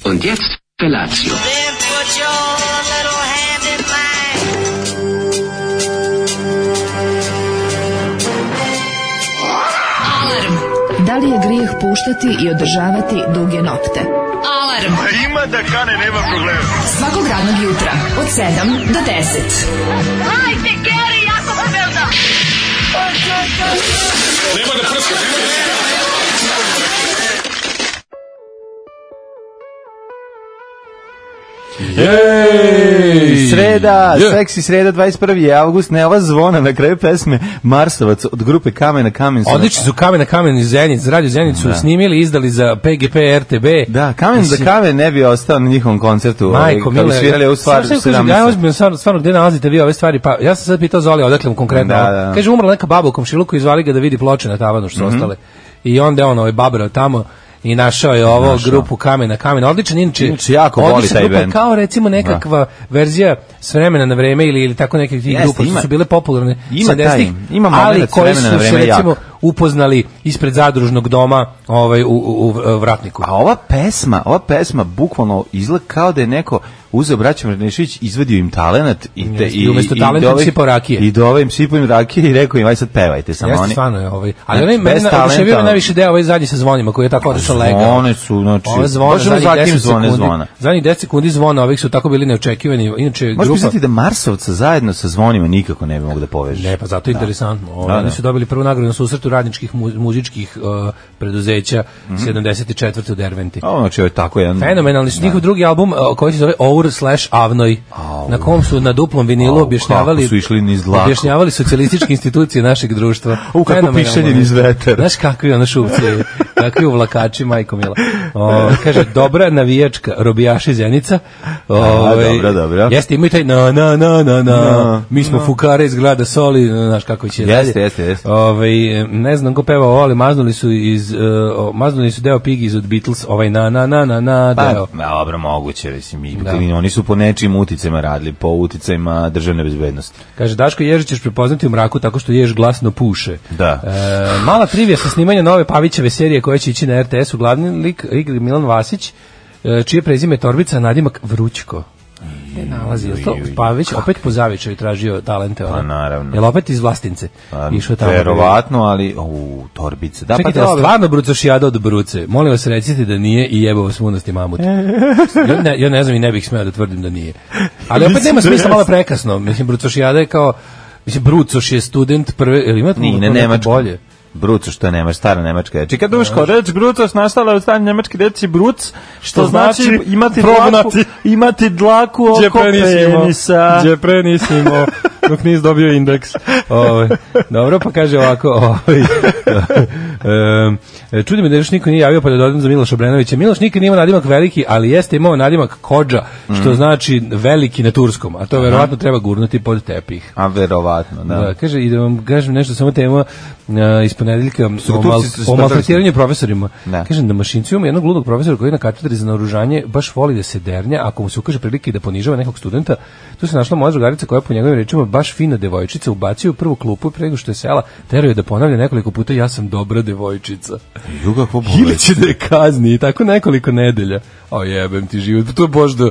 Und jetzt Felatio. Then put your little hand in mine. Alarm. Da li je grijeh puštati i održavati duge nokte? Alarm. Ima da kane, nema problema. Svakog radnog jutra od 7 do 10. Hajde, Geri, jako se velda. Nema da prska, Jej, sreda, seksi sreda, 21. avgust, ne ova zvona na kraju pesme Marsovac od grupe Kamen na kamen. Odlični su Kamen na kamen iz Zenice, Radio Zenicu snimili, izdali za PGP RTB. Da, Kamen za kamen ne bi ostao na njihovom koncertu. Majko, kad bi svirali ovu stvar 17. Ja ozbiljno, stvarno, gde nalazite vi ove stvari? Pa ja sam sad pitao Zoli, odakle mu konkretno. Da. Kaže, umrla neka baba u komšiluku i zvali ga da vidi ploče na tavanu što su ostale. I onda je on babrao tamo i našao je ovo grupu Kamen na kamen. Odličan, inače jako voli taj bend. Kao recimo nekakva verzija s vremena na vreme ili tako neke tih grupa što su bile popularne 70-ih, ali koji su se recimo upoznali ispred zadružnog doma u Vratniku. A ova pesma bukvalno izgleda kao da je neko uzeo braća Mrnešević, izvadio im talenat i umesto talenta im sipao rakije. I dove im sipao im rakije i rekao im, aj sad pevajte samo oni. Jeste, stvarno je ali onaj meni oduševio najviše deo ovaj zadnji sa zvonima koji je tako odlično legao. Zvone su, znači, možemo zatim zvona. Zadnjih 10 sekundi zvona ovih su tako bili neočekivani. Inače, grupa... Možeš misliti da Marsovca zajedno sa zvonima nikako ne bi mogu da povežeš. Ne, pa zato je interesantno. Oni su dobili prvu nagradu na susretu radničkih muzičkih preduzeća 74. u Derventi. Znači, ovo je tako jedan... Fenomenalni su njihov drugi album koji se zove Our/Avnoj, na kom su na duplom vinilu objašnjavali socijalističke institucije našeg društva. Kako pišanje niz veter. Znaš kakvi ono šupci, kakvi uvlakači, majko mila. Kaže, dobra navijačka, robijaši Zenica. Dobro. Jeste, imaju taj na. Mi smo fukare iz grada Soli, znaš kako će dalje. Jeste. Ne znam ko peva ovo, ali maznuli su deo Piggies od Beatles, na deo. Dobro, moguće, mislim, oni su po nečim uticajima radili, po uticajima državne bezbednosti. Kaže, Daško Ježić ćeš prepoznati u mraku tako što Jež glasno puše. Da. Mala trivija sa snimanja nove Pavićeve serije koja će ići na RTS-u. Glavni lik igri Milan Vasić, čije prezime je Torbica, nadimak Vrućko. Nalazi, je to Pavić opet po zavičaju tražio talente? Pa naravno. Jel opet iz Vlastince? Išao tamo. Verovatno, ali Torbice. Da, čekajte, stvarno brucošijada od bruce? Molim vas, recite da nije i jebo vas munosti mamut. Ja ne znam i ne bih smeo da tvrdim da nije. Ali opet nema smisla, malo prekasno. Mislim, brucošijada je kao... Mislim, Brucoš je student prve... Ili ima Nemačko bolje? Brucoš, što je Nemač, stara nemačka reč. Kad duško, reč Brucoš nastala od stane nemačke reči Bruc, što znači imati dlaku oko penisa. Gdje prenisimo, dok nis dobio indeks. Dobro, pa kaže ovako, čudi me da još niko nije javio pa da dodam za Miloša Obrenovića. Miloš nikad nije imao nadimak veliki, ali jeste imao nadimak Kodža, što znači veliki na turskom, a to verovatno treba gurnuti pod tepih. A verovatno, da. Kaže, i da vam kažem nešto, samo tema iz ponedeljka o maltretiranju profesorima. Kažem da Mašincu ima jednog ludog profesora koji na katedri za naoružanje baš voli da se dernja, ako mu se ukaže prilike da ponižava nekog studenta. Tu se našla moja drugarica koja po njegovim rečima baš fina devojčica, ubacio u prvu klupu pre nego što je sela, teruje da ponavlja nekoliko puta ja sam dobra devojčica. Ili će da je kazni i tako nekoliko nedelja. Jebem ti život, to je možda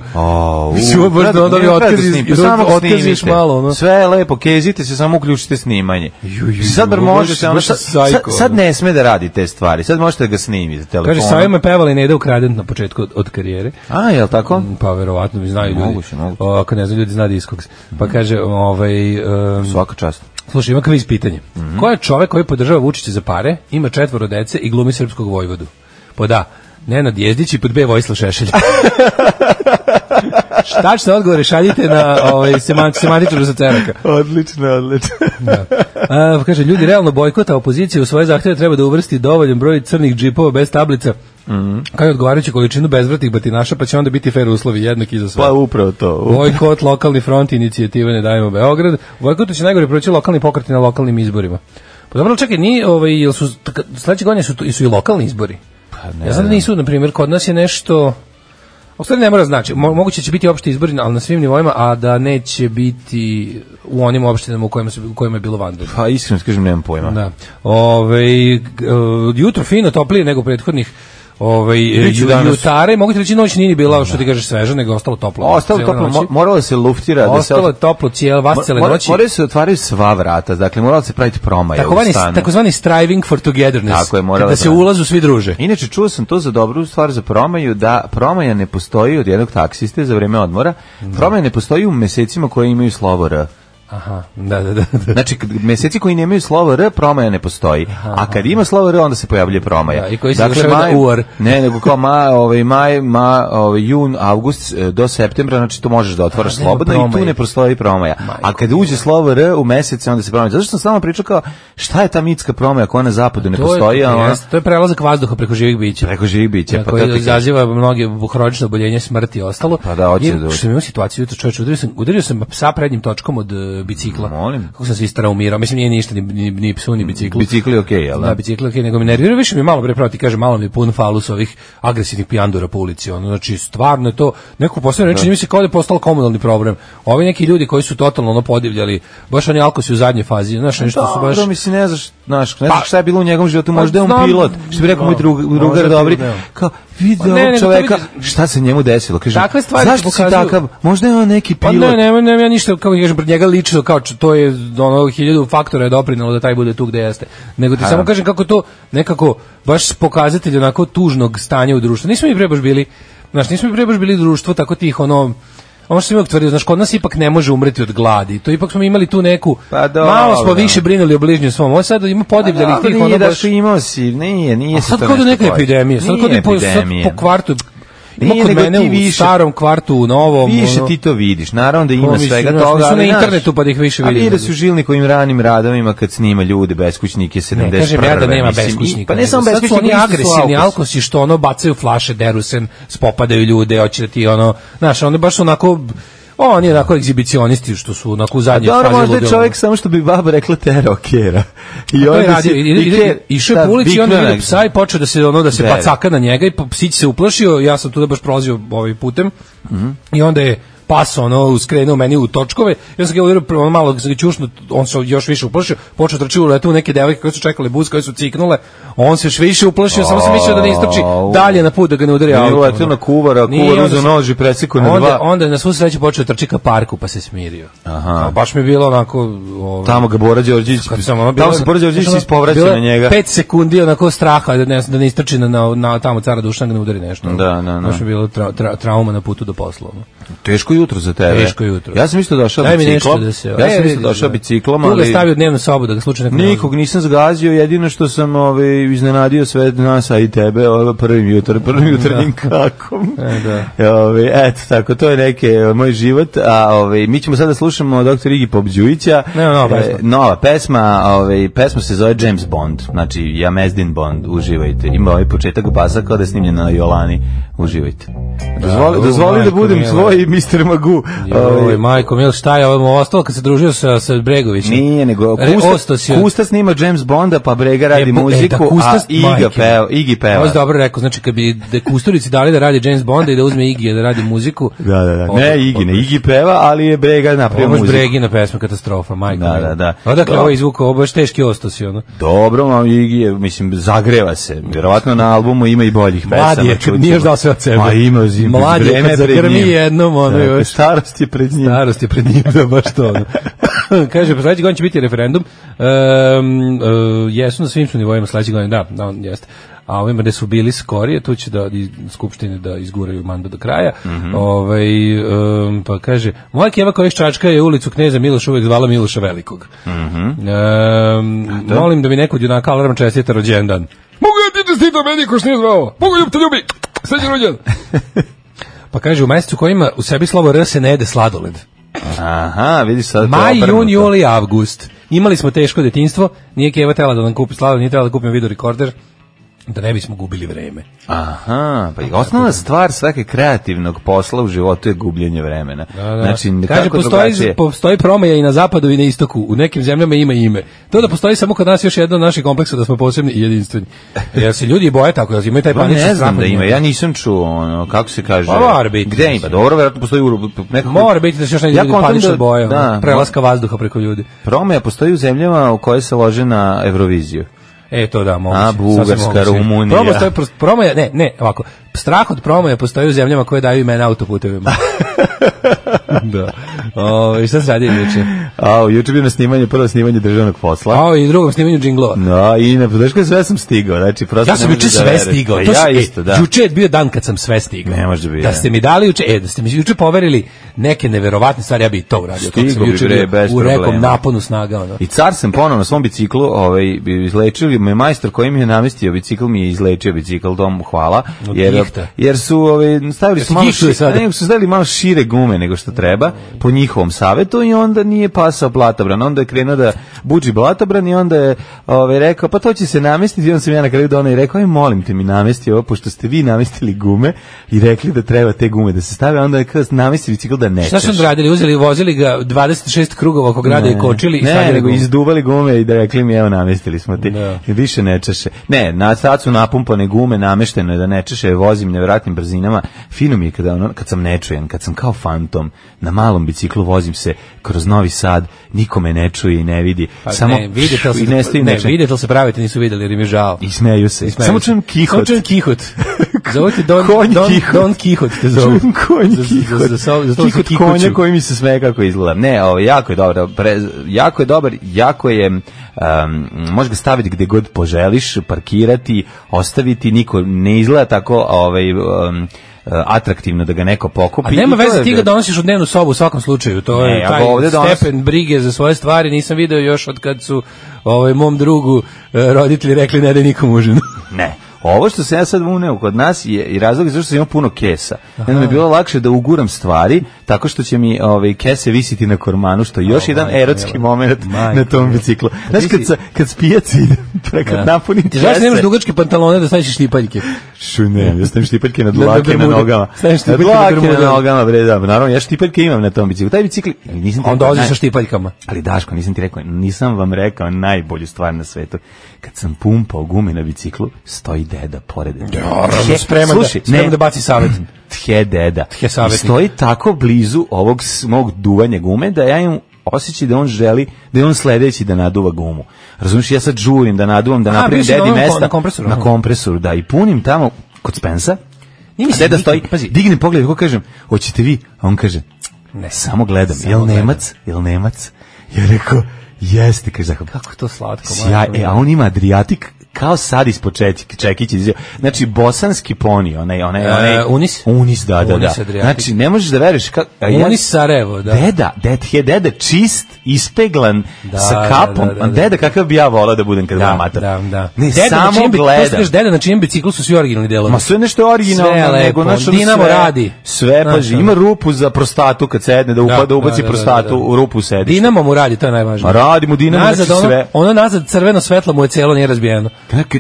možda onda vi otkaziš malo. Sve je lepo, kezite se, samo uključite snimanje. Sad ne sme da radi te stvari, sad možete da ga snimite telefonom. Kaže, Savio me pevala i Neda Ukraden na početku od karijere. Jel tako? Pa verovatno mi znaju ljudi. Moguće. Ako ne znaju ljudi, zna Discogs. Pa kaže, svaka čast. Slušaj, ima kviz pitanje. Ko je čovek koji podržava Vučića za pare, ima 4 dece i glumi srpskog vojvodu? Pod A, Nenad Jezdić i pod B, Vojislav Šešelj. Tačne odgovore šaljite na semantičaru za ceraka. Odlično. Da. Kaže, ljudi realno bojkota opozicije u svoje zahtjeve treba da uvrsti dovoljan broj crnih džipova bez tablica, kao i odgovarajuću količinu bezvratnih batinaša, pa će onda biti fair uslovi jednaki za sve. Pa upravo to. Bojkot, lokalni front, inicijativa Ne dajemo Beograd. Bojkotu će najgore proći lokalni pokreti na lokalnim izborima. Pa dobro, čekaj, jel su sledeće godine su i lokalni izbori? Ja znam da nisu, na primjer, kod nas je nešto... U stvari ne mora znači, moguće će biti opšti izbori, ali na svim nivoima, a da neće biti u onim opštinama u kojima je bilo vanredno. Pa iskreno kažem, nemam pojma. Da. Jutro fino, toplije nego prethodnih jutare, mogu ti reći noć nije bila, što ti kažeš, sveža, nego ostalo toplo. Ostalo toplo, moralo se luftira. Ostalo je toplo cele noći. Moraju se otvaraju sva vrata, dakle moralo se praviti promaja u stanu. Takozvani striving for togetherness, tako je, da se ulazu svi druže. Inače, čuo sam to za dobru stvar za promaju, da promaja ne postoji od jednog taksiste za vreme odmora, promaja ne postoji u mesecima koji imaju slovo R. Aha, da. Znači, meseci koji nemaju slovo R, promaja ne postoji. A kad ima slovo R, onda se pojavljuje promaja. Da, i koji se završava na UR. Ne, nego kao maj, jun, avgust do septembra, znači to možeš da otvaraš slobodno i tu ne postoji promaja. A kad uđe slovo R u mesec, onda se promaja. Zato što sam samo pričao kao, šta je ta mitska promaja koja na zapadu ne postoji? To je prelazak vazduha preko živih bića. Preko živih bića. Koji izaziva mnoge hronične oboljenja, smrti i ostalo. Pa da, hoće da. Što imam situaciju, čovječe, udario sam psa prednjim točkom od bicikla. Molim. Kako sam se istraumirao, mislim nije ništa, ni psu, ni biciklu. Bicikli je okej, jel da? Da, bicikli je okej, nego mi nervira, više mi malo proti, kaže, malo mi je pun falus ovih agresivnih pijandura po ulici, znači stvarno je to, neko posebno reči, njima se kao da je postalo komunalni problem. Ovi neki ljudi koji su totalno podivljali, baš oni alkosi u zadnjoj fazi, znaš, nešto su baš... Dobro, mislim, ne znaš šta je bilo u njegovom životu, možda je on pilot, što bi rekao moj drugar dobri, kao, vidi ovog čoveka, šta se njemu desilo, kaže, zašto si takav, možda je on neki pilot. Ne, ja ništa, kao kažem, pred njega lično, kao to je 1000 faktora je doprinelo da taj bude tu gde jeste. Nego ti samo kažem kako to nekako baš pokazatelj onako tužnog stanja u društvu. Nismo mi pre baš bili društvo tako tih ono što sam uvijek tvrdio, znaš, kod nas ipak ne može umreti od gladi. To ipak smo imali tu neku, malo smo više brinuli o bližnjem svom. Ovo sad ima podivljalih tih ono baš... Nije da što imao si, nije se to nešto... Sad kod neka epidemija, sad kod po kvartu... Ima kod mene u starom kvartu, u novom... Više ti to vidiš, naravno da ima svega toga, ali na internetu pa da ih više vidim. Ali da su žilnikovim ranim radovima kad snima ljude, beskućnike, 71. Ne, kažem ja da nema beskućnika. Pa ne samo beskućnika, sad su oni agresivni alkosi što ono bacaju flaše, deru se, spopadaju ljude, hoće da ti ono... Znaš, oni baš onako... On je onako egzibicionisti što su onako u zadnjoj fazi. Dobro, možda je čovjek samo što bi baba rekla terao kera. I on išao je po ulici i onda vidio psa i počeo da se pacaka na njega i psić se uplašio. Ja sam tu da baš prolazio putem i onda je pas skrenuo meni u točkove. Ja sam ga udario malo ćušno, on se još više uplašio, počeo trči u neke devojke koje su čekale bus, koje su ciknule. On se još više uplašio, samo sam mislio da ne istrči dalje na put da ga ne udari auto. Nije letio na kuvar uzeo nož i presekao na dva. Onda je na svu sreću počeo trči ka parku pa se smirio. Aha. Baš mi je bilo onako... Tamo ga Bora Đorđević, tamo se Bora Đorđević ispovraća na njega. 5 sekundi onako straha da ne istrči na tamo cara Dušana, da ne udari nešto. Da. Baš mi je bilo trauma na putu do posla. Teško jutro za tebe. Teško jutro. Ja sam isto došao biciklom. Tu ga stavio dnevnu sobu da ga slučajno nikog nisam zgazio, jedino što sam iznenadio sve nas, a i tebe prvim jutarnjim kakom. Eto, tako, to je moj život, a mi ćemo sada slušamo dr. Igi Popđujića. Nova pesma, pesma se zove James Bond, znači Jamezdin Bond, uživajte. Ima ovaj početak basa kao da je snimljen na Jolani, uživajte. Dozvoli da budem tvoj Mr. Magoo. Majko Mil, šta je ovo ostalo kad se družio sa Bregovićem? Nije, nego Kusta snima James Bonda, pa Brega radi muziku, a Igi peva. Ovo je dobro rekao, znači kad bi Kusturici dali da radi James Bonda i da uzme Igi da radi muziku. Da. Ne Igi peva, ali je Brega napravio muziku. Ovo je Bregina pesma, katastrofa, majko Mil. Da. Odakle ovo izvukao, ovo baš teški ostosi, ono. Dobro, Igi je, mislim, zagreva se. Vjerovatno na albumu ima i boljih pesama. Mladi je, nije još dao sve od sebe. Mladi je, kad zagrmi jednom, ono još. Starost je pred njim. Da, baš to. Kaže, pa sledeći godin će biti referendum. Jesu na svim su nivoima sledeći godin, da, jeste. A ovima gde su bili skorije, tu će skupštine da izguraju mandat do kraja. Pa kaže, moja keva koja iz Čačka je ulicu Kneza Miloša uvijek zvala Miloša Velikog. Molim da mi neko od junaka alarma čestita rođendan. Mogu ja ti čestita meni ko što nije zvao? Mogu ljub te ljubi, sređen rođendan. Pa kaže, u mesecu koji ima u sebi slovo R se ne jede sladoled. Aha, vidiš sad. Maj, jun, juli, avgust. Imali smo teško detinjstvo, nije Keva tela da nam kupi sladoled, nije tela da kupimo videorekorder, da ne bismo gubili vreme. Aha, pa osnovna stvar svake kreativnog posla u životu je gubljenje vremena. Da. Znači, kaže, postoji promaja i na zapadu i na istoku, u nekim zemljama ima ime. To da postoji samo kod nas još jedan od naših kompleksa da smo posebni i jedinstveni. Jer se ljudi boje tako, jer imaju taj panični strah. Ne znam da ima, ja nisam čuo, kako se kaže. Pa mora biti. Gde ima? Dobro, vjerojatno postoji nekako... Mora biti da se još neki ljudi panično boje, prelaska vazduha preko ljudi. Promaja postoji u zemljama u koje se lože na Euroviziju. To da, moguće. A, Bugarska, Rumunija. Promoja, ne, ovako. Strah od promoja postoji u zemljama koje daju imena autoputevima. Da. I šta se radi juče? Juče bio na prvo snimanje državnog posla. I drugom snimanju džinglova. Da, i na podrške sve sam stigao. Znači, prosto ja sam juče sve stigao. Ja isto, da. Juče je bio dan kad sam sve stigao. Ne može biti. Da ste mi dali juče, da ste mi juče poverili neke neverovatne stvari, ja bih to uradio. Stigo bi bre, bez u nekom naponu snaga. Ono. I car sam ponovno na svom biciklu, izlečio me majstor koji mi je namestio bicikl, mi je izlečio bicikl, dom hvala. Jer su stavili malo šire gume nego što treba, po njihovom savetu, i onda nije pasao blatobran. Onda je krenuo da budži blatobran i onda je rekao, pa to će se namestiti. I onda sam ja na kraju donao i rekao, aj molim te mi namesti ovo, pošto ste vi namestili gume i rekli da treba te gume da se stave, onda je kao namesti bicikl da nečeš. Šta su radili? Vozili ga 26 krugova oko grada i kočili i stavili nego izduvali gume i da rekli mi, evo namestili smo ti. I više nečeše. Ne, sad su napumpane gume, namešteno je da nečeše, vozim nevjerojatnim brzinama. Fino mi je kad sam nečujen, kad sam kao fantom na malom biciklu, vozim se kroz Novi Sad, nikome ne čuje i ne vidi. Pa samo vidite li se pravite, nisu videli jer im je žao. I smeju se. Samo čujem kihot. Zovite Don Kihot. Čujem konj kihot. Kihot konja koji mi se smeje kako izgleda. Ne, jako je dobro. Jako je dobar, jako je... možeš ga staviti gde god poželiš, parkirati, ostaviti, niko ne izgleda tako atraktivno da ga neko pokupi. A nema veze, ti ga donosiš u dnevnu sobu u svakom slučaju. To je taj stepen brige za svoje stvari. Nisam video još od kad su mom drugu roditelji rekli ne da nikom užinu. Ne. Ovo što se ja sad uneo kod nas je i razlog zašto sam imao puno kesa. Onda mi je bilo lakše da uguram stvari tako što će mi kese visiti na kormanu, što je još jedan erotski moment na tom biciklu. Znaš, kad s pijaci idem, kad napunim kese... Ti znaš da nemaš dugačke pantalone da staviš štipaljke? Ne, ja stavim štipaljke na dlake na nogama. Na dlake na nogama, bre, da. Naravno, ja štipaljke imam na tom biciklu. Taj bicikl... On dolazi sa štipaljkama. Ali Daško, nisam vam rekao najbolju stvar na svetu. Kad sam pumpao gume na biciklu, stoji deda pored. Spreman da baci savet. Deda. I stoji tako blizu ovog mog duvanja gume da ja imam osjećaj da on želi, da je on sledeći da naduva gumu. Razumiješ, ja sad žurim da naduvam, da napravim dedi mesta. Na kompresoru, da, i punim tamo kod Spensa. A deda stoji, dignem pogled, kako kažem, hoćete vi? A on kaže, ne, samo gledam. Jel Nemac? Ja rekao, jeste, kaže, kako to slatko. A on ima Adriatik kao sad ispod čekića. Znači, bosanski poni, onaj Unis, da. Znači, ne možeš da veriš Unis Sarajevo, da. Deda čist, ispeglan, sa kapom. Deda kakav bi ja volao da budem kad budem mater. Da. Ne, samo gledam. Deda na čijem biciklu su svi originalni delovi. Ma sve nešto originalno, nego Dinamo radi. Sve, paži, ima rupu za prostatu kad sedne, da ubaci prostatu u rupu sediš. Dinamo mu radi, to je najvažnije. Radi mu Dinamo, znači sve. Ono nazad crveno svetlo mu je celo, nije razbijeno.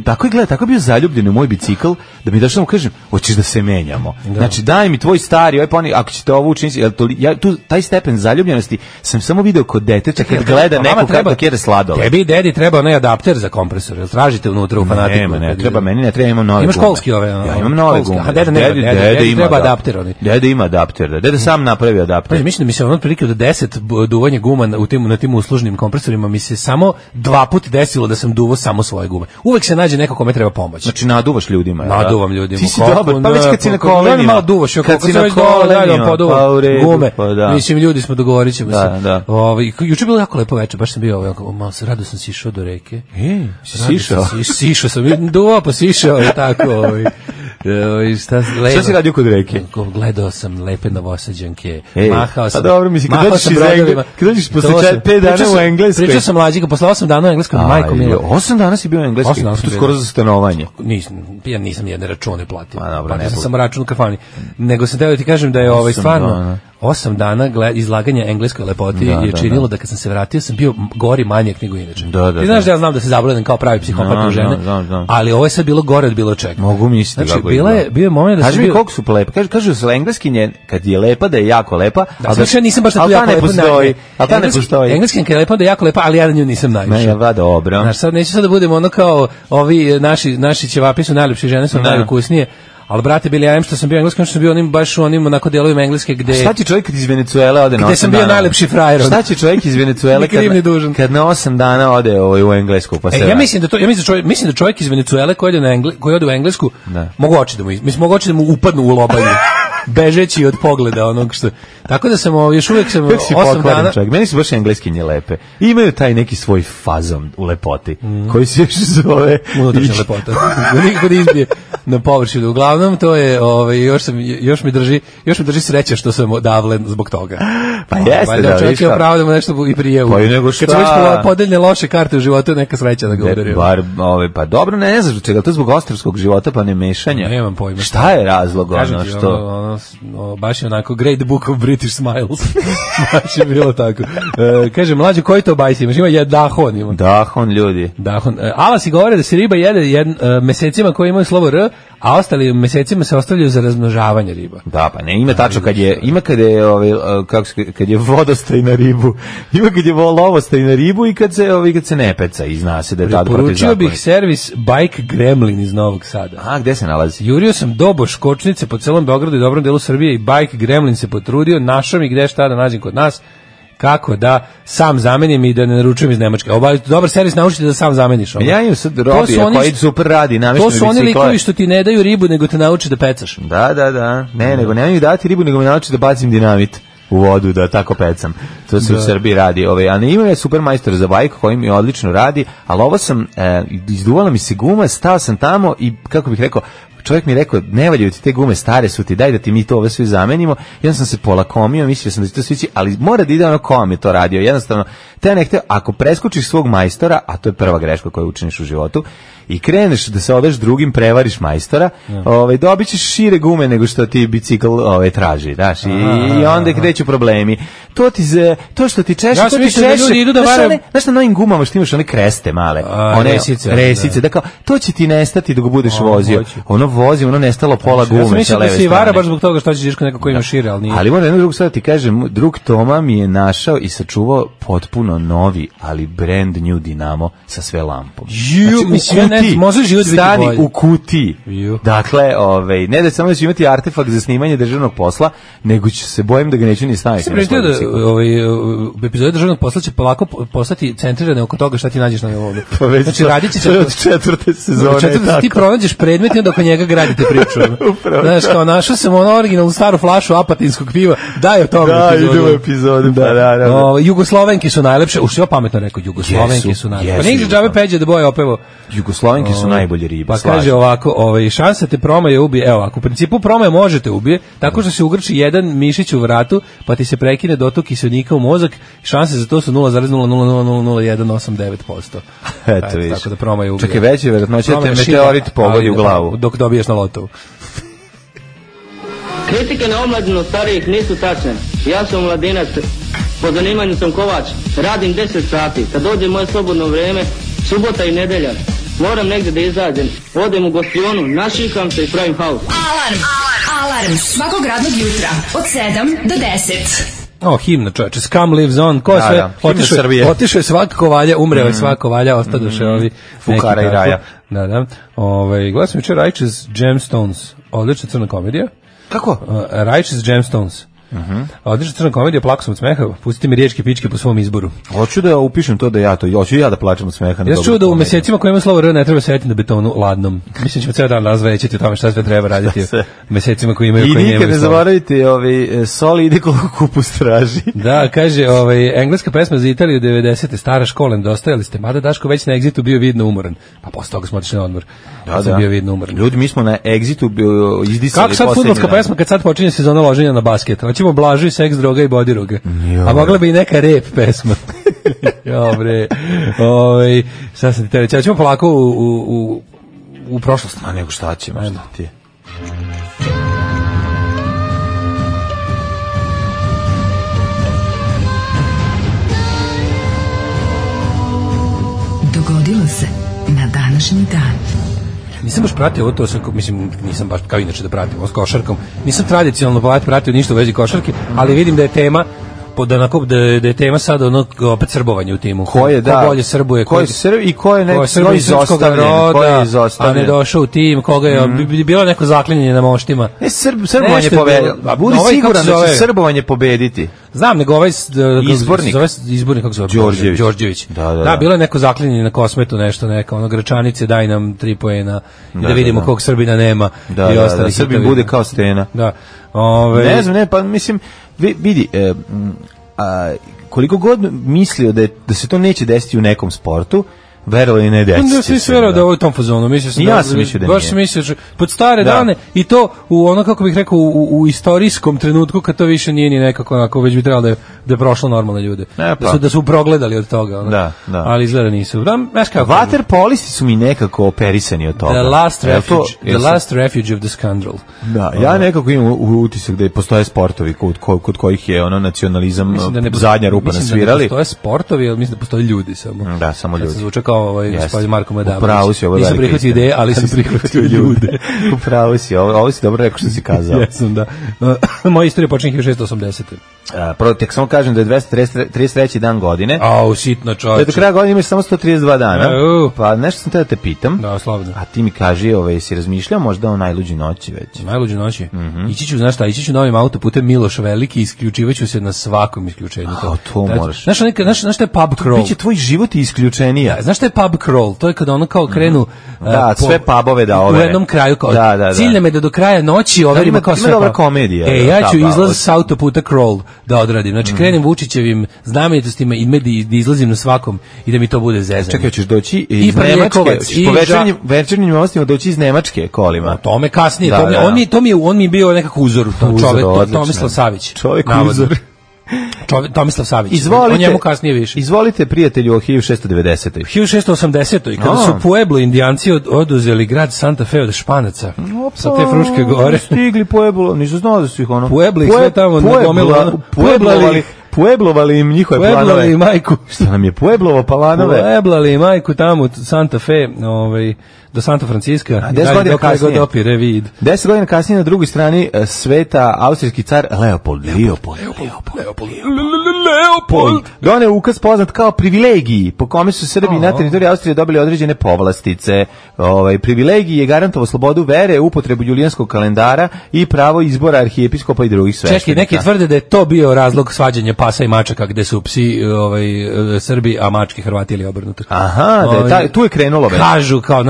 Tako je bio zaljubljen u moj bicikl, da mi došao mu kažem, hoćeš da se menjamo. Znači, daj mi tvoj stari, ako ćete ovo učiniti, taj stepen zaljubljenosti sam samo video kod deteta kad gleda neko kako kjere sladole. Tebi i dedi treba onaj adapter za kompresor, jel tražite unutra u Fanatiku? Ne treba, meni ne treba, imam nove gume. Imaš kolski ove? Ja imam nove gume. A deda treba adapter. Deda ima adapter, deda sam napravi adapter. Mislim da mi se ono otprilike od 10 duvanja guma na tim uslužnim kompresorima mi se samo 2 puta desilo da sam duvao samo svoje gume. Uvek se nađe neko kome treba pomoć. Znači naduvaš ljudima. Naduvam ljudima. Ti si dobar, pa već kad si na kolenima. Malo duvaš, kad si na kolenima, gume. Mislim, ljudi smo, dogovorit ćemo se. Juče je bilo jako lepo večer, baš sam bio malo rado sam sišao do reke. Sišao sam, duvao pa sišao i tako. Šta si radio kod reke? Gledao sam lepe Novosađanke, mahao sam. Pa dobro, mislim, kad dođeš posle 5 dana u Engleskoj. Pričao sam mlađika, posle 8 dana u Engleskoj, majko milo. 8 dana si bio u Engleskoj, to skoro za stanovanje. Ja nisam nijedne račune platio. Platio sam samo račun u kafani. Nego sam teo da ti kažem da je stvarno 8 dana izlaganja engleskoj lepoti je činilo da kad sam se vratio sam bio gori manjak nego inače. Ti znaš da ja znam da se zabledam kao pravi psihopat u žene, ali ovo je sad bilo gore od bilo čega. Mogu misliti kako je. Bio je moment da kaži mi koliko su lepe. Kažu se engleski kad je lepa da je jako lepa, ali ja nisam baš tako jako lepa. Ali ta ne postoji. Engleski kad je lepa da je jako lepa, ali ja na nju nisam najviše. Ne, dobro. Znaš, sad neću sad da budemo ono kao ovi naši ćevapi su najlepše, žene su najukusnije. Ali brate, Billy, ja što sam bio engleski, što sam bio onim baš u onim onako delovima engleske gde... Šta će čovjek iz Venecuele ode na 8 dana? Gde sam bio najlepši frajer. Šta će čovjek iz Venecuele kad na 8 dana ode u Englesku? Pa ja mislim da čovjek iz Venecuele koji ode u Englesku, mogu oči da mu upadnu u lobanju. Bežeći od pogleda onog što... Tako da sam još uvijek 8 dana... Čovjek. Meni su baš engleskinje lepe. Imaju taj neki svoj fazon u lepoti, koji se još zove... Unutrašnja lepota. Nikako da izbije na površinu. Uglavnom, to je... Još mi drži sreća što sam odavlen zbog toga. Pa jeste, da, čovjek je opravo da mu nešto i prije. Pa i nego šta? Kad su već podeljne loše karte u životu, neka sreća da ga udari. Pa dobro, ne znaš čega, to je zbog ostrvskog života, pa ne mešanja. Nemam pojma. Šta je razlog, ono što... Baš je onako Great Book of British Smiles. Baš je bilo tako. Kaže, mlađe, koji to bajs imaš? Ima Dahon. Ima. Dahon, ljudi. Dahon. Alasi govore da se riba jede mesecima koji imaju slovo R, a ostali mesecima se ostavljaju za razmnožavanje riba. Da, pa ne, ima tačno kad je vodostaj na ribu. Ima kad je lovostaj na ribu i kad se ne peca i zna se da je tad protivzakonit. Poručio bih servis Bike Gremlin iz Novog Sada. A, gde se nalazi? Jurio sam do Boškočnice po celom Beogradu i dobrom delu Srbije i Bike Gremlin se potrudio, našao mi gde šta da nađem kod nas, kako da sam zamenim i da ne naručujem iz Nemačke. Dobar servis naučite da sam zameniš. Ja imam sad robija koji super radi, namešten bicikle. To su oni likovi što ti ne daju ribu, nego te nauče da pecaš. Da. Nego nemaju mi dati ribu, nego me nauči da bacim dinamit u vodu, da tako pecam. To se u Srbiji radi. A ne imam je super majstor za bajk koji mi odlično radi, ali ovo sam, izduvala mi se guma, stao sam tamo i, kako bih rekao, čovjek mi je rekao, ne valjaju ti te gume, stare su ti, daj da ti mi to ove sve zamenimo. Ja sam se polakomio, mislio sam da će to svići, ali mora da ide ono ko vam je to radio. Jednostavno, te ne hteo, ako preskočiš svog majstora, a to je prva greška koju učiniš u životu, i kreneš da se odeš drugim, prevariš majstora, dobit ćeš šire gume nego što ti bicikl traži, daš, i onda kreću problemi. To što ti češe, ja to ti češe. Znaš na novim gumama što imaš one kreste male, one resice, da kao, to će ti nestati dok budeš vozio. Ono vozi, ono nestalo pola gume. Ja sam mislim da se i vara baš zbog toga što ćeš neko ko ima šire, ali nije. Ali moram jednu drugu stvar ti kažem, drug Toma mi je našao i sačuvao potpuno novi, ali brand new Dinamo sa sve lampom. Stani u kutiji. Dakle, ne da samo da će imati artefakt za snimanje državnog posla, nego će se bojim da ga neću ni staviti. Epizode državnog posla će polako postati centrirane oko toga šta ti nađeš na ovom. Znači, radit će od 4. sezone. Ti pronađeš predmet i onda oko njega gradite priču. Znaš, kao našao sam originalnu staru flašu apatinskog piva, daj o tome epizodu. Da, idemo epizodu, da. Jugoslovenki su najlepše, uš ja pametno rekao, Jugoslovenki su najlepše. Pa nije džabe Peđe da boje opevo. Jugoslovenki su najbolje ribe. Pa kaže ovako, šansa te promaje ubije, evo, ako u principu promaje možete ubije, tako što se ugrči jedan mišić u vratu, pa ti se prekine dotok kiselnika u mozak, šanse za to su 0,0000189%. Eto vidiš. Tako da promaje ubije. Čekaj, veće verovatnoće te meteorit pogodi u glavu. Dok dobiješ na lotovu. Kritike na omladinu starijih nisu tačne. Ja sam mladinac, po zanimanju sam kovač, radim 10 sati, kad dođe moje slobodno vrijeme, subota i nedelja, moram negdje da izađem, odem u gostionu, našikam se i pravim haus. Alarm svakog radnog jutra od 7 do 10. Himna, čoveče, Scum Lives On, ko sve, otišao je svaka kovalja, umreo je svaka kovalja, ostadoše ovi Fukara i Raja. Da. Gledam sam jučer Righteous Gemstones, odlična crna komedija. Kako? Righteous Gemstones. Odlična crna komedija, plako sam od smeha, pustite mi riječke pičke po svom izboru. Hoću da upišem to da hoću ja da plačem od smeha. Ja čuo da u mesecima koji imaju slovo R ne treba sedeti na betonu ladnom. Mislim ćemo ceo dan razvećati o tome šta sve treba raditi u mesecima koji imaju. I nikad ne zaboravite, soli ide koliko kupus traži. Da, kaže, engleska pesma za Italiju 90. stara škola, nedostajali ste, mada Daško već na Exitu bio vidno umoran. Pa posle toga smo otišli na odmor. Da, sam bio vidno umoran. Ljudi, mi smo na Exitu izdisali. Kako sad fudbalska pesma kad sad počinje sezona loženja na basket? Hoćemo Blažu i seks, droga i bodiruga. A mogla bi i neka rap pesma. Dobre. Sad sam ti te reći, ćemo polako u prošlost. A nego šta ćemo, šta ti? Dogodilo se na današnji dan. Nisam baš pratio ovo, nisam baš kao inače da pratim ovo s košarkom. Nisam tradicionalno pratio ništa u vezi košarke, ali vidim da je tema da je tema sad opet srbovanje u timu. Ko je, ko bolje srbuje, ko je Srb i ko je neko izostavljen, a ne došao u tim, koga je bilo neko zaklinjanje na moštima. Srbovanje pobediti. Budi siguran da će srbovanje pobediti. Znam, nego izbornik kako se zove? Đorđević. Da, bilo je neko zaklinjanje na Kosmetu, nešto, neka Gračanice, daj nam 3 poena i da vidimo kog Srbina nema i ostali. Da Srbin bude kao Stena. Da. Ne znam, pa mislim, vidi, koliko god mislio da se to neće desiti u nekom sportu, verovali ne desiti. Da se sve da ovo u tom fazonu, ja sam mislio da baš mislio pod stare dane i to u ono kako bih rekao u istorijskom trenutku kad to više nije ni nekako onako, već bi trebalo da je prošlo normalne ljude. Da su progledali od toga, ono. Da. Ali izgleda nisu. Vaterpolisti su mi nekako operisani od toga. The last refuge of the scandal. Da, ja nekako imam utisak da postoje sportovi kod kojih je ono nacionalizam zadnja rupa nasvirali. Mislim da ne postoje sportovi, ali mislim da postoje ljudi samo. Da, samo ljudi. Gospodin Marko Madamović. Upravo si, ovo je nisam prihvatio ideje, ali sam prihvatio ljude. Upravo si, ovo si dobro rekao što si kazao. Jesam, da. Moja istorija počinje 1680. Prvo, tek samo kažem da je 233. dan godine. Sitno čovječe. Da do kraja godine imaš samo 132 dana. Pa nešto sam te da te pitam. Da, slobodno. A ti mi kaži, si razmišljao možda o najluđi noći već? Najluđi noći? Ići ću novim autoputem Miloš Veliki i isključivaću se na svakom isključenju. To moraš. Znaš što je pub crawl? Biće tvoj život isključenija. Znaš što je pub crawl? To je kada ono kao krenu sve pubove da overe. U jednom kraju kao cilj nam je da do kraja noći overimo kao sve. Ima dobra komedija. Ja ću izlaz s autoputa crawl da odradim. Znači krenem Vučićevim znamenitostima i da izlazim na svakom i da mi to bude zezanje. Čekaj, ćeš doći iz Nemačke, po večernjim novostima doći iz Nemačke kolima. To me kasnije, on mi je bio nekako uzor, Tomislav Savić. Čovjek uzor. Tomislav Savić. Izvolite, njemu kasnije više. Izvolite, prijatelju, o 1690. 1680. Kada su Pueblo indijanci oduzeli grad Santa Fe od Španaca sa te Fruške gore. Stigli Pueblo, nisu znao da su ih ono. Pueblo ih sve tamo nagomilo. Pueblovali im njihove planove. Pueblovali i majku. Što nam je Pueblovo planove? Pueblovali i majku tamo Santa Fe, do Santa Francisca. 10 godina kasnije. Dopire vid. 10 godina kasnije na drugoj strani sveta austrijski car Leopold doneo ukaz poznat kao privilegiji, po kome su Srbi na teritoriji Austrije dobili određene povlastice. Privilegiji je garantovao slobodu vere, upotrebu julijanskog kalendara i pravo izbora arhijepiskopa i drugih sveštenika. Čekaj, neki tvrde da je to bio razlog svađanja pasa i mačaka, gde su psi Srbi, a mački Hrvati ili obrnuto. Aha, tu je krenulo već. Kažu kao,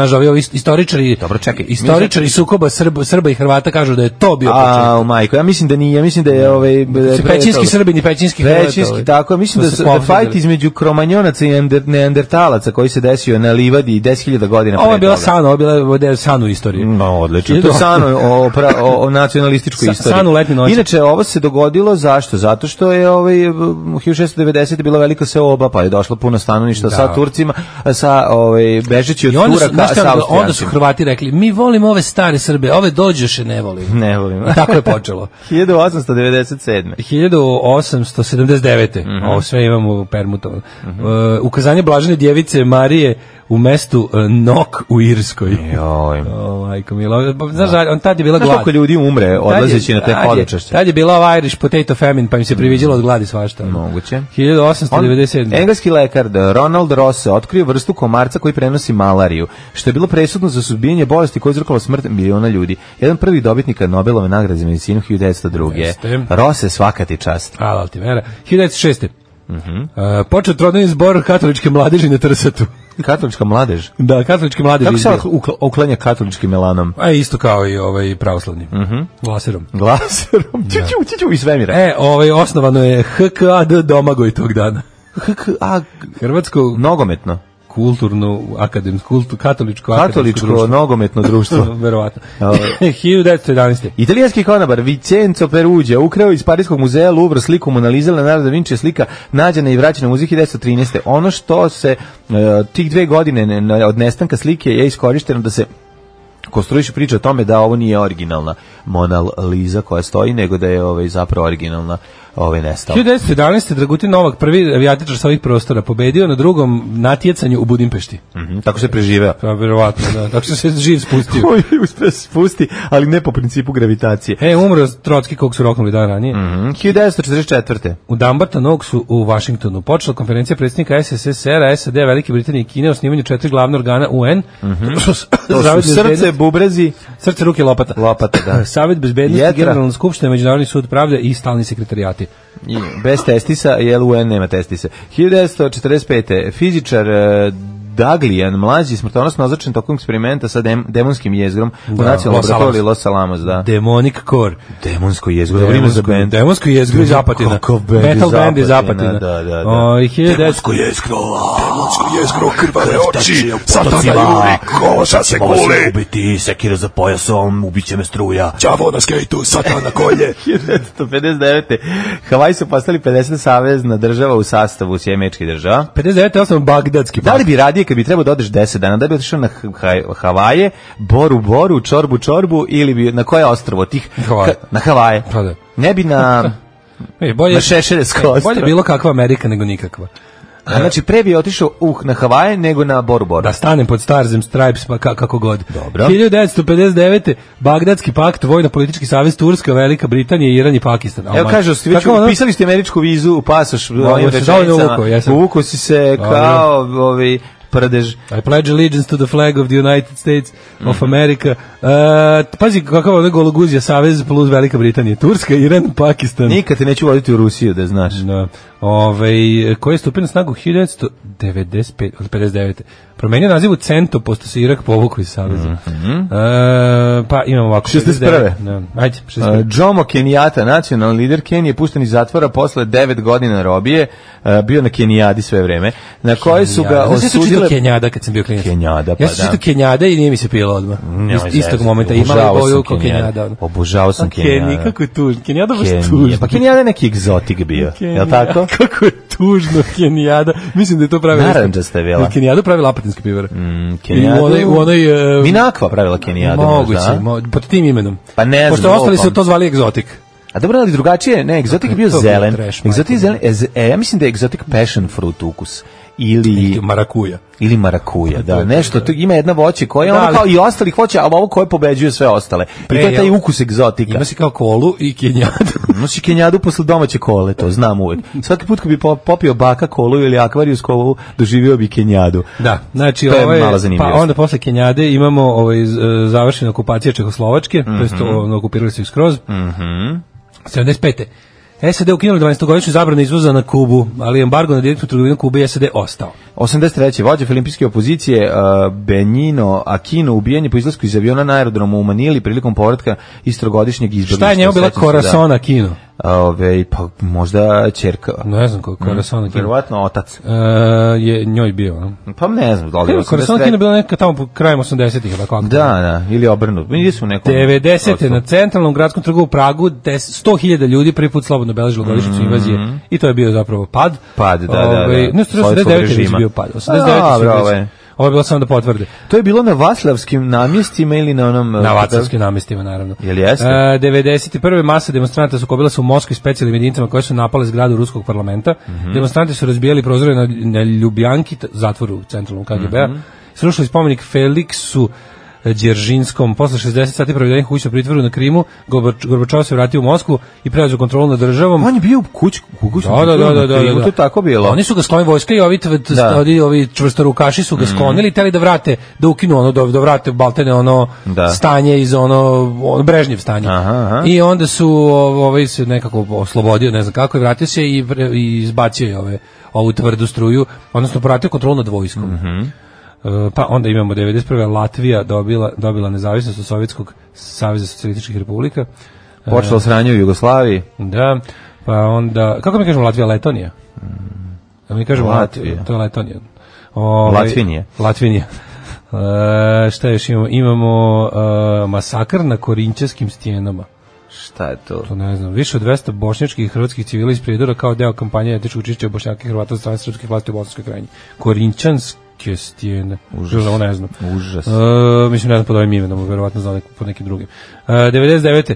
istoričari sukoba Srba i Hrvata kažu da je to bio početak. Majko, ja mislim da nije, ja mislim da je pećinski Srbi i pećinski Hrvati. Tako, mislim da fajt između Kromanjonaca i Neandertalaca koji se desio na livadi 10.000 godina pre toga. Ovo je bila Sanu istorija. No, odlično. To je Sanu o nacionalističkoj istoriji. Sanu letnje noći. Inače, ovo se dogodilo zašto? Zato što je 1690 bila velika seoba, pa je došlo puno stanovništva sa Turcima, sa bežeći od Turaka. Onda su Hrvati rekli, mi volimo ove stare Srbe, ove dođoše ne volimo. Ne volimo. I tako je počelo. 1897. 1879. Ovo sve imamo permutovano. Ukazanje blažene djevice Marije u mestu Nok u Irskoj. Majko milo. Znaš, tad je bila glad. Koliko ljudi umre odlazeći na te hodočašće? Tad je bila Irish potato famine, pa im se priviđalo od gladi svašta. Moguće. 1897. Engleski lekar Ronald Ross otkrio vrstu komarca koji prenosi malariju, što je bilo presudno za suzbijanje bolesti koja je uzrokovala smrt miliona ljudi. Jedan prvi dobitnika Nobelove nagrade za medicinu 1902. Ross, svaka ti čast. Hvala ti vera. 1906. Počeo trodnevni zbor katoličke mladeži na Trsatu. Katolička mladež? Da, katolički mladež. Kako se uklanja katoličkim melanom? Isto kao i pravoslavni. Glaserom. Ću i svemira. Osnovano je HKAD Domagoj tog dana. Hrvatsko nogometno. Kulturno, katoličko nogometno društvo. Verovatno. 1911. Italijanski konobar Vincenzo Perugia ukrao iz Parijskog muzeja Louvre sliku Mona Lisa, Leonardo da Vinci, slika nađena i vraćena u muzej 1913. Ono što se tih 2 godine od nestanka slike je iskorišteno da se konstruiše priča o tome da ovo nije originalna Mona Lisa koja stoji, nego da je zapravo originalna nestala. 1911. Dragutin Novak, prvi avijatičar sa ovih prostora, pobedio na drugom natjecanju u Budimpešti. Tako se preživeo. Pa verovatno, da. Tako se živ spustio. Uspeo se spusti, ali ne po principu gravitacije. Umro Trotski kog su roknuli dan ranije. 1944. U Dumbarton Oaksu u Vašingtonu počela konferencija predsjednika SSSR-a, SAD, Velike Britanije i Kine o osnivanju 4 glavna organa UN. To su srce, bubrezi, srce, ruke, lopata. Lopata, da. Savjet bezbednosti, Generalna skupština, Međunarodni sud pravde i stalni sekretarijati. Bez testisa, jer UN nema testisa. 1945. Fizičar Daglian, mlađi, smrtonosno označen tokom eksperimenta sa demonskim jezgrom u nacionalnom laboratoriju Los Alamos, da. Demonic Core. Demonsko jezgro, dobro ime za band. Demonsko jezgro iz Apatina. Metal band iz Apatina. Da. Demonsko jezgro, krvave oči, satana juri, koša se kuli. Ubiti, sekira za pojasom, ubiće me struja. Đavo na skejtu, satana kolje. 1959. Havaji su postali 50 savezna država u sastavu Sjemečkih država. 59. osnovan Bagdadski pakt. Da li bi radije kad bi trebao da odeš 10 dana, da bi otišao na Havaje, Boru, Čorbu ili bi na koje ostrvo tih? Na Havaje. Pa da. Ne bi na Šešeljesko ostrvo. Bolje bilo kakva Amerika nego nikakva. Znači, pre bi otišao na Havaje nego na Boru. Da stanem pod Starzem Stripes, pa kako god. Dobro. 1959. Bagdadski pakt, vojno-politički savez Turska, Velika Britanija, Iran i Pakistan. Evo kažu, pisali ste američku vizu u pasoš ovim rečenicama. Uvuko si se kao prdež. I pledge allegiance to the flag of the United States of America. Pazi kakav je gologuzija savez plus Velika Britanija. Turska, Iran, Pakistan. Nikad te neću voditi u Rusiju, da znaš. Da. Koji je stupio na snagu 1959. Promenio naziv u Cento, posto se Irak povukao iz saveza. Pa imamo ovako. 61. Ajde, 61. Jomo Kenyatta, nacionalni lider Kenije, pušten iz zatvora posle 9 godina robije, bio na Kenijadi sve vreme, na koje su ga osudile... Kenjada kad sam bio klinac. Kenjada, pa ja sam čitao Kenjada i nije mi se pilo odmah. Istog momenta imali boju kao Kenjada. Obožavao sam Kenjada. Kako je tužno. Kenjada baš tužno. Pa Kenjada je neki egzotik bio, je li tako? Kako je tužno Kenjada. Mislim da je to pravila. Naranđasta je bila. Kenjada pravila apatinski pivar. Kenjadu... U onoj... Minakva pravila Kenjadu. Moguće, pod tim imenom. Pa ne znam. Pošto ostali su to zvali egzotik. A dobro, ali drugačije, ne, egzotik je bio zelen. Egzotik zelen, ja mislim da je egzotik passion fruit ukus. Ili marakuja, da, nešto, tu ima jedna voće koja je ono kao i ostalih voća, ali ovo koje pobeđuje sve ostale. I to je taj ukus egzotika. Ima si kao kolu i kenjadu. Nosi kenjadu posle domaće kole, to znam uvek. Svaki put kad bi popio baka kolu ili akvarijus kolu, doživio bi kenjadu. Da, znači pa onda posle kenjade imamo završena okupacija Čehoslovačke, to jest okupirali su ih skroz. 75. SAD ukinuli 12-godišnju zabranu izvoza na Kubu, ali embargo na direktnu trgovinu Kube i SAD ostao. 83. vođa filimpijske opozicije Benigno Aquino ubijen je po izlasku iz aviona na aerodromu u Manili prilikom povratka iz trogodišnjeg izbjeglištva. Šta je njemu bila Corazon Aquino? Pa možda ćerka. Ne znam kako Corazon Aquino. Verovatno otac. Je njoj bio. Pa ne znam. Corazon Aquino bila neka tamo krajem 80-ih. Da, ili obrnuto. 90. na centralnom gradskom trgu u Pragu 100.000 ljudi prvi put slobodno beležilo godišnjicu invazije i to je bio zapravo pad. Pad, da. Ne, 89. je bio pad. 89. Ovo je bilo samo da potvrde. To je bilo na Vaslavskim namjestima ili na onom... Na Vaslavskim namjestima, naravno. Jel jeste? 91. masa demonstranta sukobila se u Moskvi specijalnim jedinicama koje su napale zgradu Ruskog parlamenta. Demonstranti su razbijali prozore na Ljubljanki, zatvoru centralnom KGB-a. Srušili spomenik Feliksu Đeržinskom. Posle 60 sati provedenih u kućnom pritvoru na Krimu, Gorbačov se vratio u Moskvu i preuzeo kontrolu nad državom. On je bio u kućnom pritvoru na Krimu, to je tako bilo. Oni su ga sklonili vojska i ovi čvrstorukaši su ga sklonili, teli da vrate, da ukinu ono, da vrate baltene ono stanje iz ono Brežnjev stanje. I onda su se nekako oslobodio, ne znam kako, i vratio se i izbacio ovu tvrdu struju, odnosno povratio kontrolu nad vojskom. Pa onda imamo 91. Latvija dobila nezavisnost od Sovjetskog saveza socijalističkih republika. Počelo sranje u Jugoslaviji. Da, pa onda, kako mi kažemo Latvija, Letonija? Mi kažemo Latvija. To je Letonija. Latvinija. Šta još imamo? Imamo masakr na Korinčanskim stijenama. Šta je to? To ne znam. Više od 200 bošnjačkih i hrvatskih civila iz Prijedora kao deo kampanje etičkog čišćenja Bošnjaka i Hrvata od strane srpskih vlasti u Bosanskoj krajini. Korinčanski Kestijene. Užas. Ovo ne znam. Užas. Mislim, ne znam pod ovim imenom, verovatno znam pod nekim drugim. 99.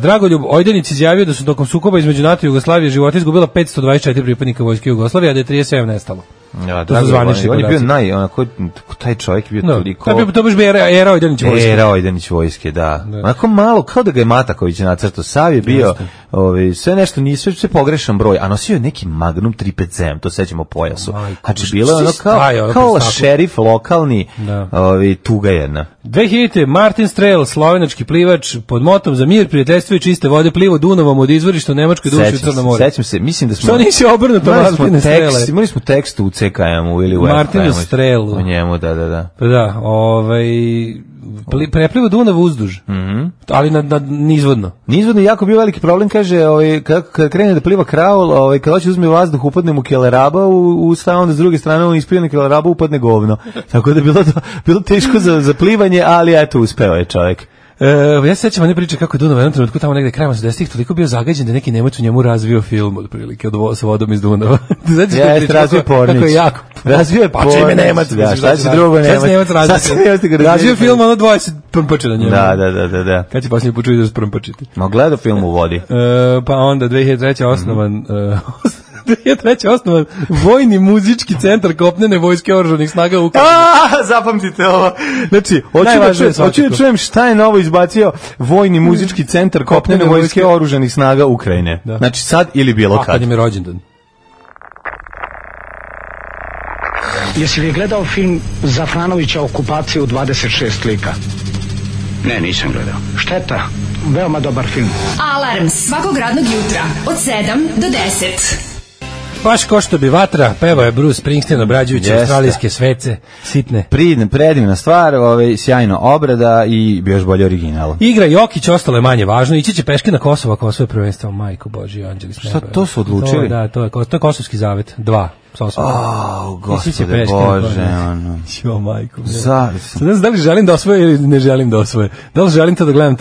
Dragoljub Ojdanić izjavio da su tokom sukoba između NATO i Jugoslavije života izgubila 524 pripadnika vojske Jugoslavije, a da je 37 nestalo. Ja, to su zvanični podaci. On je bio onako, taj čovjek je bio toliko... To baš bi era Ojdanić vojske. Era Ojdanić vojske, da. Onako malo, kao da ga je Mataković nacrtao. Sav je bio, sve nešto, sve pogrešan broj, a nosio je neki Magnum 357, to sećamo pojasu. Znači, bilo je ono kao šerif lokalni, tuga jedna. 2000. Martin Strel, slovenački plivač, pod motom za mir, prijateljstvo i čiste vode, plivo Dunavom od izvorišta u Nemačkoj duši u Crnom moru. Sećam se, mislim da smo... Što nisi obrnuto Martine Strele? Imali smo tekst u CKM-u ili u Martinu Strelu. U njemu, da. Da, prepliva Dunav uzduž, ali nizvodno. Nizvodno jako bio veliki problem, kaže, kada krene da pliva kraul, kada hoće uzme vazduh, upadne mu keleraba u stav, onda s druge strane on ispijene keleraba, upadne govno. Tako da je bilo teško za plivanje, ali eto, uspeo je čovjek. Ja se sećam one priče kako je Dunav u jednom trenutku tamo negde krajem 80-ih toliko bio zagađen da neki Nemac u njemu razvio film otprilike sa vodom iz Dunava. Jeste, razvio Pornić. Kako je jako. Razvio je Pornić. Pa čime Nemac? Šta će drugo Nemac? Razvio film, ono 20 prmpače na njemu. Da. Kad će posljednji počuti da su prmpačiti? Ma gledao film u vodi. Pa onda 2003. osnovan... 2003. osnovan Vojni muzički centar kopnene vojske oružanih snaga Ukrajine. Zapamtite ovo. Znači, hoću da čujem šta je novo izbacio Vojni muzički centar kopnene vojske oružanih snaga Ukrajine. Da. Znači, sad ili bilo kad. Kad im je rođendan. Jesi li gledao film Zafranovića Okupacija u 26 lika? Ne, nisam gledao. Šteta, veoma dobar film. Alarm svakog radnog jutra od 7 do 10. Baš ko što bi vatra, peva je Bruce Springsteen obrađujući australijske svece, sitne. Predivna stvar, sjajno obrada i još bolje original. Igra Jokić, ostalo je manje važno, ići će peške na Kosovo ako osvoje prvenstvo, majko Boži, anđeli s neba. Šta to su odlučili? To je Kosovski zavet, 2. Gospode Bože, ono. Jo, majko. Ne znam da li želim da osvoje ili ne želim da osvoje. Da li želim to da gledam,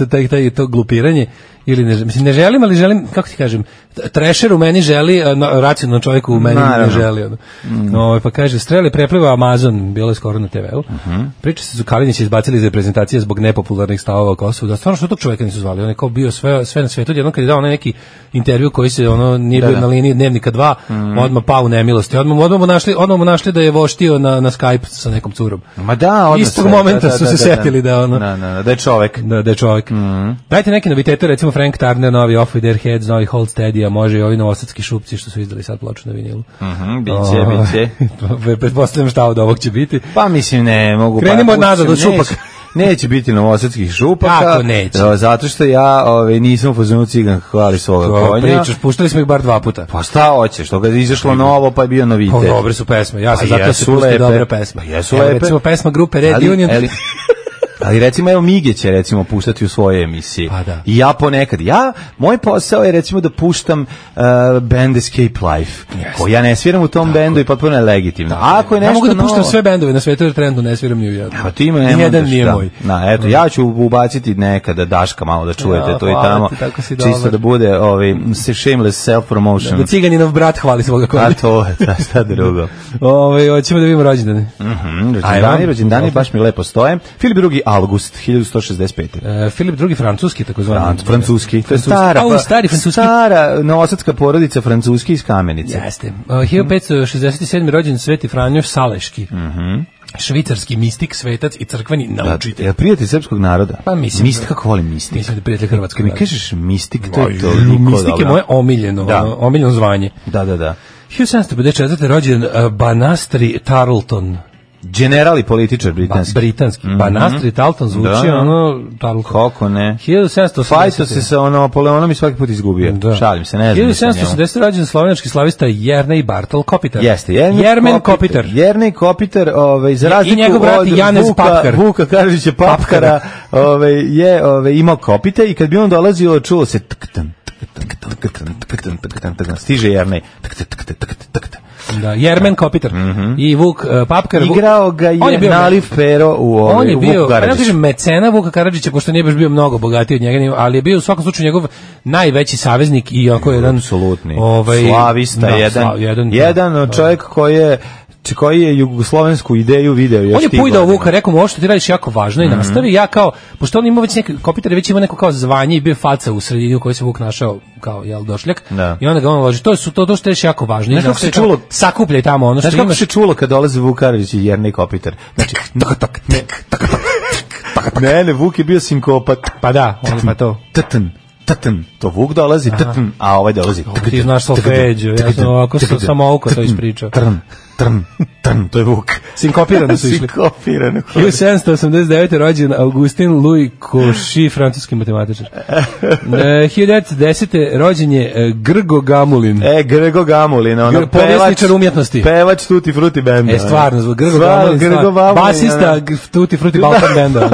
to glupiranje, ili ne želim, ali želim, kako ti kažem, trešer u meni želi, racionalno čovjek u meni ne želi. Pa kaže, Streli prepliva Amazon, bilo je skoro na TV-u. Priča se su Kalinić izbacili iz reprezentacije zbog nepopularnih stavova o Kosovu. Da stvarno što tog čovjeka nisu zvali, on je kao bio sve na svetu. Jednom kad je dao neki intervju koji se nije bio na liniji Dnevnika 2, odmah pao u nemilosti. Odmah mu našli da je voštio na Skype sa nekom curom. Ma da, istog momenta su se setili da da je čovjek. Da je čovjek. Dajte neke novitete, recimo Frank Turner, novi Off With Their Heads, novi Hold Steady, a može i ovi novosadski šupci što su izdali sad ploču na vinilu. Biće. Pretpostavljam šta od ovog će biti. Pa mislim ne mogu. Krenimo od nazad od šupaka. Neće biti novosadskih šupaka. Kako neće? Zato što ja nisam u fazonu cigan hvali svoga konja. Pričaš, puštali smo ih bar 2 puta. Pa šta hoćeš, što ga je izašlo novo pa je bio novitet. Dobre su pesme, ja sam zato se pusti dobre pesme. Jesu lepe. Recimo pesma grupe Red Union. Ali recimo, evo Mige će recimo puštati u svoje emisije. I ja ponekad, moj posao je recimo da puštam band Escape Life. Ko ja ne sviram u tom bendu i potpuno je legitimno. Ako je nešto mogu da puštam sve bendove na svetu jer trenutno ne sviram ni u jednom. Nijedan nije moj. Eto, ja ću ubaciti nekada Daška malo da čujete to i tamo. Čisto da bude shameless self-promotion. Da Ciganinov brat hvali svoga konja. A to je, šta drugo. Hoćemo da vidimo rođendane. Rođendani baš mi lepo stoje. Filip II. August 1165. Filip II. Francuski, takozvani. Francuski. To je stara novosadska porodica Francuski iz Kamenice. Jeste. 1567. rođen Sveti Franjo Saleški. Švicarski mistik, svetac i crkveni naučitelj. Je prijatelj srpskog naroda? Pa mislim. Mistik, kako volim mistik? Mislim da je prijatelj hrvatskog naroda. Mi kažeš mistik, to je toliko dobro. Mistik je moje omiljeno zvanje. Da. 1754. rođen Banastri Tarleton. General i političar britanski. Banastri Tarleton zvuči Tarleton. Kako ne? 1780. Fajto se sa Napoleonom i svaki put izgubio. Šalim se, ne znam. 1780. rođen slovenački slavista Jernej Bartol Kopitar. Jeste, Jermen Kopitar. Jernej Kopitar, za razliku od Vuka Karadžića Papkara, je imao kopite i kad bi on dolazio, čulo se stiže Jernej. Da, Jermen Kopitar i Vuk Papkar. Igrao ga je Naliv Pero u Vuku Karadžića. On je bio, pa ne kažem mecena Vuka Karadžića, pošto nije baš bio mnogo bogatiji od njega, ali je bio u svakom slučaju njegov najveći saveznik i ako jedan apsolutni slavista, jedan čovjek koji je koji je jugoslovensku ideju video još. On je pujdao Vuka, rekao mu, ovo što ti radiš jako važno i nastavi. Ja kao, pošto on ima već neki Kopitar, već ima neko kao zvanje i bio faca u sredini u kojoj se Vuk našao kao došljak. I onda ga on loži, to što radiš jako važno. Znaš kako se čulo? Sakupljaj tamo ono što imaš. Znaš kako se čulo kad dolaze Vukarević i Jernej Kopitar? Znači, ne, Vuk je bio sinkopat. Pa da, on pa to. To Vuk dolazi, a ovaj dolazi. Ti znaš solfeđu, ja sam ovako samo oko to ispričao. To je Vuk. Sinkopirano su išli. 1789. rođen Augustin Louis Cauchy, francuski matematičar. 1910. rođen je Grgo Gamulin. Grgo Gamulin, ono povjesničar umjetnosti. Pevač Tutti Frutti benda. Stvarno, Grgo Gamulin. Basista Tutti Frutti Balkan benda.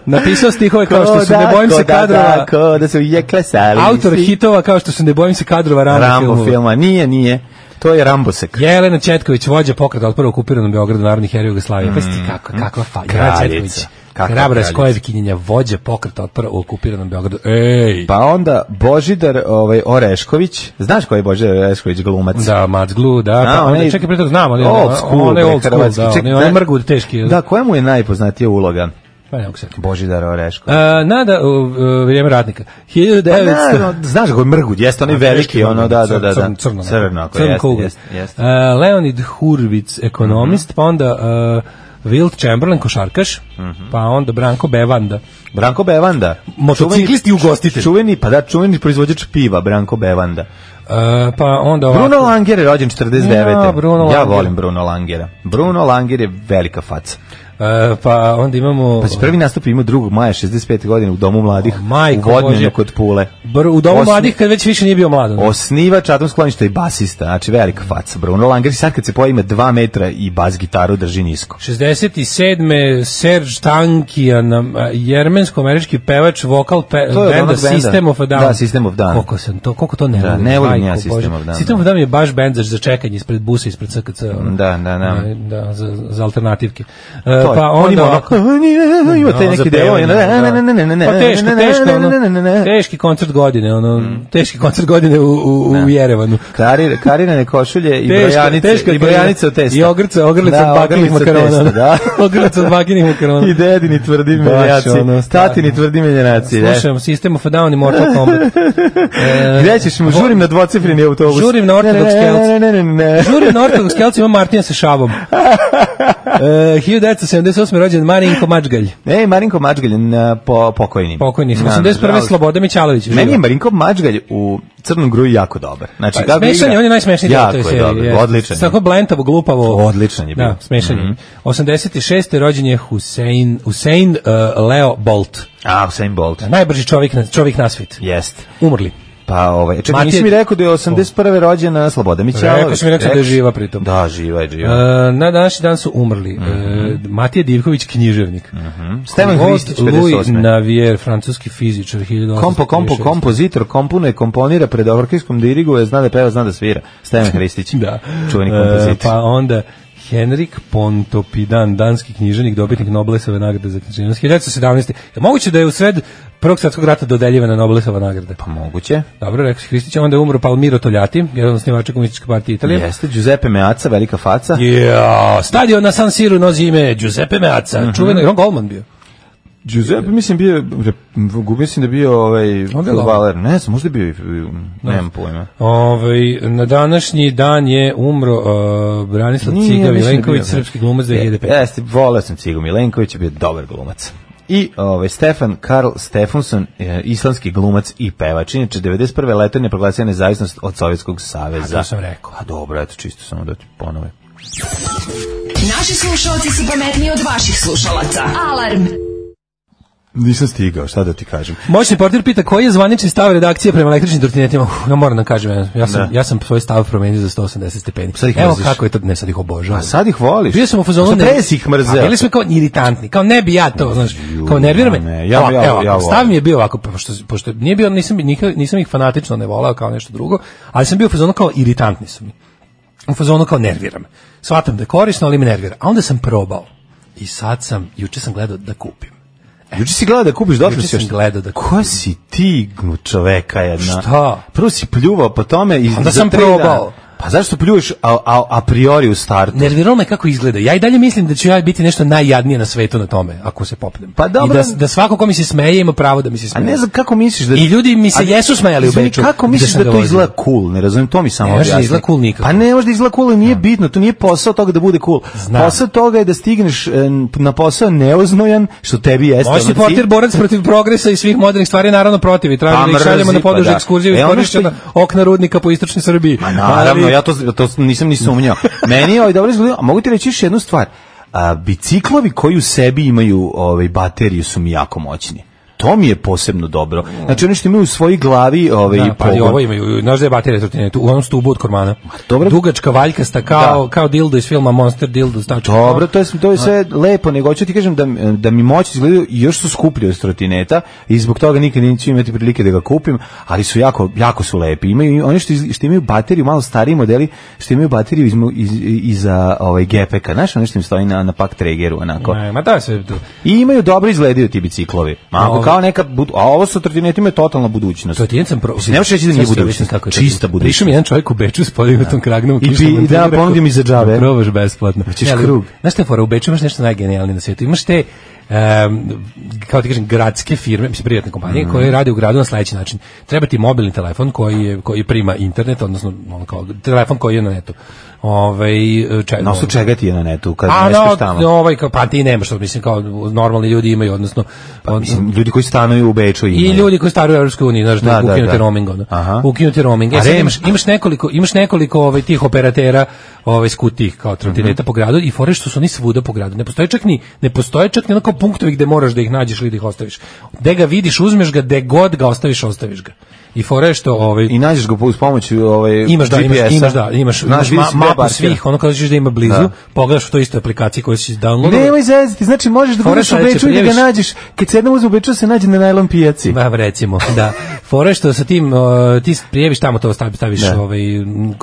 Napisao stihove kao što se ne bojim se kadrova. Da se ujekle sali. Autor hitova kao što se ne bojim se kadrova Rambo filma. Nije. To je Rambosek. Jelena Četković, vođa pokreta otpora u okupiranom Beogradu, narodni heroj Jugoslavije. Pa sti kakva Jelena Četković. Hrabra Skojevkinjenja, vođa pokreta otpora u okupiranom Beogradu. Ej! Pa onda Božidar Orešković. Znaš ko je Božidar Orešković, glumac? Da, Mac Glu, da. Pa onda, čekaj, pre toga znam, ali old school, da. On je mrgud teški. Da, koja mu je najpoznatija uloga? Pa ne mogu se. Božidar Orešković. Nada, vrijeme ratnika. 1900... Znaš ga, mrgud, jeste, on je veliki, ono, da. Crno kuga. Leonid Hurvic, ekonomist, pa onda Wilt Chamberlain, košarkaš, pa onda Branko Bevanda. Motociklist i ugostitelj. Čuveni proizvođač piva, Branko Bevanda. Pa onda ovako. Bruno Langer je rođen 49. Ja volim Bruno Langera. Bruno Langer je velika faca. Pa onda imamo... Pa prvi nastup ima 2. maja 65. godine u Domu mladih u Vodnjenu kod Pule. U Domu mladih kad već više nije bio mlad. Osnivač atomskog skloništa i basista, znači velika faca. Bruno Langer sad kad se pojavi ima 2 metra i bas gitaru drži nisko. 67. Serge Tankian, jermensko-američki pevač, vokal benda System of a Down. Da, System of Down. Koliko to ne volim. Ne volim ja System of Down. System of Down je baš bend za čekanje ispred busa, ispred CKC. Da, za alternativke. Pa onda ima te neki delo, teški koncert godine, teški koncert godine u Jerevanu. Karirane košulje i brojanice od testa. I ogrlica od bakinih makarona. Ogrlica od bakinih makarona. I dedini tvrdi menjaci. Tatini tvrdi menjaci. Slušam System of a Down i Mortal Kombat. Gde ćeš mu? Žurim na dvocifreni autobus. Žurim na Ortodoks Kelc. Žurim na Ortodoks Kelc, ima Martina sa šavom. 1978. rođen Marinko Mačgalj. Marinko Mačgalj, pokojni. 81. Sloboda Mićalović. Meni je Marinko Mačgalj u Crnom gruju jako dobar. Znači, smešan je, on je najsmešniji jako je dobar, odličan. Tako blentavo, glupavo. Odličan je bio. Da, smešan je. 86. rođen je Usain Leo Bolt. Usain Bolt. Najbrži čovjek na svijet. Jest. Umrli. Pa čekaj, nisi mi rekao da je 81. rođena Sloboda Mićalović. Rekao sam mi da je živa pritom. Da, živa je. Na današnji dan su umrli Matija Divković, književnik. Stevan Hristić, 58. Louis Navier, francuski fizičar, 1836. Kompozitor, komponira, pred orkestrom diriguje, zna da peva, zna da svira. Stevan Hristić, čuveni kompozitor. Pa onda Henrik Pontoppidan, danski književnik, dobitnik Nobelove nagrade za književnost. 1917. Je moguće da je u sred Prvog svjetskog rata dodeljivana Nobelova nagrada? Pa moguće. Dobro, rekao si Hristić, onda je umro Palmiro Togliatti, jedan od osnivača Komunističke partije Italije. Jeste, Giuseppe Meazza, velika faca. Stadion na San Siru nosi ime Giuseppe Meazza, čuveno, Ron Goldman bio. Giuseppe, mislim da je bio fudbaler, ne znam, možda je bio, nemam pojma. Na današnji dan je umro Branislav Ciga Milenković, srpski glumac 2005. Jeste, voleo sam Cigu Milenković, je bio dobar glumac. I Stefan Karl Stefansson, islandski glumac i pevač. Inače, 91. leto je proglasio nezavisnost od Sovjetskog saveza. To sam rekao. A dobro, eto, čisto samo da ti ponove. Naši slušalci su pametniji od vaših slušalaca. Alarm! Nisam stigao, šta da ti kažem. Moćni portir pita koji je zvanični stav redakcije prema električnim trotinetima. Ja moram da kažem, ja sam svoj stav promenio za 180 stepeni. Evo kako je to, ne sad ih obožavam. A sad ih voliš? Bio sam u fazonu, ih mrzeo. Bili smo kao iritantni, kao ne bi ja to, znaš, kao nervira me. Stav mi je bio ovako, pošto nije bio, nisam ih fanatično ne volao kao nešto drugo, ali sam bio u fazonu kao iritantni su mi. U fazonu kao nervira me. Shvatam da je korisno, ali me nervira. A onda sam probao. I juče sam gledao da kupim. Juče si gledao da kupiš, Juče sam gledao da kupim. Ko si ti čoveka jedna? Šta? Prvo si pljuvao po tome i onda sam probao. Pa zašto pljuješ a priori u startu? Nerviralo me kako izgleda. Ja i dalje mislim da ću ja biti nešto najjadnije na svetu na tome, ako se popnem. Pa dobro. I da svako ko mi se smeje ima pravo da mi se smeje. A ne znam kako misliš da... I ljudi mi se jesu smejali u Beču. Kako misliš da to izgleda cool? Ne razumijem, to mi samo objasni. Ne može da izgleda cool nikako. Pa ne može da izgleda cool, nije bitno, to nije posao toga da bude cool. Posao toga je da stigneš na posao neoznojan, što tebi jeste. Moj si portir borac protiv progresa i svih modernih stvari, naravno protiv. I tražimo da ih šaljemo na poduže ekskurziju i korišćena okna rudnika po istočnoj Srbiji. Ma naravno, ja to nisam ni sumnjao. Meni je dobro izgledao, a mogu ti reći još jednu stvar. Biciklovi koji u sebi imaju bateriju su mi jako moćni. To mi je posebno dobro. Znači oni što imaju u svojoj glavi pa i ovo imaju, znaš da je baterija trotinetu u onom stubu od kormana. Dugačka, valjkasta, kao dildo iz filma Monster Dildo. Znači, dobro, to je sve lepo, nego hoću ti kažem da mi moći izgledaju i još su skuplji od trotineta i zbog toga nikad neću imati prilike da ga kupim, ali su jako su lepi. Imaju oni što imaju bateriju, malo stariji modeli, što imaju bateriju iza gepeka. Znaš, ono što im stoji na pak tregeru, onako. Ma da sve. I imaju dobro izgledaju ti biciklovi. Kao neka, a ovo sa trotinetima je totalna budućnost. Ne možeš reći da nije budućnost, čista budućnost. Prišao mi jedan čovjek u Beču s podignutom kragnom i da ponudim i za džabe. Probaš besplatno. Hoćeš krug. Znaš te fora, u Beču imaš nešto najgenijalnije na svijetu. Imaš te kao ti kažem gradske firme, mislim privatne kompanije koje rade u gradu na sledeći način. Treba ti mobilni telefon koji prima internet, odnosno kao telefon koji je na netu. Na osnovu čega ti je na netu kad ne speš tamo? Pa ti nemaš što, mislim, kao normalni ljudi imaju, odnosno ljudi koji stanuju u Beču imaju. I ljudi koji stanuju u Evropskoj uniji, znaš, da ukinuti roaming. Ukinuti roaming. Imaš nekoliko tih operatera skutih kao trotineta po gradu i fore što su oni svuda po gradu. Ne postoje čak ni onako punktovi gde moraš da ih nađeš ili da ih ostaviš. Gde ga vidiš, uzmeš ga, gde god ga ostaviš ga. I fore što i nađeš ga uz pomoć imaš mapu svih, ono kada ćeš da ima blizu, pogledaš u toj istoj aplikaciji koju si downloadao. Nemoj zezati, znači možeš da budeš u Beču i da ga nađeš, kad se jednom uzme u Beču se nađe na najlon pijaci. Ba, recimo, da. Fore što sa tim ti prijeviš tamo to staviš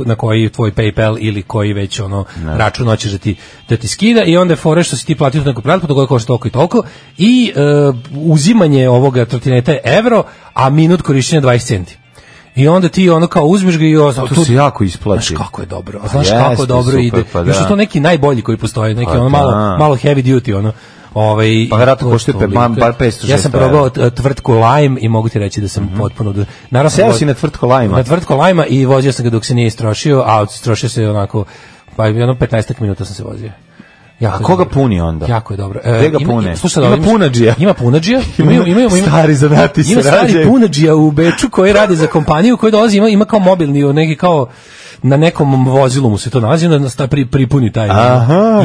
na koji tvoj PayPal ili koji već račun hoćeš da ti skida i onda fore što si ti platio neku pretplatu koja košta toliko i toliko i uzimanje ovoga trotineta je evro, a minut korišćenja 20 centi. I onda ti kao uzmeš ga i to se jako isplati. Znaš kako je dobro. Znaš kako dobro ide. Još su to neki najbolji koji postoje, neki malo heavy duty pa vjerojatno koštuje bar 500. Ja sam probao tvrtku Lime i mogu ti reći da sam potpuno... Seo si na tvrtku Lime-a? Na tvrtku Lime-a i vozio sam ga dok se nije istrošio, a istrošio se onako, pa 15 minuta sam se vozio. A koga puni onda? Jako je dobro. Gde ga pune? Ima punadžija. Ima punadžija. Stari zanati se rađaju. Ima stari punadžija u Beču koji radi za kompaniju koji dolazi, ima kao mobilni, neki kao na nekom vozilu mu se to nalazi, onda pripuni taj.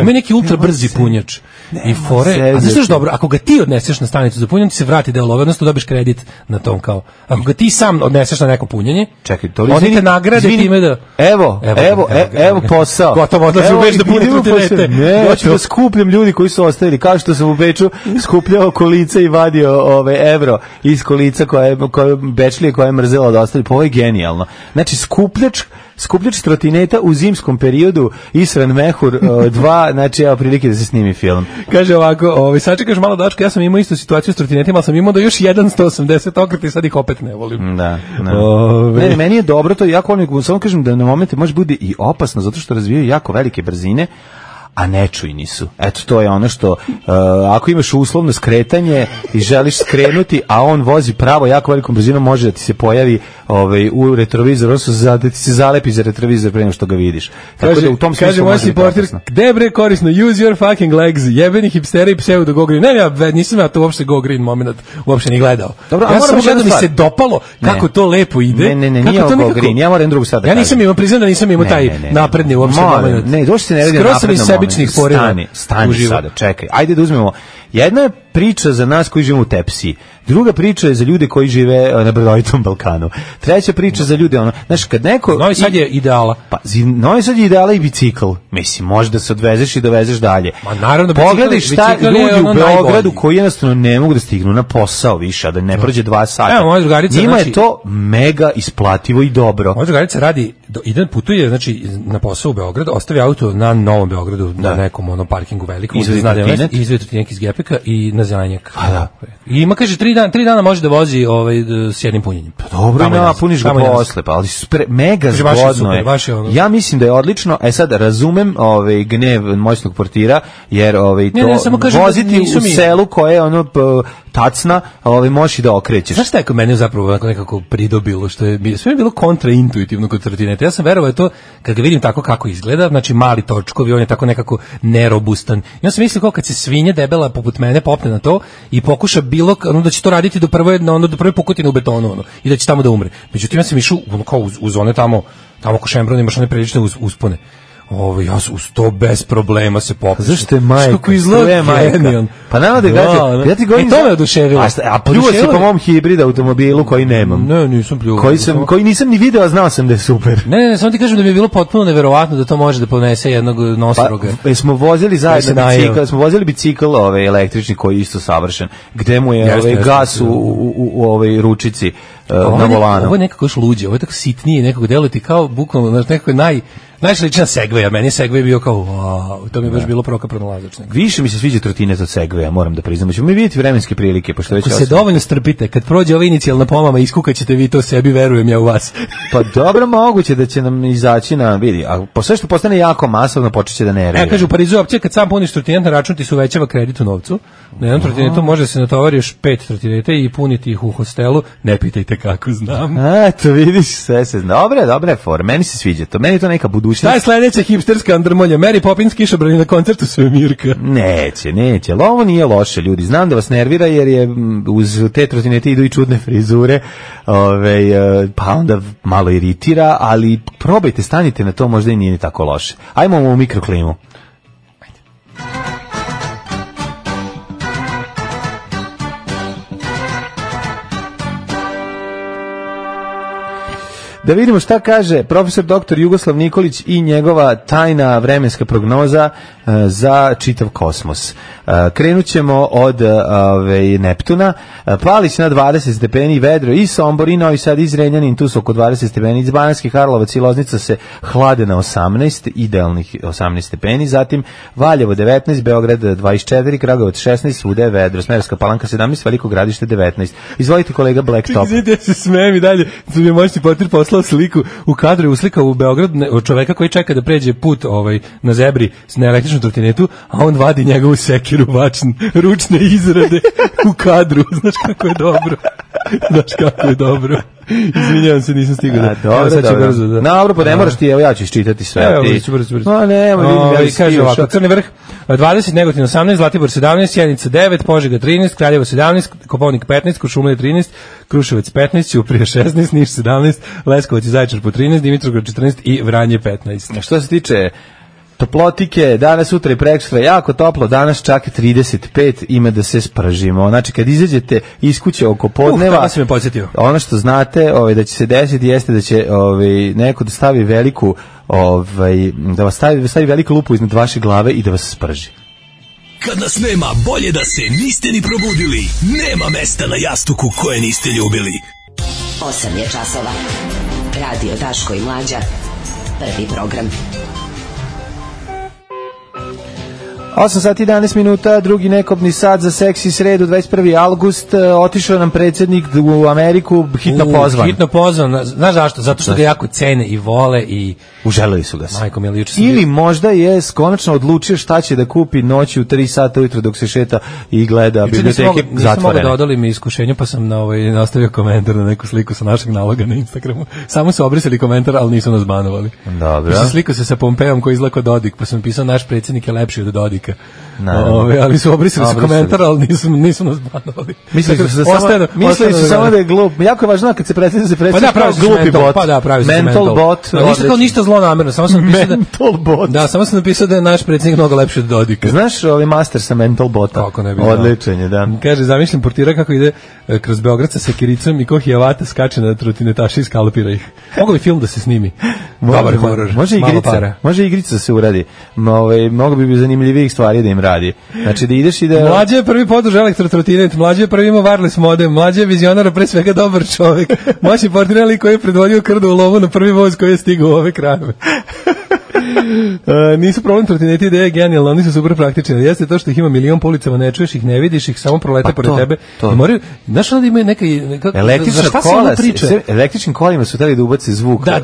Ima neki ultra brzi punjač. I fore, a znaš što dobro, ako ga ti odneseš na stanicu za punjanje, ti se vrati deo love, odnosno dobiš kredit na tom kao. Ako ga ti sam odneseš na neko punjenje, čekaj, to oni te nagrade time da... Evo posao. Gotovo, odlazi u Beč da puni trotinete. Ne, hoću da skupljam ljudi koji su ostali. Kao što sam u Beču skupljao kolica i vadio evro iz kolica koje Bečlije koja je mrzela da ostali. Pa ovo je genijalno. Znači, skupljač trotineta u zimskom periodu, Isran Mehur 2, znači evo prilike da se snimi film. Kaže ovako, sačekaš malo dačka, ja sam imao istu situaciju s trotinetima, ali sam imao do još 180 okreta i sad ih opet ne volim. Da. Ne, meni je dobro to, jako volim, samo kažem da na momente može bude i opasno, zato što razvijaju jako velike brzine, a nečujni su. Eto, to je ono što, ako imaš uslovno skretanje i želiš skrenuti, a on vozi pravo jako velikom brzinom, može da ti se pojavi u retrovizor, odnosno da ti se zalepi za retrovizor pre nego što ga vidiš. Tako da u tom smislu može biti opasno. Gde bre korisno, use your fucking legs, jebeni hipsteri i pseudo go green. Ne, nisam ja to uopšte go green moment uopšte ni gledao. Dobro, ja sam gledao, mi se dopalo kako to lepo ide. Ne, nije go green, ja moram drugu sad da kažem. Ja nisam imao, priznam da nisam imao taj napredni uopšte moment. Ne, došli se ne radi napredno. Stani sada, čekaj. Ajde da uzmemo. Jedna je priča za nas koji živimo u Tepsiji. Druga priča je za ljude koji žive na brdovitom Balkanu. Treća priča za ljude, znaš, kad neko... Novi Sad je ideala. Pa, Novi Sad je ideala i bicikl. Mislim, može da se odvezeš i dovezeš dalje. Ma naravno, pogledaj šta ljudi u Beogradu koji jednostavno ne mogu da stignu na posao više, a da ne prođe 2 sata. Evo, moja drugarica, njima je to mega isplativo i dobro. Moja drugarica radi, putuje, znači, na posao u Beogradu, ostavi auto na Novom Beogradu, na nekom parkingu velikom. Izvedi trotinek iz Pepeka i na Zelenjak. Pa da. I ima, kaže, 3 dana može da vozi s jednim punjenjem. Pa dobro, napuniš ga posle, pa ali mega zgodno je. Ja mislim da je odlično. Sad razumem gnev moćnog portira, jer voziti u selu koje je ono tacna, možeš i da okrećeš. Znaš šta je kod mene zapravo nekako pridobilo, što je sve bilo kontraintuitivno kod trotineta. Ja sam verovao to kad ga vidim tako kako izgleda, znači mali točkovi, on je tako nekako nerobustan. Ja sam mislio kao kad se svinja debela poput mene popne na to i pokuša da će to raditi do prve pukotine u betonu i da će tamo da umre. Međutim, ja sam išao kao uz one tamo ko Šembrun imaš one prilične uspone. Ja uz to bez problema se popne. Zašto je majka? Kako izgleda genijalno. Pa nama da gađe. Ja ti govorim. To me oduševilo. A pljuvao si po mom hibrid automobilu koji nemam. Ne, nisam pljuvao. Koji nisam ni video, a znao sam da je super. Ne, samo ti kažem da mi je bilo potpuno neverovatno da to može da ponese jednog nosoroga. Pa smo vozili zajedno bicikl, električni koji je isto savršen. Gde mu je gas u ručici na volanu. Ovo je nekako još luđe, ovo je tako sitnije, nekako delati kao bukvalno, nekako je najslična Segway, a meni Segway bio kao, wow, to mi je baš bilo prokaprano lazačno. Više mi se sviđa trotinet od Segwaya, moram da priznam. Ćemo mi vidjeti vremenske prilike. Ako se dovoljno strpite, kad prođe ova inicijalna pomama, iskukaćete vi to sebi, verujem ja u vas. Pa dobro, moguće da će nam izaći na, vidi, a posle što postane jako masovno, počeće da nervira. Kažu, u Parizu opće, kad sam puniš trotinet na račun, ti se uvećava kredit u novcu. Na jednom trotinetu može se natovari još 5 trotineta i puniti ih u hostelu. Ne pitajte kako znam. Eto, vidiš, sve se zna. Dobre for, meni se sviđa to. Meni je to neka budućnost. Šta je sledeća hipsterska andrmolja? Mary Poppins kišobrani na koncertu Svemirka. Neće. Ali ovo nije loše, ljudi. Znam da vas nervira jer je uz te trotinete idu i čudne frizure, pa onda malo iritira, ali probajte, stanite na to, možda i nije ni tako loše. Ajmo u mikroklimu. Da vidimo šta kaže profesor dr. Jugoslav Nikolić i njegova tajna vremenska prognoza za čitav kosmos. Krenut ćemo od Neptuna. Palić na 20 stepeni, vedro i Sombor i Novi Sad i Zrenjanin, tu su oko 20 stepeni. Iz Banatski Karlovac i Loznica se hlade na 18, idealnih 18 stepeni. Zatim Valjevo 19, Beograd 24, Kragujevac 16, svuda je vedro. Smederevska Palanka 17, Veliko Gradište 19. Izvolite kolega Blacktop. Gdje se smijem i dalje, su mi moćni portir poslao sliku u kadru, uslikao u Beograd od čoveka koji čeka da pređe put na zebri na električnu trotinetu, a on vadi njegovu sekiru ručne izrade u kadru. Znaš kako je dobro. Izvinjavam se, nisam stigao da. Dobro, pa ne moraš ti, evo ja ću iščitati sve. Evo, brzo. No, ne, kaže ovako, Crni vrh 20, Negotin 18, Zlatibor 17, Sjenica 9, Požega 13, Kraljevo 17, Kopaonik 15, Kuršumlija 13, Kruševac 15, Ćuprija 16, Niš 17, Leskovac i Zaječar po 13, Dimitrovgrad 14 i Vranje 15. Što se tiče toplotike, danas, sutra i prekosutra jako toplo, danas čak 35, ima da se spržimo. Znači, kad izađete iz kuće oko podneva, ono što znate da će se desiti jeste da će neko da stavi veliku, da vas stavi veliku lupu iznad vaše glave i da vas sprži. Kad nas nema, bolje da se niste ni probudili. Nema mesta na jastuku koje niste ljubili. 8 je časova. Radio Daško i Mlađa. Prvi program. 8 sati 11 minuta, drugi nekobni sat za seksi sredu, 21. august, otišao nam predsjednik u Ameriku, hitno pozvan. Znaš zašto? Zato što ga jako cene i vole i... Uželili su ga se. Majko, ili možda je konačno odlučio šta će da kupi noći u 3 sata ujutro dok se šeta i gleda biblioteke zatvorene. Nisam mogao da odolim iskušenju, pa sam nastavio komentar na neku sliku sa našeg naloga na Instagramu. Samo su obrisali komentar, ali nisu nas banovali. Dobro. Slikao se sa Pompejom koji izgleda kao Dodik, pa sam pisao naš predsjednik je lepši od Dodika. Ali su obrisali su komentar, ali nisu nas banovali. Mislili su samo da je glup. Jako je važno kad se predstavlja glupi bot. Pa da, pravi se mental bot. Ništa kao ništa zlonamerno, samo sam napisao mental bot. Da, samo sam napisao da je naš predsjednik mnogo lepši od Dodika. Znaš master sa mental bota? Odličan je, da. Kaže, zamišljam portira kako ide kroz Beograd sa sekiricom i ko hijavata skače na trotinetaše i skalpira ih. Mogu bi film da se snimi? Dobar horor. Može igrica da se uradi. Mnogo bi zanimljivijih stvari da im radi. Znači da ideš i da... Mlađe je prvi podruž elektrotrotinet, Mlađe je prvi ima wireless modem, Mlađe je vizionar, pre svega dobar čovjek. Moćni portirali koji je predvodio krdu u lovu na prvi voz koji je stigao u ove krajeve. Nisu problem trotineti ideje genijalno, oni su super praktični. Jeste to što ih ima milion po ulicama, ne čuješ ih, ne vidiš ih, samo prolete pored tebe. I moraju, znaš da imaju neka električnim kolima su hteli da ubace zvuk. Da,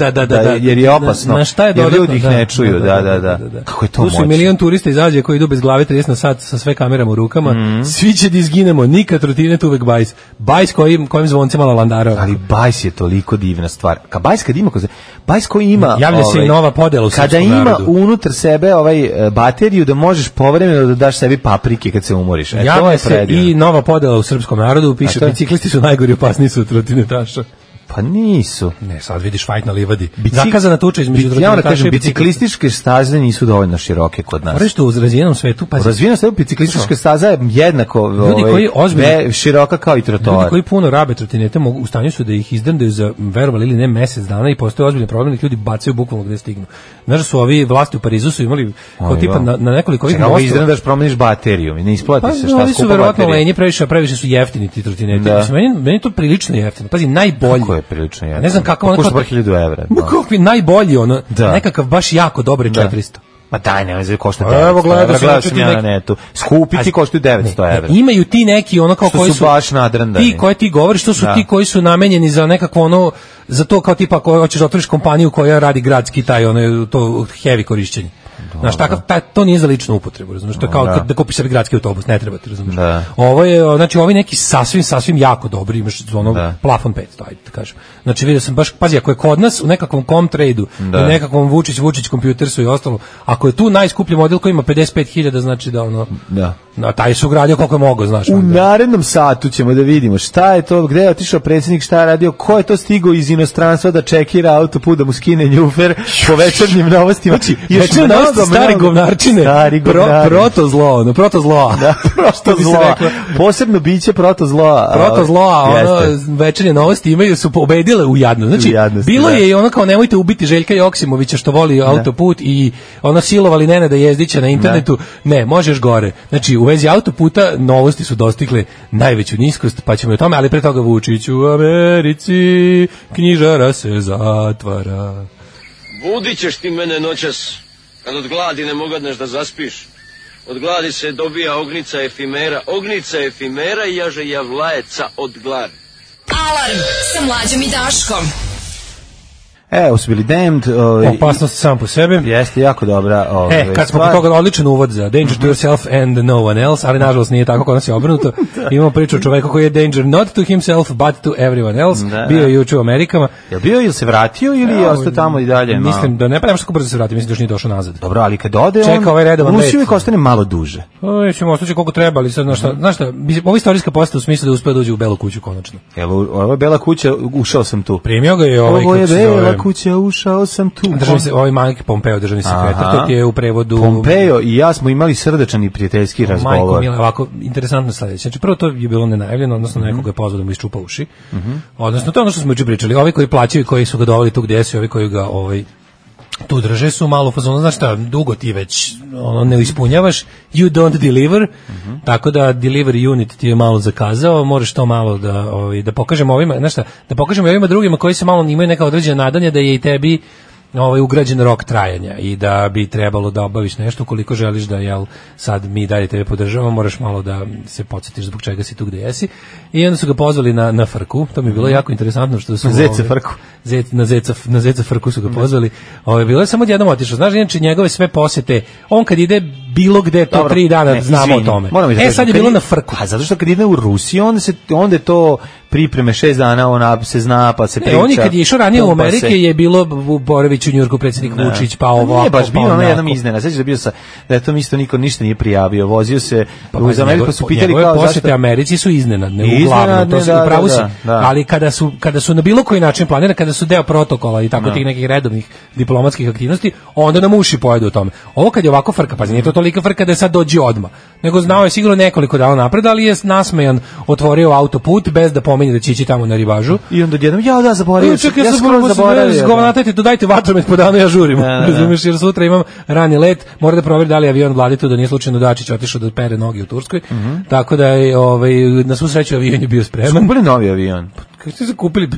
jer je opasno. Na šta je jer ljudi ih ne čuju. Da. Kako je to moćno? Tu su milion turista iz Azije koji idu bez glave 30 na sat sa sve kamerama u rukama. Svi će da izginemo, nikad trotinet, uvek bajs. Bajs kojim zvoncima landara. Ali bajs je toliko divna stvar. Bajs kad ima, bajs koji ima, javlja se i nova podela u srpskom narodu. Kada ima unutar sebe bateriju da možeš povremeno da daš sebi paprike kad se umoriš. Javlja se i nova podela u srpskom narodu, piše biciklisti su najgori, opasniji su od trotinetaša. Pa nisu. Ne, sad vidiš fajt na livadi. Zakazana tuča između trotinetaša i biciklističke staze nisu dovoljno široke kod nas. Moraš to u razvijenom svetu, pa u razvijenom svetu biciklistička staza je jednako široka kao i trotoar. Ljudi koji puno rabe trotinete u stanju su da ih izdrndaju za, verovali ili ne, mesec dana i postoje ozbiljni problem da ljudi bacaju bukvalno gde stignu. Znaš da su ovi vlasti u Parizu su imali kao tipa na nekoliko ovih mostova. Izdrndaš, promeniš bateriju i ne isplati se šta skupa baterija. Su verovatno lenji, previše su jeftini ti trotineti. Meni to prilično jeftino. Pazi, najbolji. Prilično je. Ne znam kako ono košta 1000 evra. Kakvi najbolji ono, nekakav baš jako dobri 400. Ma daj, ne znam, košta 900. Evo gledao sam ja na netu. Skupi ti koštaju 900 evra. Imaju ti neki ono kao koji su baš nadrndani. Ti koji ti govoriš, to su ti koji su namenjeni za nekakvo ono, za to kao tipa ako hoćeš da otvoriš kompaniju koja radi gradski taj ono to heavy korišćenje. Znaš, to nije za ličnu upotrebu, razumiješ, to je kao da kupiš sebi gradski autobus, ne treba ti, razumiješ. Ovo je, znači, ovi neki sasvim jako dobri, imaš ono plafon 500, ajde da kažem. Znači, vidio sam baš, pazi, ako je kod nas u nekakvom Comtrade-u, u nekakvom Vučić Computersu i ostalo, ako je tu najskuplji model koji ima 55.000, znači da ono, na taj su gradio koliko je mogo, znaš. U narednom satu ćemo da vidimo šta je to, gde je otišao predsjednik, šta je radio, ko je to stigao iz inostranstva da čekira autoput, da mu skine njufer po večernjim novostima. Večernje novosti stari govnarčine, protozlo. Da, protozlo. Posebno biće protozloa. Ono, večernje novosti imaju, su pobedile u jadno. Znači, bilo je i ono kao nemojte ubiti Željka Joksimovića što voli autoput i ono silovali Nenada Jezdića na internetu. Ne, možeš gore. Znači, u vezi autoputa novosti su dostigle najveću niskost, pa ćemo o tome, ali pre toga Vučić u Americi, knjižara se zatvara. Budit ćeš ti mene noćas, kad od gladi ne mogadneš da zaspiš. Od gladi se dobija ognica efimera i jaže javlajeca od gladi. Alarm sa Mlađom i Daškom. Evo su bili Damned. Opasnost sam po sebi. Jeste, jako dobra. Kad smo kod toga odličan uvod za Danger to yourself and no one else, ali nažalost nije tako, kod nas je obrnuto. Imamo priču o čoveku koji je danger not to himself, but to everyone else. Bio je juče u Amerikama. Je bio ili se vratio ili je ostao tamo i dalje? Mislim da ne, pa nemaš kako brzo se vratio, mislim da još nije došao nazad. Dobro, ali kad ode čeka ovaj redovan let. Rusiju ostane malo duže. Ćemo ostaći koliko treba, ali sad, znaš šta, ovo istorijska postava u smislu da uspeo da uđe u Belu kuću konačno. Ovo je Bela kuća, ušao sam tu. Primio ga je ovaj, ovo je Bela kuća, ušao sam tu. Ovaj Mike Pompeo, državni sekretar, to ti je u prevodu... Pompeo i ja smo imali srdačan i prijateljski razgovor. Majko Mila, ovako, interesantno sledeće. Znači, prvo to je bilo nenajavljeno, odnosno nekoga je pozvao da mu isčupa uši. Odnosno, to je ono što smo juče pričali. Ovi koji plaćaju, koji su ga doveli tu gdje su, ovi koji ga tu drže su malo u fazonu, znaš šta, dugo ti već ne ispunjavaš, you don't deliver, tako da delivery unit ti je malo zakazao, možeš to malo da pokažemo ovima, znaš šta, da pokažemo ovima drugima koji se malo imaju neka određena nadanja da je i tebi ugrađen rok trajanja i da bi trebalo da obaviš nešto ukoliko želiš da sad mi dalje tebe podržavamo, moraš malo da se podsjetiš zbog čega si tu gde jesi. I onda su ga pozvali na frku, to mi je bilo jako interesantno što su Zeca frku. Na Zeca frku su ga pozvali. Bilo je samo jednom otišao. Znaš, inače njegove sve posete, on kad ide bilo gde to 3 dana znamo o tome. Sad je bilo na frku. A zato što kad ide u Rusiju, onda je to pripreme 6 dana, ona se zna, pa se priča. Oni kad je išao ranije u Amerike je bilo u Boroviću, u Njujorku, predsjednik Vučić, pa ovo. Nije baš bilo ono jednom iznena. Sećaš da bio da je to isto niko ništa nije prijavio. Vozio se uz Ameriku, pa su pitali kao zašto. Posete Americi su iznenadne, uglavnom, to se upravo si. Ali kada su na bilo koji način planirane, kada su deo protokola i tako tih nekih redovnih diplomatskih aktivnosti, onda nam uši pojedu o tome. Ovo kad je ovako frka, pa nije to tolika frka da je sad dođe odmah. Nego znao je sigurno nekoliko dana napred, ali je nasmejan otvorio autoput bez da pominje da će ići tamo na ribažu. I onda jednom, zaboravio. Čekaj, ja zaboravio. Zgovnatajte, dodajte vatromet po danu, ja žurim. Razumiješ, jer sutra imam rani let, mora da proveri da li avion vladi tu, da nije slučajno Dačić otišao da pere noge u Turskoj. Tako da je, na svu sreću avion je bio spreman. Kupili novi avion. Kako ste se kupili?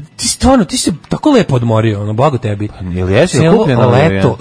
Ti si tako lepo odmorio, blago tebi. Jel jesi kupio novi avion?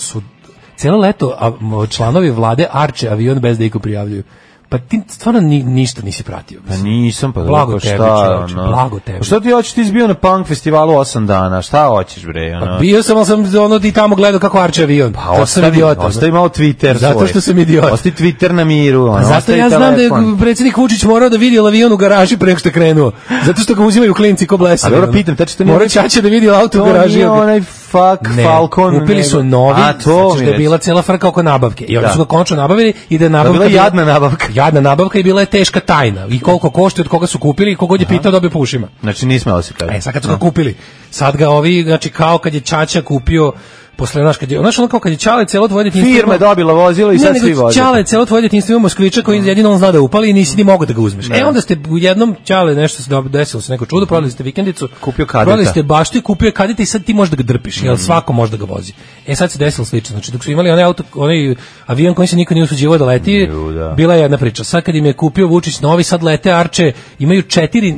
celo leto članovi vlade arče avion bez da iko prijavljuju. Pa ti stvarno ništa nisi pratio. Pa nisam, pa blago tebi, čovječe, blago tebi. Šta ti hoćeš, ti izbio na punk festivalu 8 dana, šta hoćeš bre? Pa bio sam, ali sam i tamo gledao kako arče avion. Pa ostavi malo Twitter svoj. Zato što sam idiot. Ostavi Twitter na miru. Zato ja znam da je predsjednik Vučić morao da vidi avion u garaži pre nego što je krenuo. Zato što ga uzimaju klinci ko blesavi. A dobro pitam, tačno to nije... Morao Čača da vidi auto u garaži. To nije onaj Falcon. Kupili su novi, znači da je bila cela frka oko nabavke. I oni su ga konačno nabavili i da je nabavka... bila jadna nabavka. Jadna nabavka i bila je teška tajna. I koliko košta, od koga su kupili i kogod je pitao dobio po ušima. Znači nismo da se kaže. Sad kad su ga kupili, sad ga ovi, znači kao kad je Čača kupio posle ono kao kad je Čale celo tvoje detinjstvo firma dobila vozilo i sad svi voze. Čale celo tvoje detinjstvo ima Moskviča koji jedino on zna da upali i nisi ni mogao da ga uzmeš. Onda ste u jednom Čale nešto se desilo, se neko čudo, prodali ste vikendicu, kupio kadeta. Prodali ste baštu i kupio kadeta i sad ti možeš da ga drpiš, jel svako može da ga vozi. Sad se desilo slično. Znači dok su imali onaj avion koji se niko nije usuđivao da leti, bila je jedna priča. Sad kad im je kupio Vučić novi, sad lete arče, imaju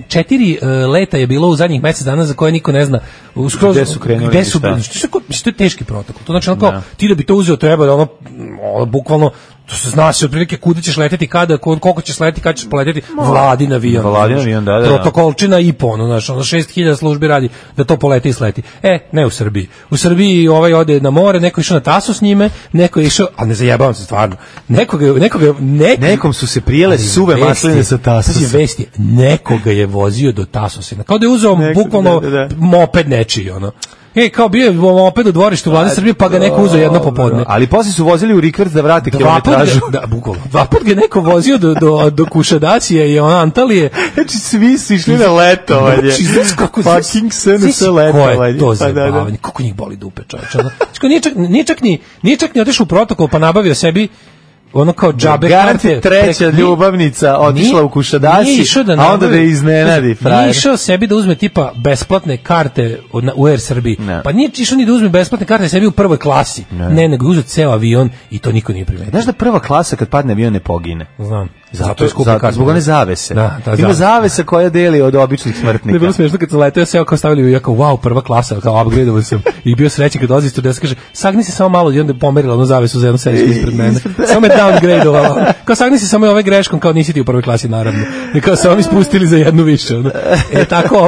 četiri leta je bilo u zadnjih mesec dana za koje niko ne zna. Gde su krenuli? Što je teški protokol. To znači onako, ti da bi to uzeo treba da ono bukvalno, to se zna se otprilike kuda ćeš leteti, kada, koliko ćeš leteti, kada ćeš poleteti, vladin avion, da. Protokolčina i po, znači 6000 službi radi da to poleti i sleti. Ne u Srbiji. U Srbiji ode na more, neko je išao na Taso s njime, neko je išao, ali ne zajebavam se stvarno, nekom su se prijele suve masline sa Tasosa. Vesti, nekoga je vozio do Tasosina, kao da je uzeo bukvalno moped nečiji, ono. Kao bio je moped u dvorištu Vlade Srbije, pa ga neko uzeo jedno popodne. Ali posle su vozili u Rikverc da vrate kilometražu. Bukvalno. 2 puta ga neko vozio do Kušadacije i Antalije. Znači svi su išli na letovanje. Fucking SNS letovanje. Ko je to zabavanje? Kako njih boli dupe, čovječe. Nije čak ni otišao u protokol pa nabavio sebi ono kao džabe karte. Treća ljubavnica otišla u Kušadasi, a onda da je iznenadi. Nije išao sebi da uzme tipa besplatne karte u Air Srbiji. Pa nije išao ni da uzme besplatne karte sebi u prvoj klasi. Ne, nego uzeo ceo avion i to niko nije primetio. Znaš da prva klasa kad padne avion ne pogine? Znam. Zato je skupa karta. Zbog one zavese. Ima zavesa koja deli od običnih smrtnika. Ne, bilo smiješno kad sam letao, seo kao stavili, kao wow, prva klasa, kao upgradeovo sam. I bio srećan kad dolazi stewardesa, kaže, sagni se samo malo i onda je pomerila onu zavesu za jednu sedištu ispred mene. Samo me downgradeovala. Kao sagni se samo ove greškom, kao nisi ti u prvoj klasi, naravno. I kao samo mi spustili za jednu više. Tako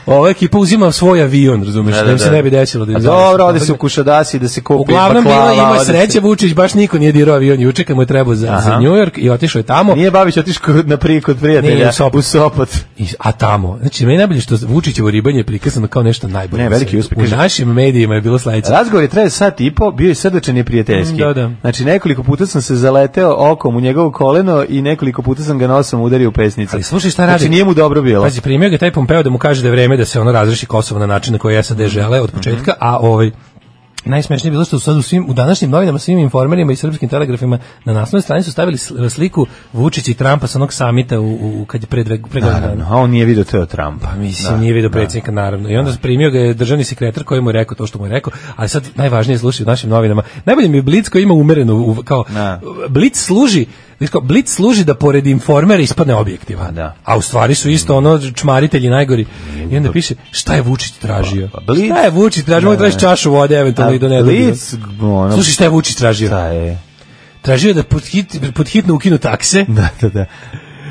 ova ekipa uzima svoj avion, razumeš, da im se ne bi desilo. Dobro, ode se u Kušadasi da se kupi baklava. Uglavnom ima sreće, Vučić baš niko nije dirao avion juče kad mu je trebao za New York i otišao je tamo. Nije Babić otišao kod prijatelja u Sopot. A tamo, znači meni najbolje što Vučićevo ribanje je prikazano kao nešto najbolje. Ne, veliki uspeh. U našim medijima je bilo sledeće. Razgovor je trajao sat i po, bio je srdačan i prijateljski. Znači nekoliko puta sam se zaleteo okom u njegovo koleno i nekoliko puta sam ga nosom udario u pesnicu. Ali slušaj šta radi. Znači nije mu dobro bilo. Pazi, primio ga taj Pompeo da mu kaže da je vreme da se ono razreši Kosovo na način na koji SAD žele od početka, a najsmešnije je bilo što sad u današnjim novinama, svim informerima i srpskim telegrafima na naslovnoj strani su stavili sliku Vučića i Trumpa sa onog samita kad je pre godina. A on nije vidio teo Trumpa. Mislim, nije vidio predsjednika, naravno. I onda primio ga je državni sekretar koji mu je rekao to što mu je rekao, ali sad najvažnije slušaj u našim novinama. Najbolje mi je Blic koji ima umerenu, kao Blic služi da pored informera ispadne objektivan. A u stvari su isto ono čmaritelji najgori. I onda piše šta je Vučić tražio. Šta je Vučić tražio? Mogu tražiti čašu vode eventualno i do nedobio. Slušaj šta je Vučić tražio. Tražio da pod hitno ukinu takse. Da.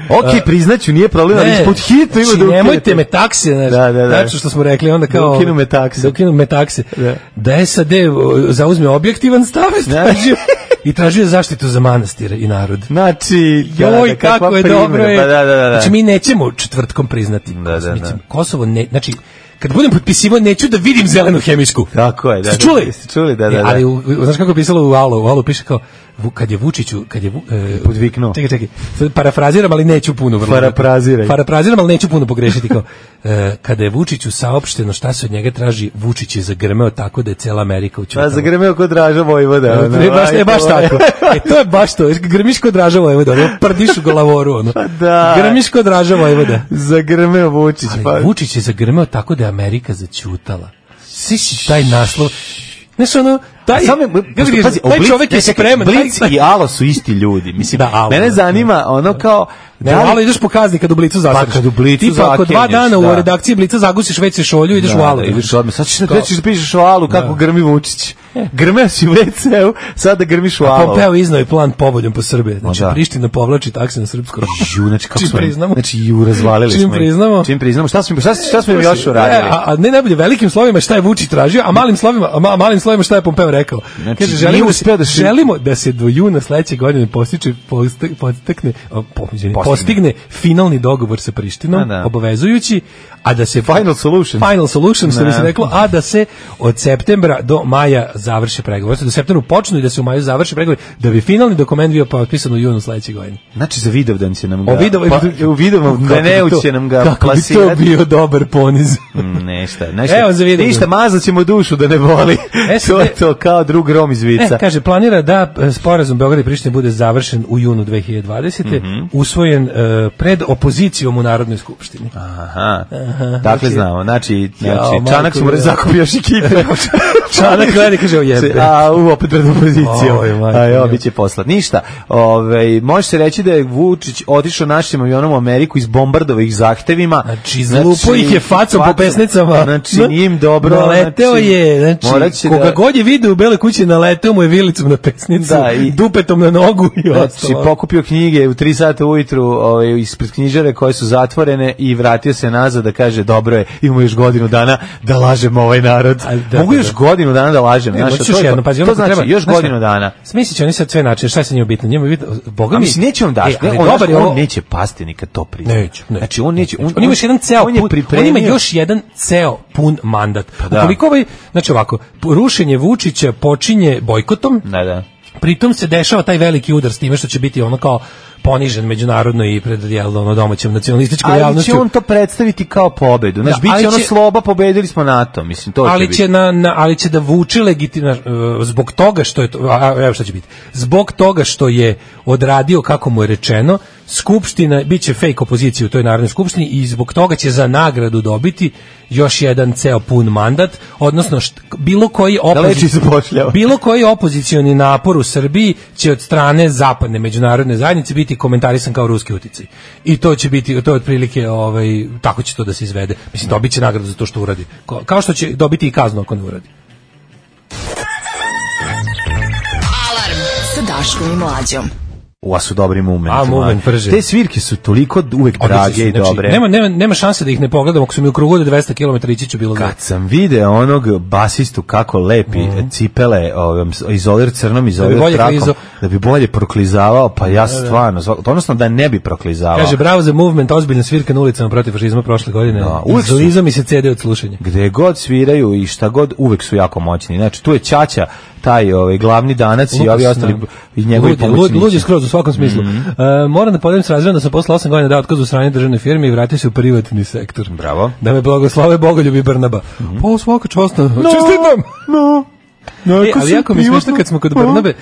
Ok, priznaću, nije problem, ali pod hitno ima da ukinu. Nemojte me takse, znači što smo rekli, onda kao... Da ukinu me takse. Da SAD zauzme objektivan stav, tražio... I tražio zaštitu za manastire i narod. Znači, joj, kako je dobro je. Znači, mi nećemo četvrtkom priznati. Kosovo ne, znači, kad budem potpisivao, neću da vidim zelenu hemijsku. Tako je, da. Ste čuli? Čuli, da. Ali, znaš kako je pisalo u Alu piše kao, kad je Vučiću, podviknuo. Čekaj, parafraziram, ali neću puno. Parafraziram, ali neću puno pogrešiti. Kao, kada je Vučiću saopšteno šta se od njega traži, Vučić je zagrmeo tako da je cela Amerika učutala. Zagrmeo kod Draža Vojvoda. Baš tako. To je baš to. Grmiš kod Draža Vojvoda. Prdiš u glavoru. Grmiš kod Draža Vojvoda. Zagrmeo Vučić. Ali Vučić je zagrmeo tako da je Amerika začutala. Sviš taj naslov. Znaš ono, taj čovjek je spreman. Blic i Alo su isti ljudi. Mislim, mene zanima ono kao... Ne, Alo ideš po kazni kad u Blicu zasreš. Pa kad u Blicu zakrenješ. Tipa ako 2 dana u redakciji Blica zagusiš već se šolju, ideš u Alo. Sad ćeš da pišeš o Alu kako grmi Vučić. Grmeo si u WC-u, sada grmiš u alovu. Pompeo iznao je plan povoljom po Srbije. Znači, Priština povlači takse na srpsku robu. Znači, kako smo priznamo. Znači, razvalili smo. Čim priznamo. Šta smo im još uradili? A ne najbolje velikim slovima šta je Vučić tražio, a malim slovima šta je Pompeo rekao. Znači, kaže, želimo da se do juna sledeće godine postigne finalni dogovor sa Prištinom, obavezujući, a da se final solution što bi se reklo, a da se od septembra do maja završe pregovori. Do septembra počnu i da se u maju završe pregovori, da bi finalni dokument bio potpisan u junu sledeće godine. Znači za Vidovdan će nam ga će nam ga plasirati. Kako bi to bio dobar poniz. Nešta. Evo za Vidovdan. Ništa, mazat ćemo dušu da ne boli. To je to kao drug Rom iz Vica. Kaže, planira da sporazum Beograda i Prištine bude završen u junu 2020. Usvojen pred opozicijom u Narodnoj skupštini. Aha. Dakle, znamo. Znači Čanak su morali zakupiti još ekipe. Čanak gleda i kaže, ojebe. Opet pred opozicijom. Biće poslat. Ništa. Može se reći da je Vučić otišao našim avionom u Ameriku iz bombardovih zahtevima. Znači, zlupo ih je facom po pesnicama. Znači, nije im dobro. Naleteo je. Znači, koga god je video u Bele kući, naleteo mu je vilicom na pesnicu, dupetom na nogu i ostalo. Znači, pokupio knjige u 3 sata ujutru ispred knjižare koje su zatvorene i vratio se nazad da kaže, dobro je, imamo još godinu dana da lažemo ovaj narod. Mogu još godinu dana da lažem. To znači još godinu dana. Smislit će oni sad sve načine, šta je sa njima bitno? Njima bitno, Boga mi... Neće vam daš, on neće pasti nikad to priznat. Neće. Znači, on neće... On ima još jedan ceo pun, on ima još jedan ceo pun mandat. Ukoliko znači ovako, rušenje Vučića počinje bojkotom, pritom se dešava taj veliki udar s time što će biti ono kao ponižen međunarodno i pred domaćom nacionalističkom javnošću. Ali će on to predstaviti kao pobedu. Znači, biće ono sloba, pobedili smo NATO. Mislim, to ali će ali će da vuče legitimno zbog toga što je to, evo šta će biti. Zbog toga što je odradio kako mu je rečeno, Skupština biće fake opozicija u toj Narodnoj skupštini i zbog toga će za nagradu dobiti još jedan ceo pun mandat, odnosno bilo koji opozicioni napor u Srbiji će od strane zapadne međunarodne zajednice biti komentarisan kao ruski uticaj. I to će biti, to je otprilike tako će to da se izvede. Mislim, dobit će nagradu za to što uradi. Kao što će dobiti i kaznu ako ne uradi. Alarm sa Daškom i Mlađom. Ova su dobri momenti. Te svirke su toliko uvek drage i dobre. Nema šanse da ih ne pogledam, ako su mi u krugu od 200 km ići ću bilo. Kad sam video onog basistu kako lepi cipele, izolir crnom, izolir trakom, da bi bolje proklizavao, pa ja stvarno, odnosno da ne bi proklizavao. Kaže, bravo za movement, ozbiljna svirka na ulicama protiv fašizma prošle godine. Izliza mi se CD od slušanja. Gde god sviraju i šta god, uvek su jako moćni. Znači, tu je Ćaća, taj glavni danac i ovi ostali i njegovi pomoćnici. Lud je skroz u svakom smislu. Moram da podelim s razredom da sam posle 8 godina dao otkaz u strane državne firme i vratio se u privatni sektor. Bravo. Da me blagoslove Bogoljub i Brnaba. Pa svaka čast. Čestitam! Ali jako mi smiješno kad smo kod Brnabe,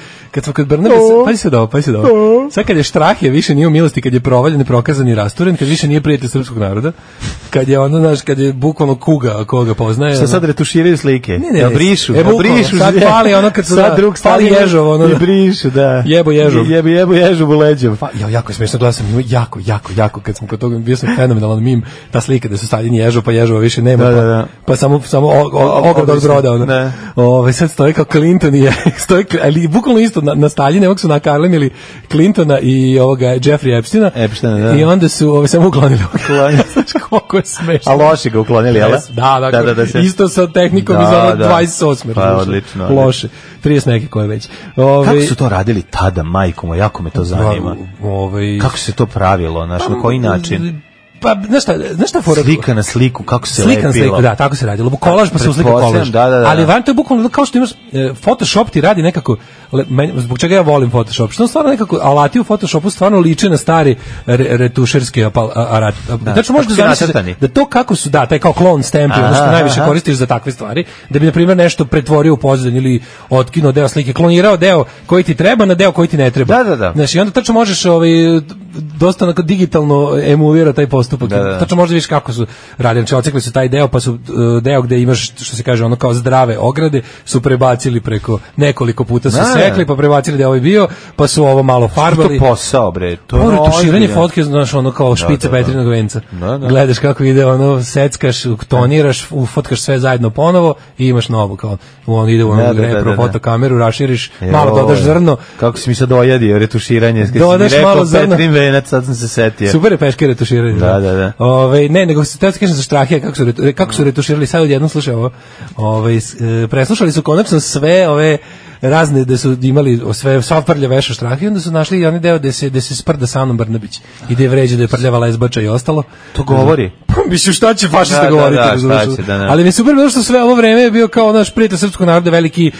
pazi se da ovo. Sad kad je Štrahija više nije u milosti, kad je provaljen, neprokazan i rasturen, kad više nije prijatelj srpskog naroda, kad je ono, znaš, kad je bukvalno kuga koga poznaje. Šta sad retuširaju slike? Ne, brišu. Sad pali ono kad su pali ježov, ono. I brišu, da. Jebo ježov. Jebo ježov u leđom. Jako je smiješno, gledao sam jako, kad smo kod toga, bio sam fenomenalan mim, ta slika da su stavljeni ježov, pa ježova više nema, pa samo ograda od broda, ono. Sad stoji kao Clinton i ali bukvalno isto na Staljine, ovog su nakarlemili Clintona i ovoga Jeffrey Epsteina. I onda su samo uklonili. Znači koliko je smešno. A loše ga uklonili, jel? Da, isto sa tehnikom iz 28. Pa odlično. Loše. 30 neke koje već. Kako su to radili tada, majko, jako me to zanima. Kako se to pravilo, na koji način? Pa, znaš šta fora? Slika na sliku, kako se lepilo. Slika na sliku, da, tako se radilo. Kolaž pa se uslika kolaž. Ali van to je bukvalno kao što imaš, Photoshop ti radi nekako, zbog čega ja volim Photoshop, što stvarno nekako, alati u Photoshopu stvarno liče na stari retušerski aparat. Znači možeš da zamisliš da to kako su, taj kao clone stamp, ono što najviše koristiš za takve stvari, da bi, na primjer, nešto pretvorio u pozadinu ili otkinuo deo slike, klonirao deo koji ti treba na deo koji ti ne treba. Da. Znači, onda tačno možeš dosta onako digitalno emulira taj postupak. Tačno možda vidiš kako su radili, znači ocekli su taj deo, pa su deo gde imaš, što se kaže, ono kao zdrave ograde, su prebacili preko nekoliko puta su sekli, pa prebacili da je ovaj bio, pa su ovo malo farbali. Što to posao, bre? To je retuširanje fotke, znaš, ono kao špice Petrinog venca. Gledaš kako ide, ono, seckaš, toniraš, ufotkaš sve zajedno ponovo i imaš novo, kao, on ide u onu repro fotokameru, raširiš, malo dodaš zrno. Kako si mi sad ojadio retuširanje, dodaš malo zrno. Petrin venac, sad sam se setio. Super je peške retuširanje. Da. Ne, nego se te kažem za Štrahija, kako su retuširali, sad odjednom slušaj ovo, preslušali su konačno sve ove razne da su imali sva prlja veša Štrahija, onda su našli i onaj deo da se sprda sa Anom Brnabić i da je vređa da je prljava lezbača i ostalo. To govori. Mislim, šta će fašista govoriti? Ali mi super bilo što sve ovo vreme je bio kao naš prijatelj srpskog naroda, veliki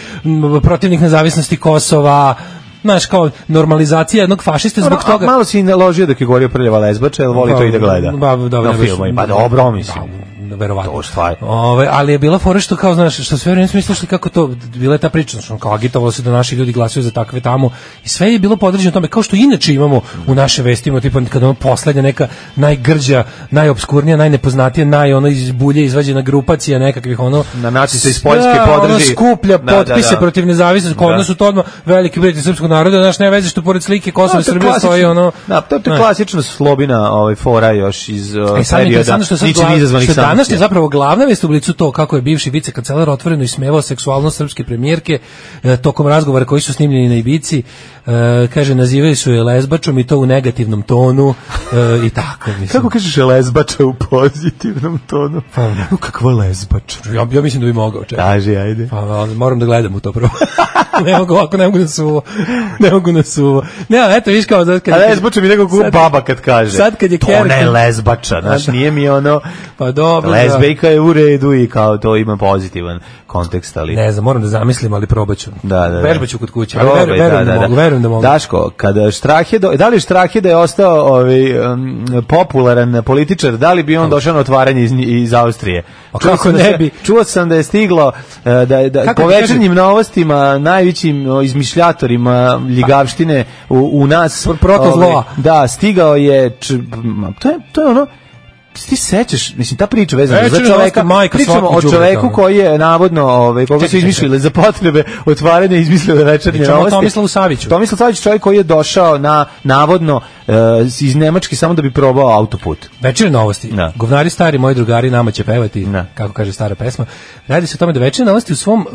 protivnik nezavisnosti Kosova, znaš, kao normalizacija jednog fašiste zbog toga. Malo si naložio dok je govorio prljava lezbača, jer voli to i da gleda. Na filmu, pa dobro, mislim. Verovatno. Ali je bila fora što kao, znaš, što sve vreme smo mislili kako to, bila je ta priča, što kao agitovalo se da naši ljudi glasaju za takve tamo i sve je bilo podređeno tome, kao što inače imamo u naše vestima, tipa kada ono poslednja neka najgrđa, najopskurnija, najnepoznatija, ono iz bulje izvađena grupacija nekakvih ono na nacista iz Poljske podrži, skuplja potpise protiv nezavisnosti, kod nas su to odmah veliki prijatelji srpskog naroda, znaš, ne veze što pored slike Kosova i Srbije stoji ono. Da, to je klasična Slobina fora još iz perioda ničim izazvanih sankcija. Je zapravo glavna vest u Blicu to kako je bivši vicekancelar otvoreno ismevao seksualnost srpske premijerke tokom razgovora koji su snimljeni na Ibici, kaže nazivaju su je lezbačom i to u negativnom tonu i tako mislim. Kako kažeš lezbača u pozitivnom tonu? Kakva lezbača? Ja mislim da bi mogao. Kaži, ajde. Pa moram da gledam u to prvo. Ne mogu ovako, ne mogu na suvo. Ne, eto, viš kao... A lezbača mi nekako baba kad kaže. Sad kad je to ne je lezbača, znaš, nije mi ono... Pa dobro. Lezbejka je u redu i kao to ima pozitivan kontekst, ali... Ne znam, moram da zamislim, ali probaću. Vežbaću kod kuće, ali verujem da mogu. Daško, kada da li Štrahije da je ostao popularan političar, da li bi on došao na otvaranje iz Austrije? Kako ne bi? Čuo sam da je stiglo da po večernjim novostima najvećim izmišljatorima ljigavštine u nas protozloa. Da, stigao je to je ono. Ti sećaš, mislim, ta priča vezana za čoveka, pričamo o čoveku koji je navodno, koga su izmislili za potrebe otvaranja izmislile večernje novosti. Tomislavu Saviću. Tomislav Savić, čovjek koji je došao navodno iz Nemačke samo da bi probao autoput. Večernje novosti. Govnari stari, moji drugari, nama će pevati, kako kaže stara pesma. Radi se o tome da večernje novosti u svom,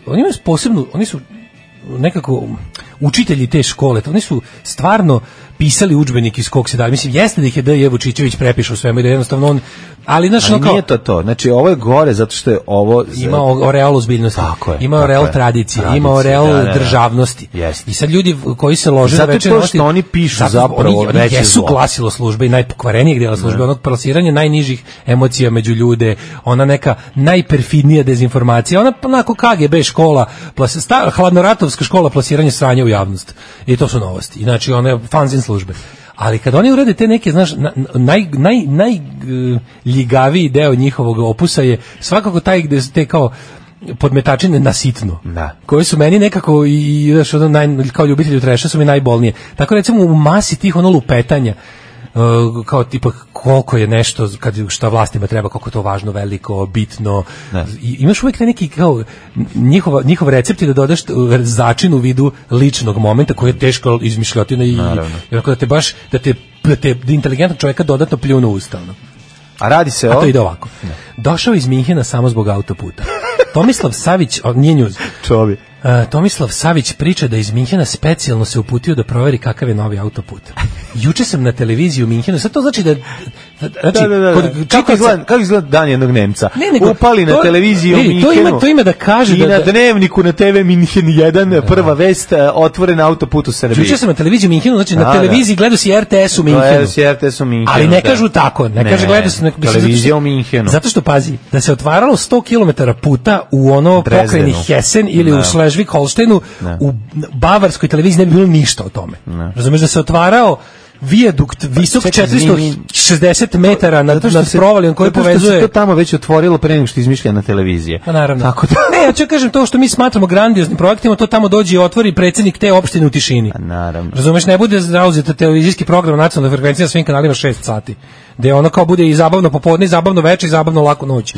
oni imaju posebnu, oni su nekako učitelji te škole, oni su stvarno pisali udžbenik iz kog se da. Mislim, jeste da ih je D.J. Vučićević prepišao svemu i da jednostavno on... Ali nije to. Znači, ovo je gore zato što je ovo... Ima oreal ozbiljnosti, ima oreal tradicije, ima oreal državnosti. I sad ljudi koji se lože na večernje novosti... Zato što oni pišu zapravo veće zlo. Oni jesu glasilo službe i najpokvarenijeg dela službe, onog plasiranja najnižih emocija među ljude, ona neka najperfidnija dezinformacija, ona onako KGB škola, hladnoratovska škola plasiranja sranja u javnost. I to su novosti. Znači, one fanzin službe. Ali kad oni urede te neke, znaš, najljigaviji deo njihovog opusa je svakako taj gde te kao podmetačine na sitno, koje su meni nekako i znaš, kao ljubitelju treša su mi najbolnije. Tako recimo u masi tih lupetanja, kao tipa koliko je nešto šta vlastima treba, koliko je to važno, veliko, bitno. I imaš uvijek neki kao njihov recept je da dodaš začin u vidu ličnog momenta koji je teško izmišljotina i da te baš da inteligentnog čovjeka dodatno pljunu ustavno. A radi se to ide ovako. Došao iz Minhena samo zbog autoputa. Tomislav Savić, nije njuz. Čovi. Tomislav Savić priča da iz Minhena specijalno se uputio da proveri kakav je novi autoput. Juče sam na televiziji u Minhenu, sad to znači da... Kako izgleda dan jednog Nemca? Upali na televiziji u Minhenu. To ima da kaže i na dnevniku na TV Minhen 1, prva vest, otvoren autoput u Srbiji. Juče sam na televiziji u Minhenu, znači na televiziji gledao si RTS u Minhenu. Ali ne kažu tako, ne kaže gledao si televizija u Minhenu. Zato što, pazi, da se otvaralo 100 km puta u ono pokrajini Hessen ili u Schleswig-Holsteinu, u bavarskoj televiziji ne bi bilo ništa o tome. Razumeš, da se otvarao vijadukt visok 460 metara nad provalijom koji povezuje. Zato što se to tamo već otvorilo pre nego što je izmišljena televizija. Pa naravno. Tako da... Ne, ja ću kažem to što mi smatramo grandioznim projektima, to tamo dođe i otvori predsjednik te opštine u tišini. Pa naravno. Razumeš, ne bude zauzeta televizijski program nacionalne frekvencije na svim kanalima 6 sati. Gde ono kao bude i zabavno popodne, i zabavno veče, i zabavno laku noć.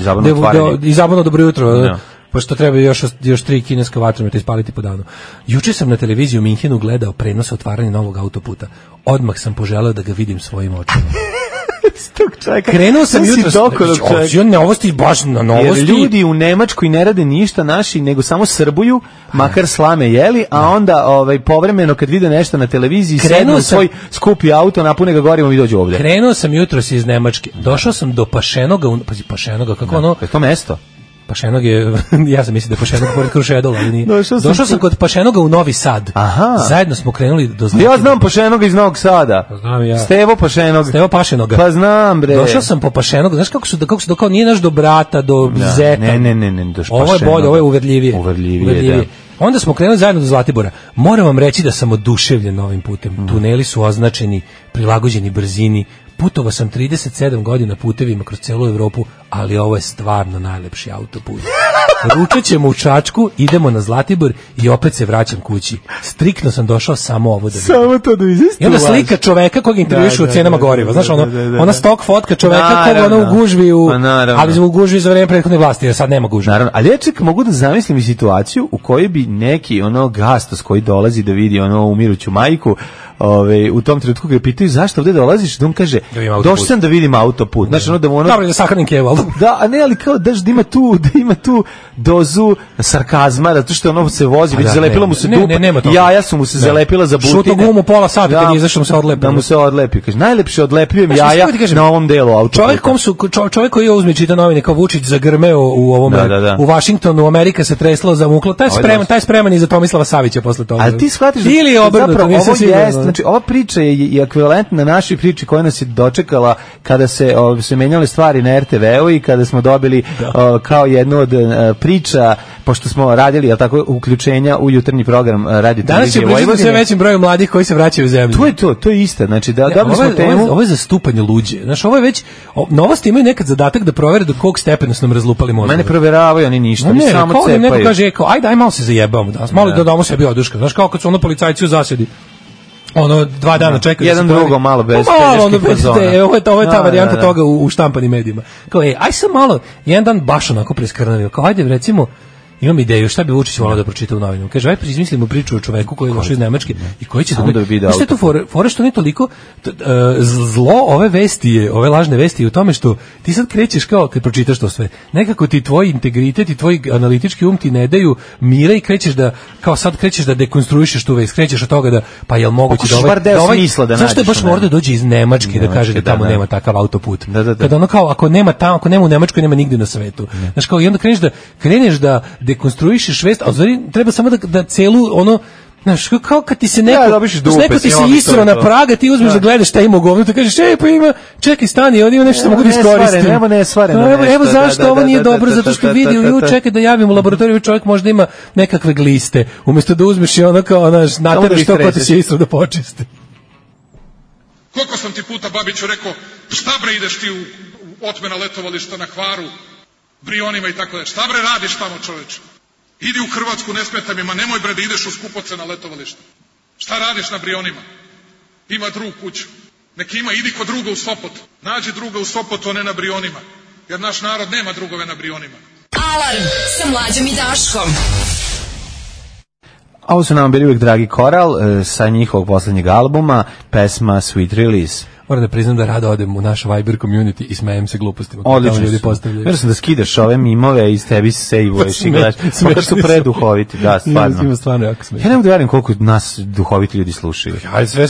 I zabavno dobro jutro. No. Pošto treba još 3 kineska vatrometa ispaliti po danu. Juče sam na televiziji u Minhenu gledao prenos otvaranja novog autoputa. Odmah sam poželeo da ga vidim svojim očima. Krenuo sam jutros. Novosti, baš na novosti. Jer ljudi u Nemačkoj ne rade ništa naši, nego samo srbuju, makar slame jeli, a onda povremeno kad vide nešto na televiziji, sednu u svoj skupi auto, napune ga gorivom i dođu ovde. Krenuo sam jutros iz Nemačke. Došao sam do Pašenoga, Pašenoga, kako ono? Je to mesto? Pašenog je, ja sam mislio da je Pašenog pored Krušedola, ali nije. Došao sam kod Pašenoga u Novi Sad. Aha. Zajedno smo krenuli do Zlatibora. Ja znam Pašenoga iz Novog Sada. Znam ja. Stevo Pašenoga. Pa znam, bre. Došao sam po Pašenoga. Znaš kako su kao nije naš do brata, do zeta. Ne, do Ovo je bolje, ovo je uverljivije. Uverljivije, da. Onda smo krenuli zajedno do Zlatibora. Moram vam reći da sam oduševljen novim putem. Tuneli su označeni, prilagođeni brzini. Putovao sam 37 godina putevima kroz celu Evropu, ali ovo je stvarno najlepši autoput. Ručat ćemo u Čačku, idemo na Zlatibor i opet se vraćam kući. Striktno sam došao samo ovo da vidim. Samo to da izistuje. I onda slika čoveka kog intervjušu u cenama goriva. Znaš, ona stok fotka čoveka kog ona u gužvi, ali u gužvi za vreme prethodne vlasti, jer sad nema gužvi. Naravno, ali ja čekam, mogu da zamislim i situaciju u kojoj bi neki gastos koji dolazi da vidi umiruću majku, u tom trenutku ga pitaju zašto ovde dolaziš, da on kaže došao sam da vidim autoput. Znači dobro da sahranim keval. Da, a ne, ali kao da ima tu dozu sarkazma, zato što ono se vozi, već zalepila mu se dupa, jaja su mu se zalepila za butine. Šuto gumu pola sata kad izašao mu se odlepi. Da mu se odlepi. Kaže, najlepše odlepljujem jaja na ovom delu autoputa. Čovjek koji je uzme čita novine kao Vučić zagrmeo u ovom u Vašingtonu, Amerika se tresla, zamukla. Taj spreman i za Tomislava Savića posle toga. Ali ti shvatiš da znači, ova priča je ekvivalentna našoj priči koja nas je dočekala kada se menjale stvari na RTV-u i kada smo dobili kao jednu od priča, pošto smo radili uključenja u jutarnji program Radio Televizije Vojvodine. Danas će sve većim broju mladih koji se vraćaju u zemlju. To je isto. Znači, dobili smo temu. Ovo je zastupanje luđe. Znači, ovo je već, novosti imaju nekad zadatak da provere do kog stepena su nam razlupali mozgove. Mene proveravaju, oni ništa, oni samo cepaju. Neko kaže, aj malo se zajebamo danas, malo da damo sebi oduška. Znaš, kao kad su policajci u zasedi. 2 dana čekaju. Jedan drugo malo bez peljeških fazona. Ovo je ta varijanta toga u štampanim medijima. Kao, aj sam malo, jedan dan baš onako preskrnavio. Kao, ajde, recimo, imam ideju šta bi Vučić volao da pročita u novinama. Kaže, aj izmislimo priču o čoveku koji je došao iz Nemačke i koji će da vidi. Šta je to fore što nije toliko zlo ove lažne vesti u tome što ti sad krećeš kao kad pročitaš to sve. Nekako ti tvoj integritet i tvoj analitički ti ne daju mira i krećeš da dekonstruišeš tu vest. Krećeš od toga da pa jel moguće da smisla da nađeš. Zašto je baš mora da dođe iz Nemačke da kaže da tamo nema takav autoput. Kada ono kao ako nema u Nemačkoj nema nigde na svetu. Znaš kao i onda kreneš da dekonstruišeš vest, a znači treba samo da celu znaš, kao kad ti se neko ti se isro na praga, ti uzmeš da gledaš šta ima u govnu, ti kažeš, pa ima, čekaj, stani, ovdje ima nešto što mogu da iskoristim. Evo zašto ovo nije dobro, zato što vidi, čekaj da javim u laboratoriju, čovjek možda ima nekakve gliste, umjesto da uzmeš i nateraš to ko ti će isro da počiste. Koliko sam ti puta, Babiću, rekao, šta bre ideš ti u otmena letovališta na Hvaru, Brionima i tako da. Šta bre radiš tamo, čoveče? Idi u Hrvatsku, ne smeta mi, ma nemoj bre da ideš u skupocena letovališta. Šta radiš na Brionima? Ima drug kuću. Neki ima, idi kod druga u Sopot. Nađi druga u Sopotu, a ne na Brionima. Jer naš narod nema drugove na Brionima. Alarm sa Mlađom i Daškom. A ovo su nam bili uvijek dragi Koral sa njihovog poslednjeg albuma, pesma Sweet Release. Moram da priznam da rado odem u naš Viber community i smejem se glupostima. Odlično su. Vjerujem sam da skidaš ove mimove i iz tebi sejvuješ i gledaš. Makar su preduhoviti, da, stvarno. Ima stvarno jako smiješno. Ja ne mogu da verujem koliko nas duhoviti ljudi slušaju. Ja sve,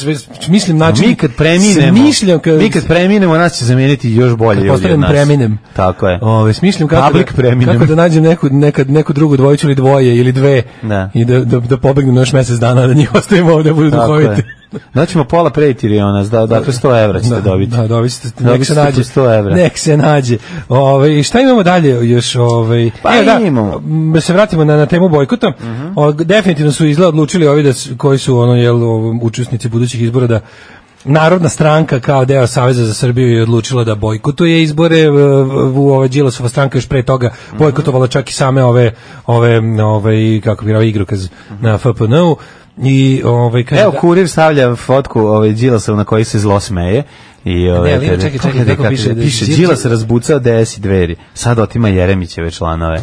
mislim način. Mi kad preminemo, nas će zameniti još bolje ljudi od nas. Preminem. Tako je. Smišljam kako da nađem neku drugu dvojicu ili dvoje ili dve i da pobegnem još mjesec dana da njih ostavimo ovdje da budu duhoviti. Daćemo pola pretiriona, dakle 100 evra ćete dobiti. Da, dobit ćete, nek se nađe. 100 evra. Nek se nađe. Šta imamo dalje još? Pa imamo. Da se vratimo na temu bojkota. Definitivno su odlučili ovi koji su učesnici budućih izbora Narodna stranka kao deo Saveza za Srbiju je odlučila da bojkotuje izbore. Ova Đilasova stranka još pre toga bojkotovala čak i same ove kako bi rekao igrokaz na FPN-u. I evo Kurir stavlja fotku Đilasov na koji se zlo smeje. I čekaj, kako piše Đilas razbucao DS i Dveri. Sad otima Jeremićeve članove.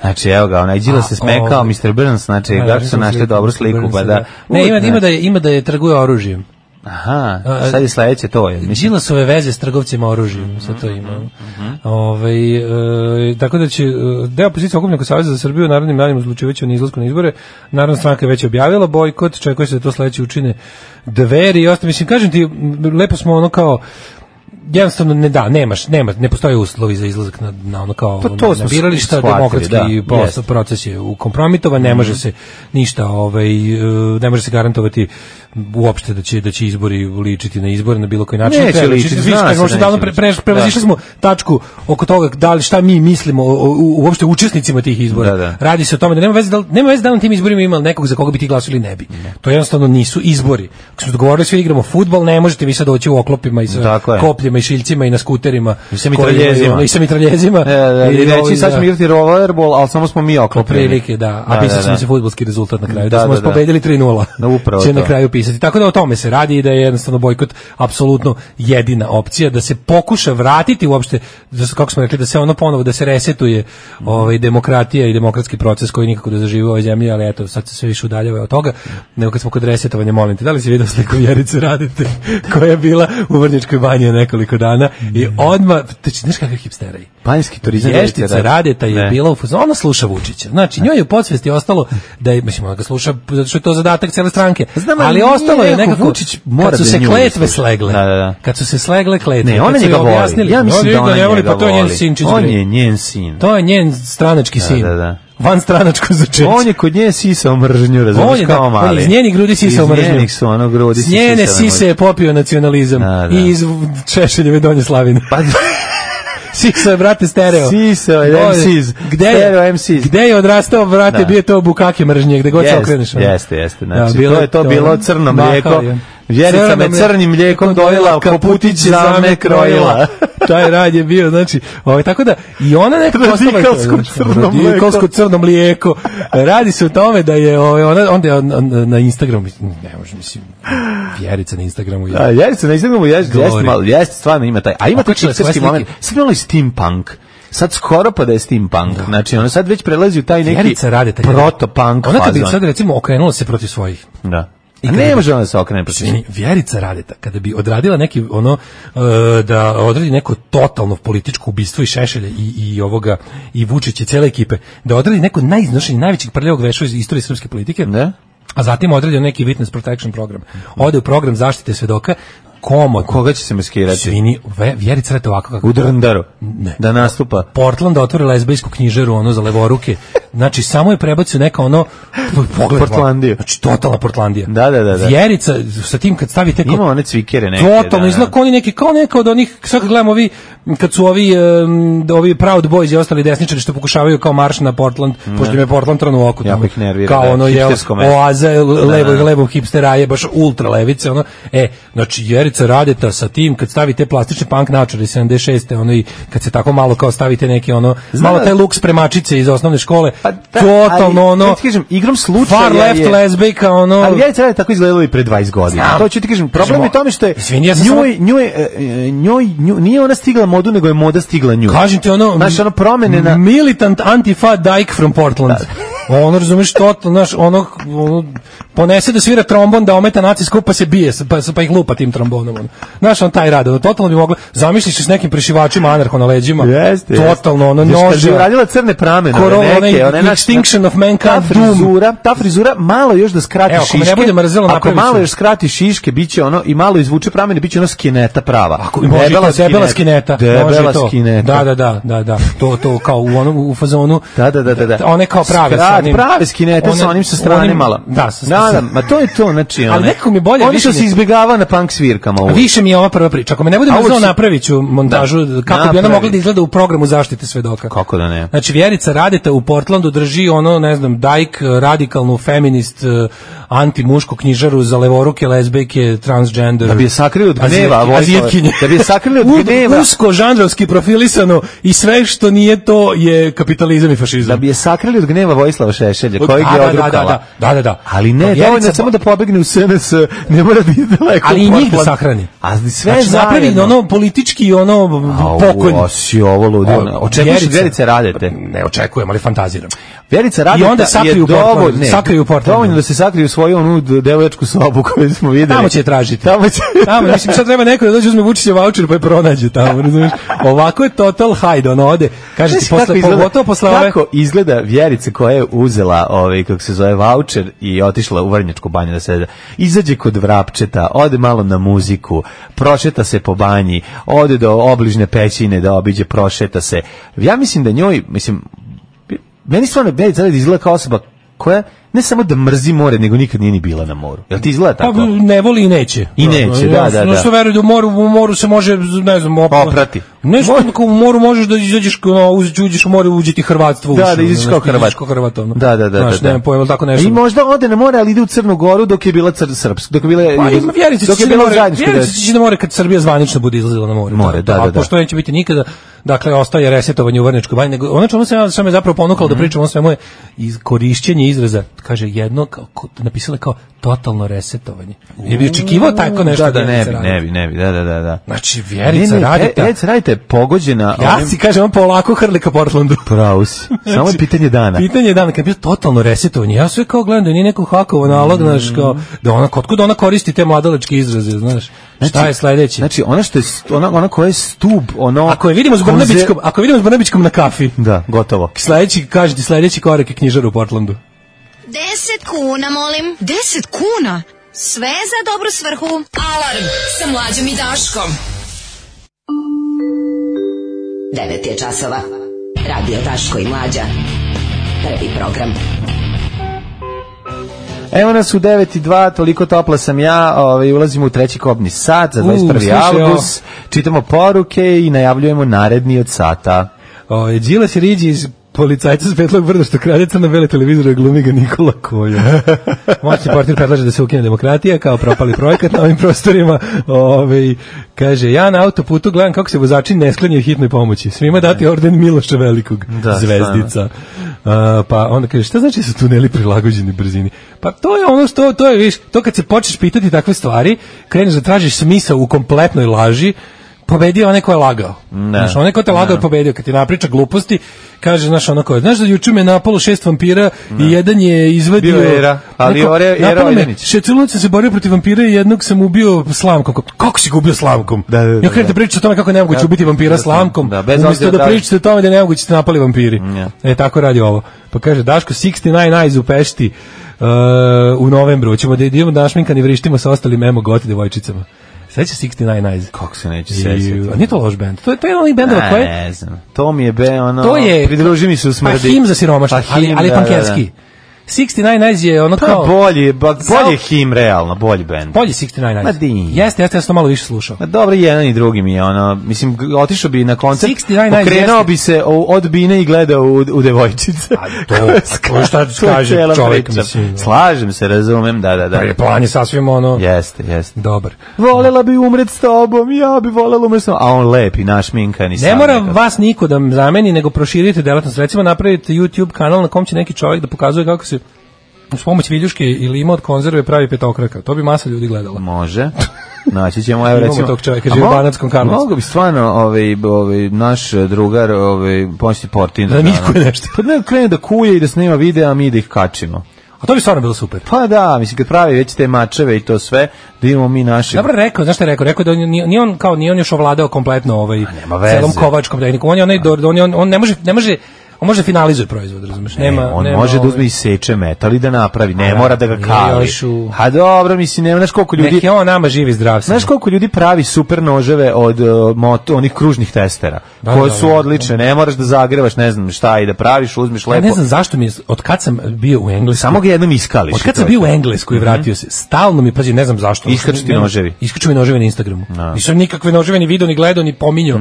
Znači evo ga, onaj Đilas se smekao, Mr. Burns, znači kako su našli dobru sliku, pa da. Ne, ima da je trguje oružjem. Aha, sad je sledeće to je. Đilasove veze s trgovcima oružjem, sad to ima. Tako da će deo opozicije okupnog Saveza za Srbiju narodnim danima odlučivaće o izlasku na izbore. Narodna stranka je već objavila bojkot, čekuje se da to sledeće učine Dveri i ostalo. Mislim, kažem ti, lepo smo ono kao jednostavno ne postoje uslovi za izlazak na ono kao na birališta, demokratski proces je ukompromitovan, ne može se ništa, ne može se garantovati uopšte da će izbori ličiti na izbore na bilo koji način. Neće ličiti, prevazišli smo tačku oko toga da li šta mi mislimo uopšte učesnicima tih izbora. Da. Radi se o tome da nema veze da na tim izborima ima nekog za koga bi ti glasili ne bi. To jednostavno nisu izbori. Ako smo dogovorili svi igramo fudbal, ne možete vi sad doći u oklopima i sa kopljima i šiljcima i na skuterima i sa mitraljezima. I reći sad ćemo igrati rollerball, ali samo smo mi oklopljeni. Prilike, da. A pisat ćemo se fudbalski rezultat na kraju. Da smo pobedili 3:0. Će na kraju pisati. Tako da o tome se radi i da je jednostavno bojkot apsolutno jedina opcija, da se pokuša vratiti uopšte, kako smo rekli, da se ono ponovo, da se resetuje demokratija i demokratski proces koji nikako da zaživi u ovoj zemlji, ali eto, sad se sve više udaljava od toga. Nego kad smo kod resetovanja, molim te, da li si vidio sliku Vjerice Radete koja je bila u Vrnjačkoj banji nekoliko dana i odmah, znaš kakav hipstera je? Banjski turizam. Vještica Radeta je bila u fazonu, ona sluša Vučića. Znači, njoj je u podsvesti ostalo da je, mislim, ona ga sluša zato što je to zadatak cele stranke. Ali ostalo je nekako, kad su se kletve slegle. Kad su se slegle kletve. Ne, ona njega voli. Ja mislim da ona njega voli. Pa to je njen sin. On je njen sin. To je njen stranački sin. Da. Van stranačko začeće. On je kod nje sisao mržnju, razumiješ, kao mali. On je iz njenih grudi sisao mržnju. Iz njenih su ono grudi sisao. S njene sise je popio nacionalizam. I iz Češeljeve Donje Slavine. Sisao je, brate, stereo. Sisao je MCs. Stereo MCs. Gde je odrastao, brate, bio to bukake mržnje, gde god se okreneš. Jeste. Znači, to je to bilo crno mlijeko. Vjerica me crnim mlijekom dojela, Koputić za me krojila. Taj rad je bio, znači, tako da i ona nekako radikalsko crno mlijeko. Radi se o tome da je onda na Instagramu, ne može, mislim, Vjerica na Instagramu. Vjerica na Instagramu jeste stvarno ima taj, a ima taj hipsterski moment. Sad malo i steampunk. Sad skoro pa da je steampunk. Znači, ona sad već prelazi u taj neki proto-punk fazon. Ona kad bi sad, recimo, okrenula se protiv svojih. Da. I ne može ona se okrene protiv svojih. Vjerica Radeta, kada bi odradila neki, da odradi neko totalno političko ubistvo i Šešelja i ovoga, i Vučića i cele ekipe, da odradi neko najiznošenje, najvećih prljavog veša iz istorije srpske politike, a zatim odradio neki witness protection program. Ode u program zaštite svedoka, komodno. Koga će se maskirati? Vjerica Radeta ovako kako. U Drndaru. Ne. Da nastupa. Portland otvori lezbijsku knjižaru, za levoruke. Znači, samo je prebacio neka Portlandiju. Znači, totalna Portlandija. Da. Vjerica, sa tim kad stavite... Ima one cvikere neke. Totalno, izgleda kao oni neki, kao neka od onih, sad kad gledamo kad su ovi Proud Boys i ostali desničari što pokušavaju kao marš na Portland, pošto im je Portland trn u oku. Jako ih nervira. Kao ono je oaza levog hipsteraje, baš ultra levice. Znači, Vjerica Radeta sa tim, kad stavite plastične punk naočare 76. I kad se tako malo kao stavite neki malo taj luk spremačice iz osnovne škole, totalno igrom slučaja far left lesbijka, ali Vjerica Radeta tako izgledalo i pre 20 godina. To ću ti kažem, problem je tome što je njoj nije ona stigla modu, nego je moda stigla nju. Kažem ti promene na... Militant antifa dyke from Portland. Razumeš, totalno, ponese da svira trombon, da ometa nacijsku, pa se bije, pa ih lupa tim trombonom. Znaš, taj rad, totalno bi mogla, zamisliš s nekim prešivačima anarho na leđima, totalno, noža. Kad bi uradila crne pramenove, neke, Extinction of Mankind, ta frizura, malo još da skrati šiške, ako malo još skrati šiške, bit će i malo izvuče pramene, bit će skineta prava. Debela skineta. Debela skineta. Da. To kao u fazonu. Da. One kao prave skinete sa onim sa strane malo. Da, ma to je to, znači ali nekako mi bolje oni što se izbjegava na punk svirkama. slikama uvek. Više mi je ova prva priča. Ako me ne budem znao, napravit ću montažu kako bi ona mogla da izgleda u programu zaštite svedoka. Kako da ne? Znači, Vjerica Radeta u Portlandu drži ono, ne znam, dajk, radikalnu, feminist, anti-mušku knjižaru za levoruke, lezbejke, transgender. Da bi je sakrili od gneva, azijatkinje. Da bi je sakrili od gneva. Usko, žanrovski profilisano i sve što nije to je kapitalizam i fašizam. Da bi je sakrili od gneva Vojislava Šešelja, kojeg je odrukala. Da. Ali ne, dovoljno samo da pobegne u SNS, ne mora da ide daleko. Ali i njih da sahrani. A sve znači, napravi ono politički pokojni. Si ovo ludilo. Očekuješ Vjerice Radete? Ne očekujem, ali fantaziram. Vjerica Radeta i onda sakriju Portland. Dovoljno da se sakriju u svoju onu devojačku sobu koju smo videli. Tamo će je tražiti. Tamo, mislim, sad treba neko da dođe uzme Vučićev vaučer pa je pronađe tamo, razumiješ? Ovako je total hajde, ono ode. Kaže ti, pogotovo posle ove... Kako izgleda Vjerica koja je uzela, kako se zove, vaučer i otišla u Vrnjačku banju da se izađe kod Vrapčeta, ode malo na muziku, prošeta se po banji, ode do obližne pećine da obiđe, prošeta se. Ja mislim da njoj, meni stvarno Vjerica Radeta izgleda kao osoba koja ne samo da mrzi more, nego nikad nije ni bila na moru. Jel ti izgleda tako? Pa ne voli i neće. I neće, da. No što veruju da u moru se može, ne znam, oprati. Nešto u moru možeš da izađeš, uđeš u more, uđi ti Hrvatstvo. Da, izađeš kao Hrvat. Da. Znaš, nemam pojma, tako nešto. I možda ode na more, ali ide u Crnu Goru dok je bila srpska. Dok je bila zajednička. Vjerica će na more kad Srbija zvanično bude izlazila na more. Da. Pošto neće biti nikada, dakle, ostaje resetovanje u Vrnjačkoj banji. Ono čemu sam me zapravo ponukalo da pričam o svemu je korišćenje izraza, kaže jedno, napisala kao totalno resetovanje. Je bi očekivao tako nešto da ne bi, da. Znači, Vjerica Radeta. Vjerica Radeta je pogođena... Ja si kažem, on polako hrli ka Portlandu. Pravo si. Samo je pitanje dana. Pitanje dana, kad je bilo totalno resetovanje. Ja sve kao gledam da nije neko hakovo nalog, znaš, kao, kod ona koristi te mladalačke izraze, znaš. Šta je sledeće? Znači, ona koja je stub, Ako je vidimo s Brnabićkom na kafi. Da, gotovo. Sledeći korak je knjižar u Portlandu. 10 kuna, molim. 10 kuna? Sve za dobru svrhu. Alarm sa Mlađom i Daškom. 9 je časova. Radio Daško i Mlađa. Prvi program. Evo nas u 9:02, toliko topla sam ja, ulazimo u treći kobni sat za 21. avgust, čitamo poruke i najavljujemo naredni od sata. Đilas je riđi iz policajca s Petlog Brda što krade crno-bele televizore, glumi ga Nikola Kolja. Moćni portir predlaže da se ukine demokratija kao propali projekat na ovim prostorima. Kaže, ja na autoputu gledam kako se vozači ne sklanjaju hitnoj pomoći. Svima dati orden Miloša Velikog, zvezdica. Pa onda kaže, šta znači da su tuneli prilagođeni brzini? Pa to je ono što, to je, viš, to kad se počneš pitati takve stvari, kreneš da tražiš smisao u kompletnoj laži, pobedio onaj ko je lagao. Znaš, onaj ko te lagao je pobedio. Kad ti napriča gluposti, kaže, znaš, onako, znaš da juče me napalo 6 vampira i jedan je izvadio... Bio Era, ali Era Ojdanić. Šeculović sam se borio protiv vampira i jednog sam ubio slamkom. Kako si ga ubio slamkom? Ja krenete pričati o tome kako je nemoguće ubiti vampira slamkom, umjesto da pričate o tome da je nemoguće se napali vampiri. Tako radi ovo. Pa kaže, Daško, 69 Eyes u Pešti u novembru. Ćemo da idemo da našminkani vrištimo sa ostalim emo goti devojčicama. Sveća 69 Eyes. Kako se neće sećati? A nije to loš bend. To je jedan onih bendova koje... Ne znam. To mi je to je, pridruži mi se u smrdi. Pa him za siromašne, ali pankerski. 69 Eyes je ono kao... Bolji je him, realno, bolji bend. Bolji 69 Eyes. Jeste, ja sam to malo više slušao. Dobro, jedan i drugi mi je ono, mislim, otišao bi na koncert, pokrenuo bi se od bine i gledao u devojčice. To šta kaže čovjek, mislim. Slažem se, razumem, da. Plan je sasvim ono... Jeste. Dobar. Volela bi umret s tobom, ja bi volela umret s tobom, a on lepi, našminkani. Ne mora vas niko da zameni, nego proširite delatnost. Recimo, napravite YouTube kanal na kom će neki čovjek da pokazuje kako se uz pomoć viljuške ili ima od konzerve pravi petokraka. To bi masa ljudi gledala. Može. Naći ćemo, evo recimo. Imamo tog čovjeka, živi u Banatskom Karlovcu. Mogu bi stvarno naš drugar pomoćni portin. Da nikuje nešto. Pa ne, krene da kuje i da snima videa, a mi da ih kačimo. A to bi stvarno bilo super. Pa da, mislim, kad pravi već te mačeve i to sve, da imamo mi naše... Dobro rekao, znaš šta je rekao? Rekao da nije on još ovladao kompletno celom kovačkom tehnikom. On ne može On može finalizuje proizvod, razumeš? On može da uzme i seče metal i da napravi, ne mora da ga kali. A dobro, mislim, nema, znaš koliko ljudi... Neki on nama živi zdrav. Znaš koliko ljudi pravi super noževe od onih kružnih testera, koje su odlične, ne moraš da zagrevaš, ne znam šta, i da praviš, uzmeš lepo. Ja ne znam zašto mi je, od kad sam bio u Engleskoj... Samo ga jednom iskališ. Od kad sam bio u Engleskoj i vratio se, stalno mi, pazi, ne znam zašto. Iskaču ti noževi. Iskaču mi noževi na Instagramu. Nisam nikakve noževe ni video, ni gledao, ni pominjao.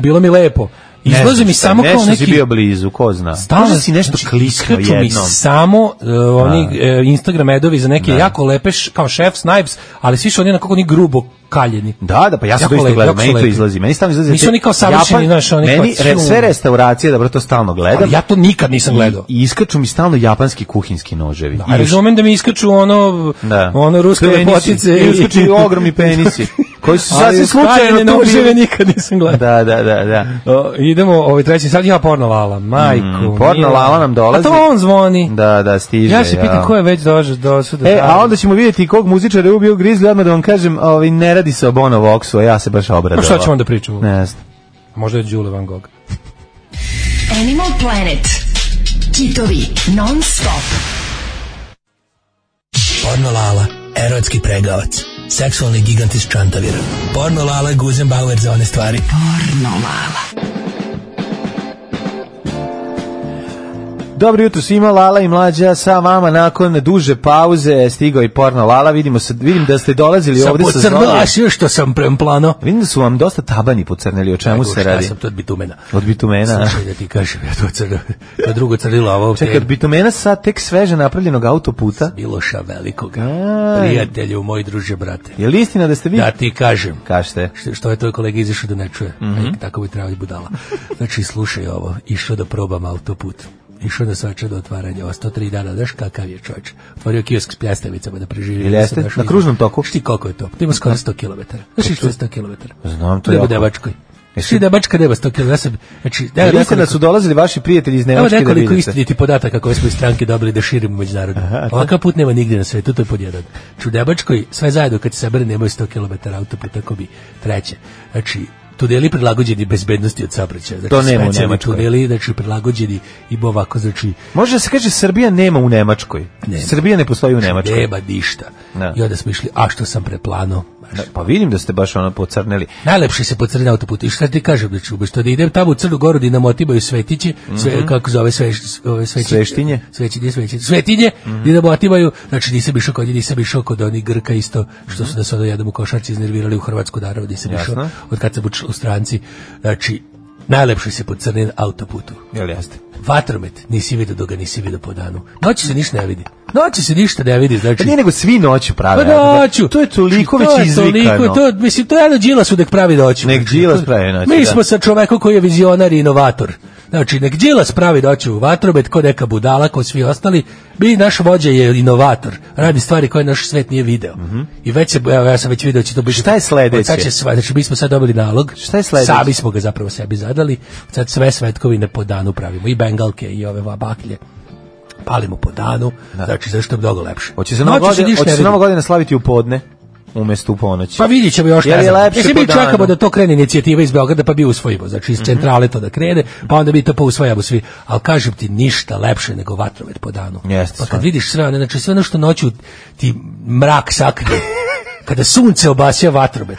Bilo mi lepo. Izlazi mi samo kao neki... Nešto si bio blizu, ko zna. Možda si nešto kliknuo jednom. Mi samo oni Instagram edovi za neke jako lepe, kao Chef's Knives, ali svi su oni nekako ni grubo kaljeni. Da, pa ja sam to isto gledao, meni to izlazi. Meni stalno izlazi. Nisu oni kao savršeni, znaš, oni meni sve restauracije, dobro, to stalno gledam. Ali ja to nikad nisam gledao. I iskaču mi stalno japanski kuhinjski noževi. Da, razumem da mi iskaču ono ruske lepotice. Iskaču i ogromni penisi. Koji su sasvim slučajno noževe nikad nisam gledao. Da. Idemo, treći sad ja Porno Lala, majku. Porno Lala nam dolazi. A to on zvoni. Da, stiže. Ja se pitam ko je već došao. A onda ćemo vidjeti kog muzičara je ubio Grizzly, odmah da vam kažem, ne radi se o Bono Voxu, a ja se baš obradovao. Pa šta ćemo onda pričamo? Ne znam. Možda je Đule Van Gogh. Animal Planet. Kitovi non stop. Porno Lala, erotski pregavac. Seksualni gigant iz Čantavira. Porno Lala, Guzenbauer za one stvari. Porno Lala. Dobro jutro svima, Lala i Mlađa sa vama nakon duže pauze stigao i Porno Lala. Vidim da ste dolazili ovdje sa znojem. Pocrnila što sam premplano. Vidim da su vam dosta tabani pocrneli, o čemu se radi? Ja sam to od bitumena. Od bitumena? Slušaj da ti kažem, ja to crnilo. To drugo crnilo, ovo... Čekaj, od bitumena sad tek sveže napravljenog autoputa? Miloša Velikoga. Prijatelju, moj druže, brate. Je li istina da ste vi? Da ti kažem. Kažete. Što je tvoj kolega izašao da ne čuje? Tako bi trebali budala. Znači, slušaj ovo, išao da probam autoput. Išao na svača do otvaranja, ovo 103 dana, znaš kakav je čovječ. Otvorio kiosk s pljestavicama da preživi. Ili jeste? Na kružnom toku? Šti koliko je to? To ima skoro 100 km. Znaš što je 100 km? Znam to jako. U Nemačkoj. Šti Nemačka nema 100 km. Znači, vidite da su dolazili vaši prijatelji iz Nemačke da vidite. Evo nekoliko istiniti podataka koje smo iz stranke dobili da širimo međunarodno. Ovakav put nema nigdje na svetu, to je pod jedan. Znači, u Nemačkoj sve zajedno kad se sabere nemaju 100 km autoputa, tako bi treće. Znači, tuneli prilagođeni bezbednosti od saobraćaja. Znači, to nema u Nemačkoj. Tuneli, znači, prilagođeni i ovako, znači... Može da se kaže Srbija nema u Nemačkoj. Nema. Srbija ne postoji u Nemačkoj. Nema ništa. I onda smo išli, a što sam preplano? Pa vidim da ste baš pocrneli. Najlepše se pocrne autoput. I šta ti kažem, znači, umesto da idem tamo u Crnu Goru da nam otibaju svetiće, kako zove sveštinje? Svetinje, da nam otibaju, znači nisam išao kod onih Grka isto, što su nas jednom u košarci iznervirali u Hrvatsku, naravno nisam išao, od kad sam u stranci, znači, najlepše se pocrne autoputu. Jel jeste? Vatromet, nisi vidio dok ga nisi vidio po danu. Noći se ništa ne vidi. Noći se ništa ne vidi, znači. Nije nego svi noću prave. Pa noću. To je toliko već izvikano. Mislim, to je jedno Đilas nek pravi noću. Nek Đilas pravi noću. Mi smo sa čovekom koji je vizionar i inovator. Znači, nek Đilas pravi noću vatromet, ko neka budala, ko svi ostali. Naš vođa je inovator. Radi stvari koje naš svet nije video. I već se, ja sam već video će to biti. Šta je sledeće? Znači, mi smo sad dobili nalog. Šta je sledeće? Sami smo ga zapravo sebi zadali. Sad sve svetkovine po danu pravimo. I bengalke i ove baklje. Palimo po danu. Znači, zašto je mnogo lepše. Hoće se Nova godina slaviti u podne? Umesto u ponoći. Pa vidjet ćemo još ne znam. Mi čekamo da to krene inicijativa iz Beograda pa bi usvojimo. Znači iz centrale to da krene, pa onda mi to pousvajamo svi. Ali kažem ti ništa lepše nego vatromet po danu. Pa kad vidiš sve, znači sve ono što noću ti mrak sakrije. Kada sunce obasja vatromet,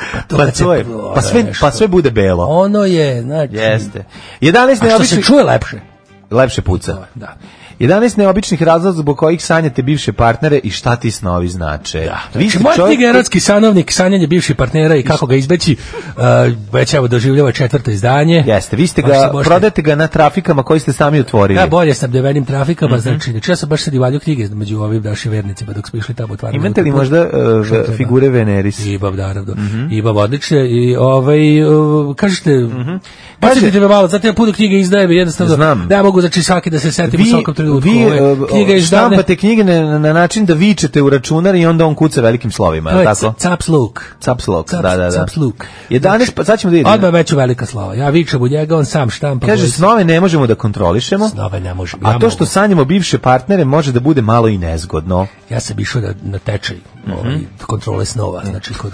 pa sve bude belo. Ono je, znači. Jeste. 11 što se čuje lepše. Lepše puca. Da. 11 neobičnih razloga zbog kojih sanjate bivše partnere i šta ti snovi znače. Da. Moja knjiga Erotski sanovnik, sanjanje bivših partnera i kako ga izbeći, već evo doživljava 4. izdanje. Jeste, vi ste ga, prodajete ga na trafikama koji ste sami otvorili. Ja, bolje snabdevenim trafikama, znači ja sam baš sad i valjao knjige među ovim našim vernicima dok smo išli tamo otvarati. Imate li možda figure Veneris? Imam, naravno. Imam odlične i kažete, podsjetite me malo, zato ja puno knjige izdajem i jednostavno ne mogu znači svaki da se setim u svakom trenutku. vi štampate knjige na način da vičete u računar i onda on kuca velikim slovima, je tako? Caps look. Caps look, da. Caps look. 11, pa sad ćemo da vidimo. Odmah već u velika slova. Ja vičem u njega, on sam štampa. Kaže, snove ne možemo da kontrolišemo. Snove ne možemo. A to što sanjamo bivše partnere može da bude malo i nezgodno. Ja sam išao na tečaj kontrole snova, znači kod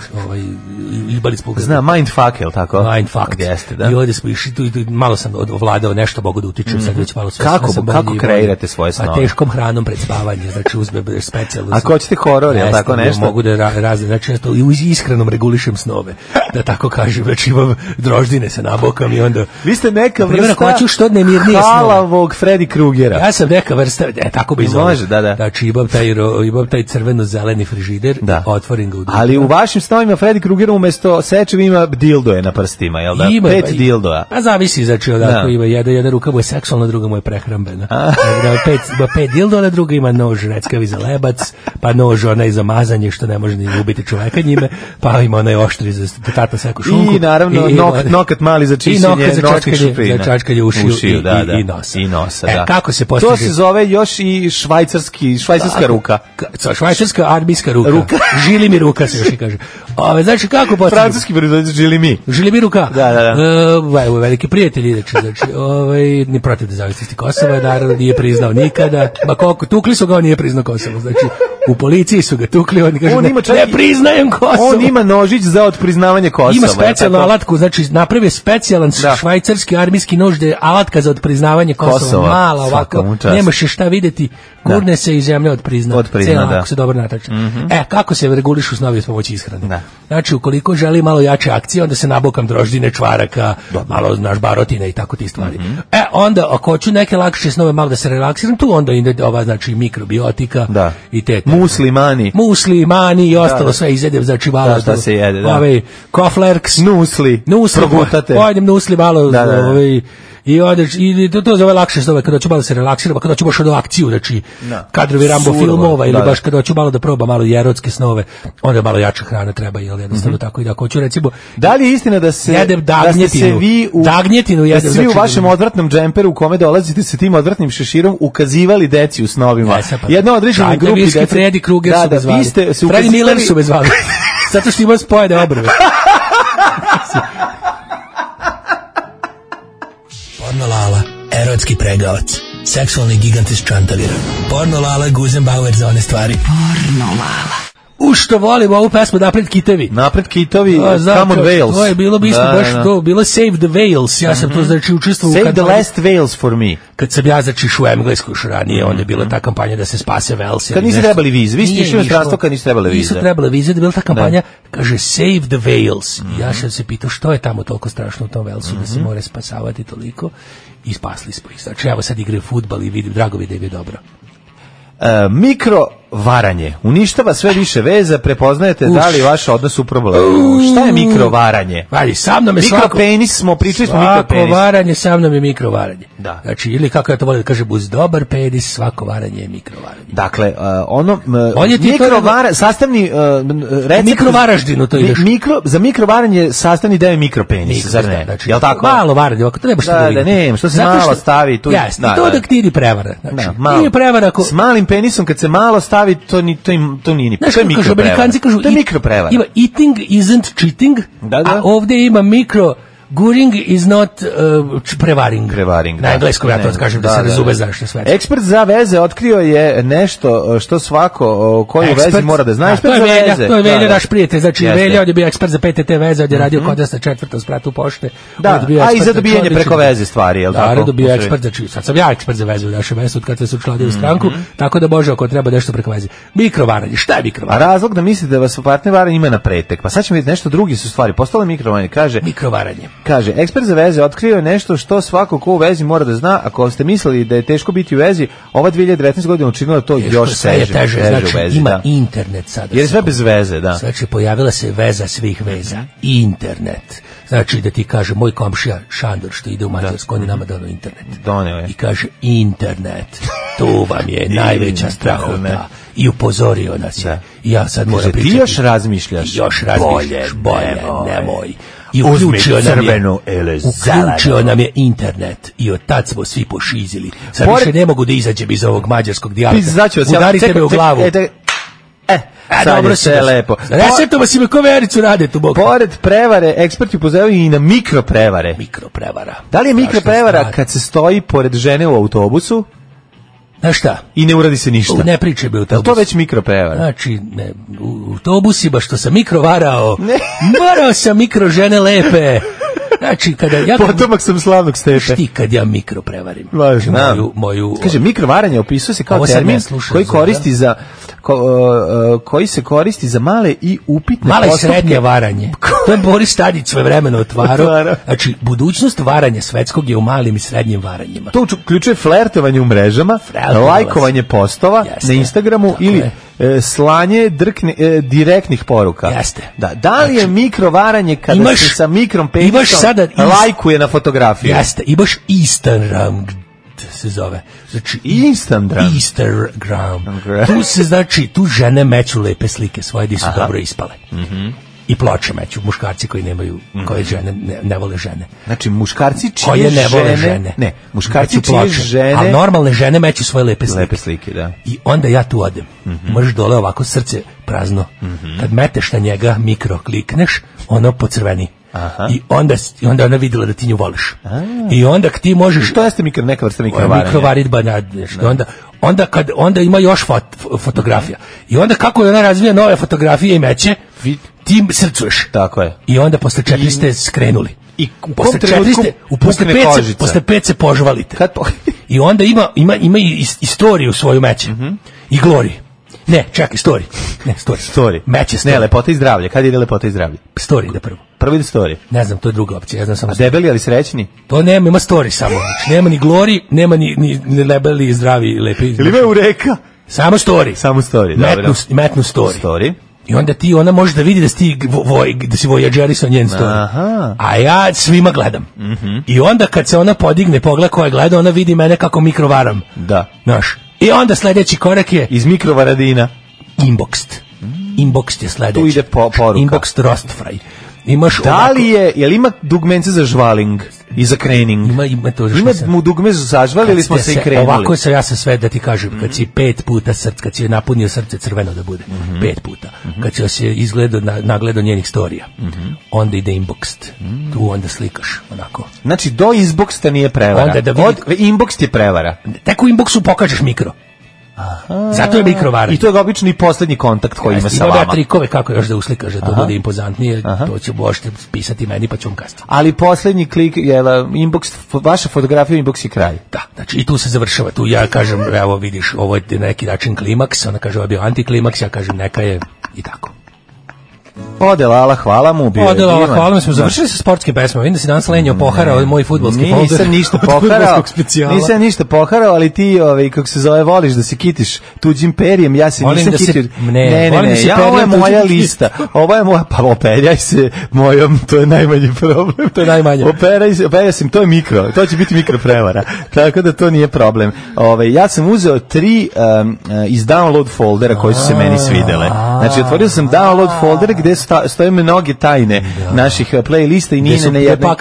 Ibali smo... Zna, mindfuck, je li tako? Mindfuck. Jeste, da. I ovdje smo išli, malo sam ovladao, nešto mogu da utičem, sad već malo sve. Kako kreirate svoje snove? A teškom hranom pred spavanje, znači uzme specijalno. Ako hoćete horor, je li tako nešto? Mogu da razne, znači ja to i iskrenom regulišem snove, da tako kažem, znači imam droždine se nabokam i onda... Vi ste neka vrsta halavog Freddy Krugera. Ja sam neka vrsta, tako bi zove. Može, da. Znači imam taj crveno-zeleni frižider, otvorim ga u drugu. Ali u vašim snovima Freddy Kruger umesto sečeva ima dildoje na prstima, jel da? 5 dildoja. A zavisi, znači odako ima jedna ruka mu je seksualna, druga mu je prehrambena. Ima 5 dildoja, druga ima nož reckavi za lebac, pa nož onaj za mazanje što ne može ni ubiti čoveka njime, pa ima onaj oštri za tata seku šunku. I naravno nokat mali za čišćenje noćke šupina. Za čačkanje ušiju i nosa. Kako se postiže? To se zove još i švajcarska ruka. Švajcarska armijska ruka. Žili mi ruka se još i kaže. Znači kako postiže? Francuski proizvođač žili mi. Žili mi ruka. Da. Veliki prijatelji, znači ni protiv nezavisnosti Kosova, naravno nije priznao nikada. Ma koliko tukli su ga, on nije priznao Kosovo. Znači u policiji su ga tukli, on kaže ne priznajem Kosovo. On ima nožić za otpriznavanje Kosova. Ima specijalnu alatku, znači napravio specijalan švajcarski armijski nož da je alatka za otpriznavanje Kosova. Mala ovako, nemaš je šta videti, gurne se i zemlja otprizna. Ako se dobro natače. Kako se regulišu snovi s pomoći ishrane? Znači, ukoliko želi malo jače akcije, onda se nabokam droždine, čvaraka, malo naš barotine i tako ti stvari. Onda, ako hoću neke lakše snove, malo da se relaksiram, tu onda ide ova, znači, mikrobiotika i te. Muslimani i ostalo sve izjedem, znači malo. Šta se jede, da. Koflerks. Nusli. Progutate. Pojedem nusli malo, i odeš, i to zove lakše snove, kada ću malo se relaksirati, kada ću baš od akciju, znači kadrovi Rambo filmova ili baš kada ću malo da proba malo i erotske snove, onda malo jača hrana treba, jel jednostavno tako. I da hoću recimo, da li je istina da se jedem dagnjetinu, da svi u vašem odvratnom džemperu u kome dolazite sa tim odvratnim šeširom ukazivali deci u snovima? Jedna određena grupa dece, Freddy Kruger su me zvali, Freddy Miller su me zvali, zato što ima spojene obrve. Porno Lala, erotski pregavac, seksualni gigant iz Čantavira. Porno Lala, Guzenbauer za one stvari. Porno Lala. Što volimo ovu pesmu Napred kitovi. Napred kitovi, Come on Wales. To je bilo isto baš to, bilo Save the Wales. Ja sam to znači učestvovao. Save the last Wales for me. Kad sam ja začeš u Englesku još ranije, onda je bila ta kampanja da se spase Wales. Kad niste trebali vize, vi ste išli u inostranstvo kad niste trebali vize. Nisu trebali vize, da je bila ta kampanja, kaže Save the Wales. Ja sam se pitao što je tamo toliko strašno u tom Walesu da se mora spasavati toliko i spasli smo ih. Znači evo sad igraju fudbal i vidim, drago mi da je dobro. Mikro varanje uništava sve više veza, prepoznajete da li vaš odnos u problemu. Šta je mikrovaranje? Sa mnom je mikropenis, smo pričali smo mikropenis. Svako varanje sa mnom je mikrovaranje. Da. Znači, ili kako ja to volim da kažem, uz dobar penis svako varanje je mikrovaranje. Dakle, mikrovaranje, sastavni recept... Mikrovaraždinu to ideš. Za mikrovaranje sastavni deo je mikropenis, zar ne? Znači, jel tako? Malo varanje, ako treba što da nema, što se malo stavi tu. Jasno, to da ti idi prevara. Znači, nije prevara ako... S malim penisom kad se malo stavi, to nije ni. To je mikroprevara. To je mikroprevara. Ima eating isn't cheating, a ovdje ima Guring is not prevaring. Na engleskom ja to kažem da se razume zašto sve. Ekspert za veze otkrio je nešto što svako koji u vezi mora da zna. Ekspert za veze. To je Velja naš prijatelj, znači Velja je bio ekspert za PTT veze, on je radio kod nas na 4. spratu pošte. A i za dobijanje preko veze stvari, je li tako? Da, dobio ekspert, znači sad sam ja ekspert za vezu u našem mestu kad se učlanio u stranku, tako da može ako treba nešto preko veze. Mikrovaranje, šta je mikrovaranje? A razlog da mislite da vas partner varanje ima na pretek. Pa sad ćemo vidjeti nešto drugi su stvari. Postalo mikrovaranje, kaže mikrovaranje. Kaže, ekspert za veze otkrio je nešto što svako ko u vezi mora da zna. Ako ste mislili da je teško biti u vezi, ova 2019 godina učinila to još teže znači, u vezi. Ima internet sada. Jer je sve bez veze, da. Znači, pojavila se veza svih veza. Internet. Znači, da ti kaže, moj komšija Šandor, što ide u Mađarsku, on je nama dano internet. I kaže, internet, to vam je najveća strahota. I upozorio nas je. I ja sad moram pričati. Ti još razmišljaš? Bolje, nemoj. i uključio nam je internet i od tad smo svi pošizili. Sad više ne mogu da izađem iz ovog mađarskog dijalekta. Udarite me u glavu. Dobro se lepo. Resetova si me ko vericu rade tu bok. Pored prevare, eksperti upozoravaju i na mikroprevare. Mikroprevara. Da li je mikroprevara kad se stoji pored žene u autobusu? Znaš šta? I ne uradi se ništa. Ne pričaj bi autobus. Je to već mikroprevara? Znači, u autobusima što sam mikrovarao, morao sam mikro žene lepe. Znači, kada ja... Potomak sam slavnog Stepe. Ti kad ja mikroprevarim. Moju... Kaže, mikrovaranje opisuje se kao termin koji koristi za... koji se koristi za male i upitne male i srednje varanje. To je Boris Tadić svojevremeno otvarao. Znači, budućnost varanja svetskog je u malim i srednjim varanjima. To uključuje flertovanje u mrežama, lajkovanje postova na Instagramu ili slanje direktnih poruka. Jeste. Da li je mikrovaranje kada se sa mikrom penicom lajkuje na fotografiju? Jeste. Imaš Instagram se zove. Znači Instagram. Tu se znači tu žene meću lepe slike svoje di su dobro ispale. I ploče meću muškarci koji nemaju koje žene ne vole žene. Znači muškarci čije ne vole žene. Ne, muškarci čije žene. A normalne žene meću svoje lepe slike. Lepe slike, da. I onda ja tu odem. Možeš dole ovako srce prazno. Kad meteš na njega mikro klikneš, ono pocrveni. I onda ona videla da ti nju voliš. I onda ti možeš... Što jeste neka vrsta mikrovaranja? Mikrovaritba, onda ima još fotografija. I onda kako je ona razvija nove fotografije i meće, ti srcuješ. Tako je. I onda posle 4 ste skrenuli. I posle 4 posle 5 se požvalite. I onda ima i istoriju svoju meće. I glori. Ne, čekaj, story. Meće story. Ne, lepota i zdravlje. Kad ide lepota i zdravlje? Story ide prvo. Prvo ide story. Ne znam, to je druga opcija. Ja znam samo. A debeli ali srećni? To nema, ima story samo. Znači, nema ni glory, nema ni debeli, zdravi, lepi. Ili ima ureka? Samo story. Samo story, dobro. Metnu story. I onda ona može da vidi da si voyagerisa njen story. Aha. A ja svima gledam. I onda kad se ona podigne, pogleda koja gleda, ona vidi mene kako mikrovaram. Da. Znaš. I onda sljedeći korak je... Iz mikrovaradina. Inboxed. Inboxed je sljedeći. Tu ide poruka. Inboxed roast fry. Imaš da li jel ima dugmence za žvaling i za krening? Ima to. Ima mu dugme za zažval ili smo se i krenuli? Ovako ja sam sve da ti kažem, kad si 5 puta kad si napunio srce crveno da bude, 5 puta. Kad si se nagledao njenih storija, onda ide inboxed. Tu onda slikaš, onako. Znači, do inboxta nije prevara. Inbox je prevara. Tek u inboxu pokažeš mikro. Aha. Zato je mikrovaranje. I to je obično i posljednji kontakt koji ima sa vama. Ima trikove kako još da uslikaš, da to bude impozantnije, to će možete pisati meni pa ću vam kasnije. Ali posljednji klik je inbox, vaša fotografija inbox je kraj. Da, znači i tu se završava. Tu ja kažem, evo vidiš, ovo je neki način klimaks, ona kaže ovo je bio antiklimaks, ja kažem neka je i tako. Hvala mu. Hvala mu, smo završili sa sportskim pesmama. Vidim da si danas lenio poharao moj fudbalski folder. Nisam ništa poharao, ali ti, kako se zove, voliš da se kitiš tuđim perjem, ja se nisam kitio. Ne, ovo je moja lista. Ovo je moja, pa operjaj se mojom, to je najmanji problem. To je najmanje. Operjaj se, to je mikro, to će biti mikroprevara. Tako da to nije problem. Ja sam uzeo 3 iz download foldera koji su se meni svidele. Znači, otvorio sam download folder gde stoje mnoge tajne naših playlista i nije na jednoj.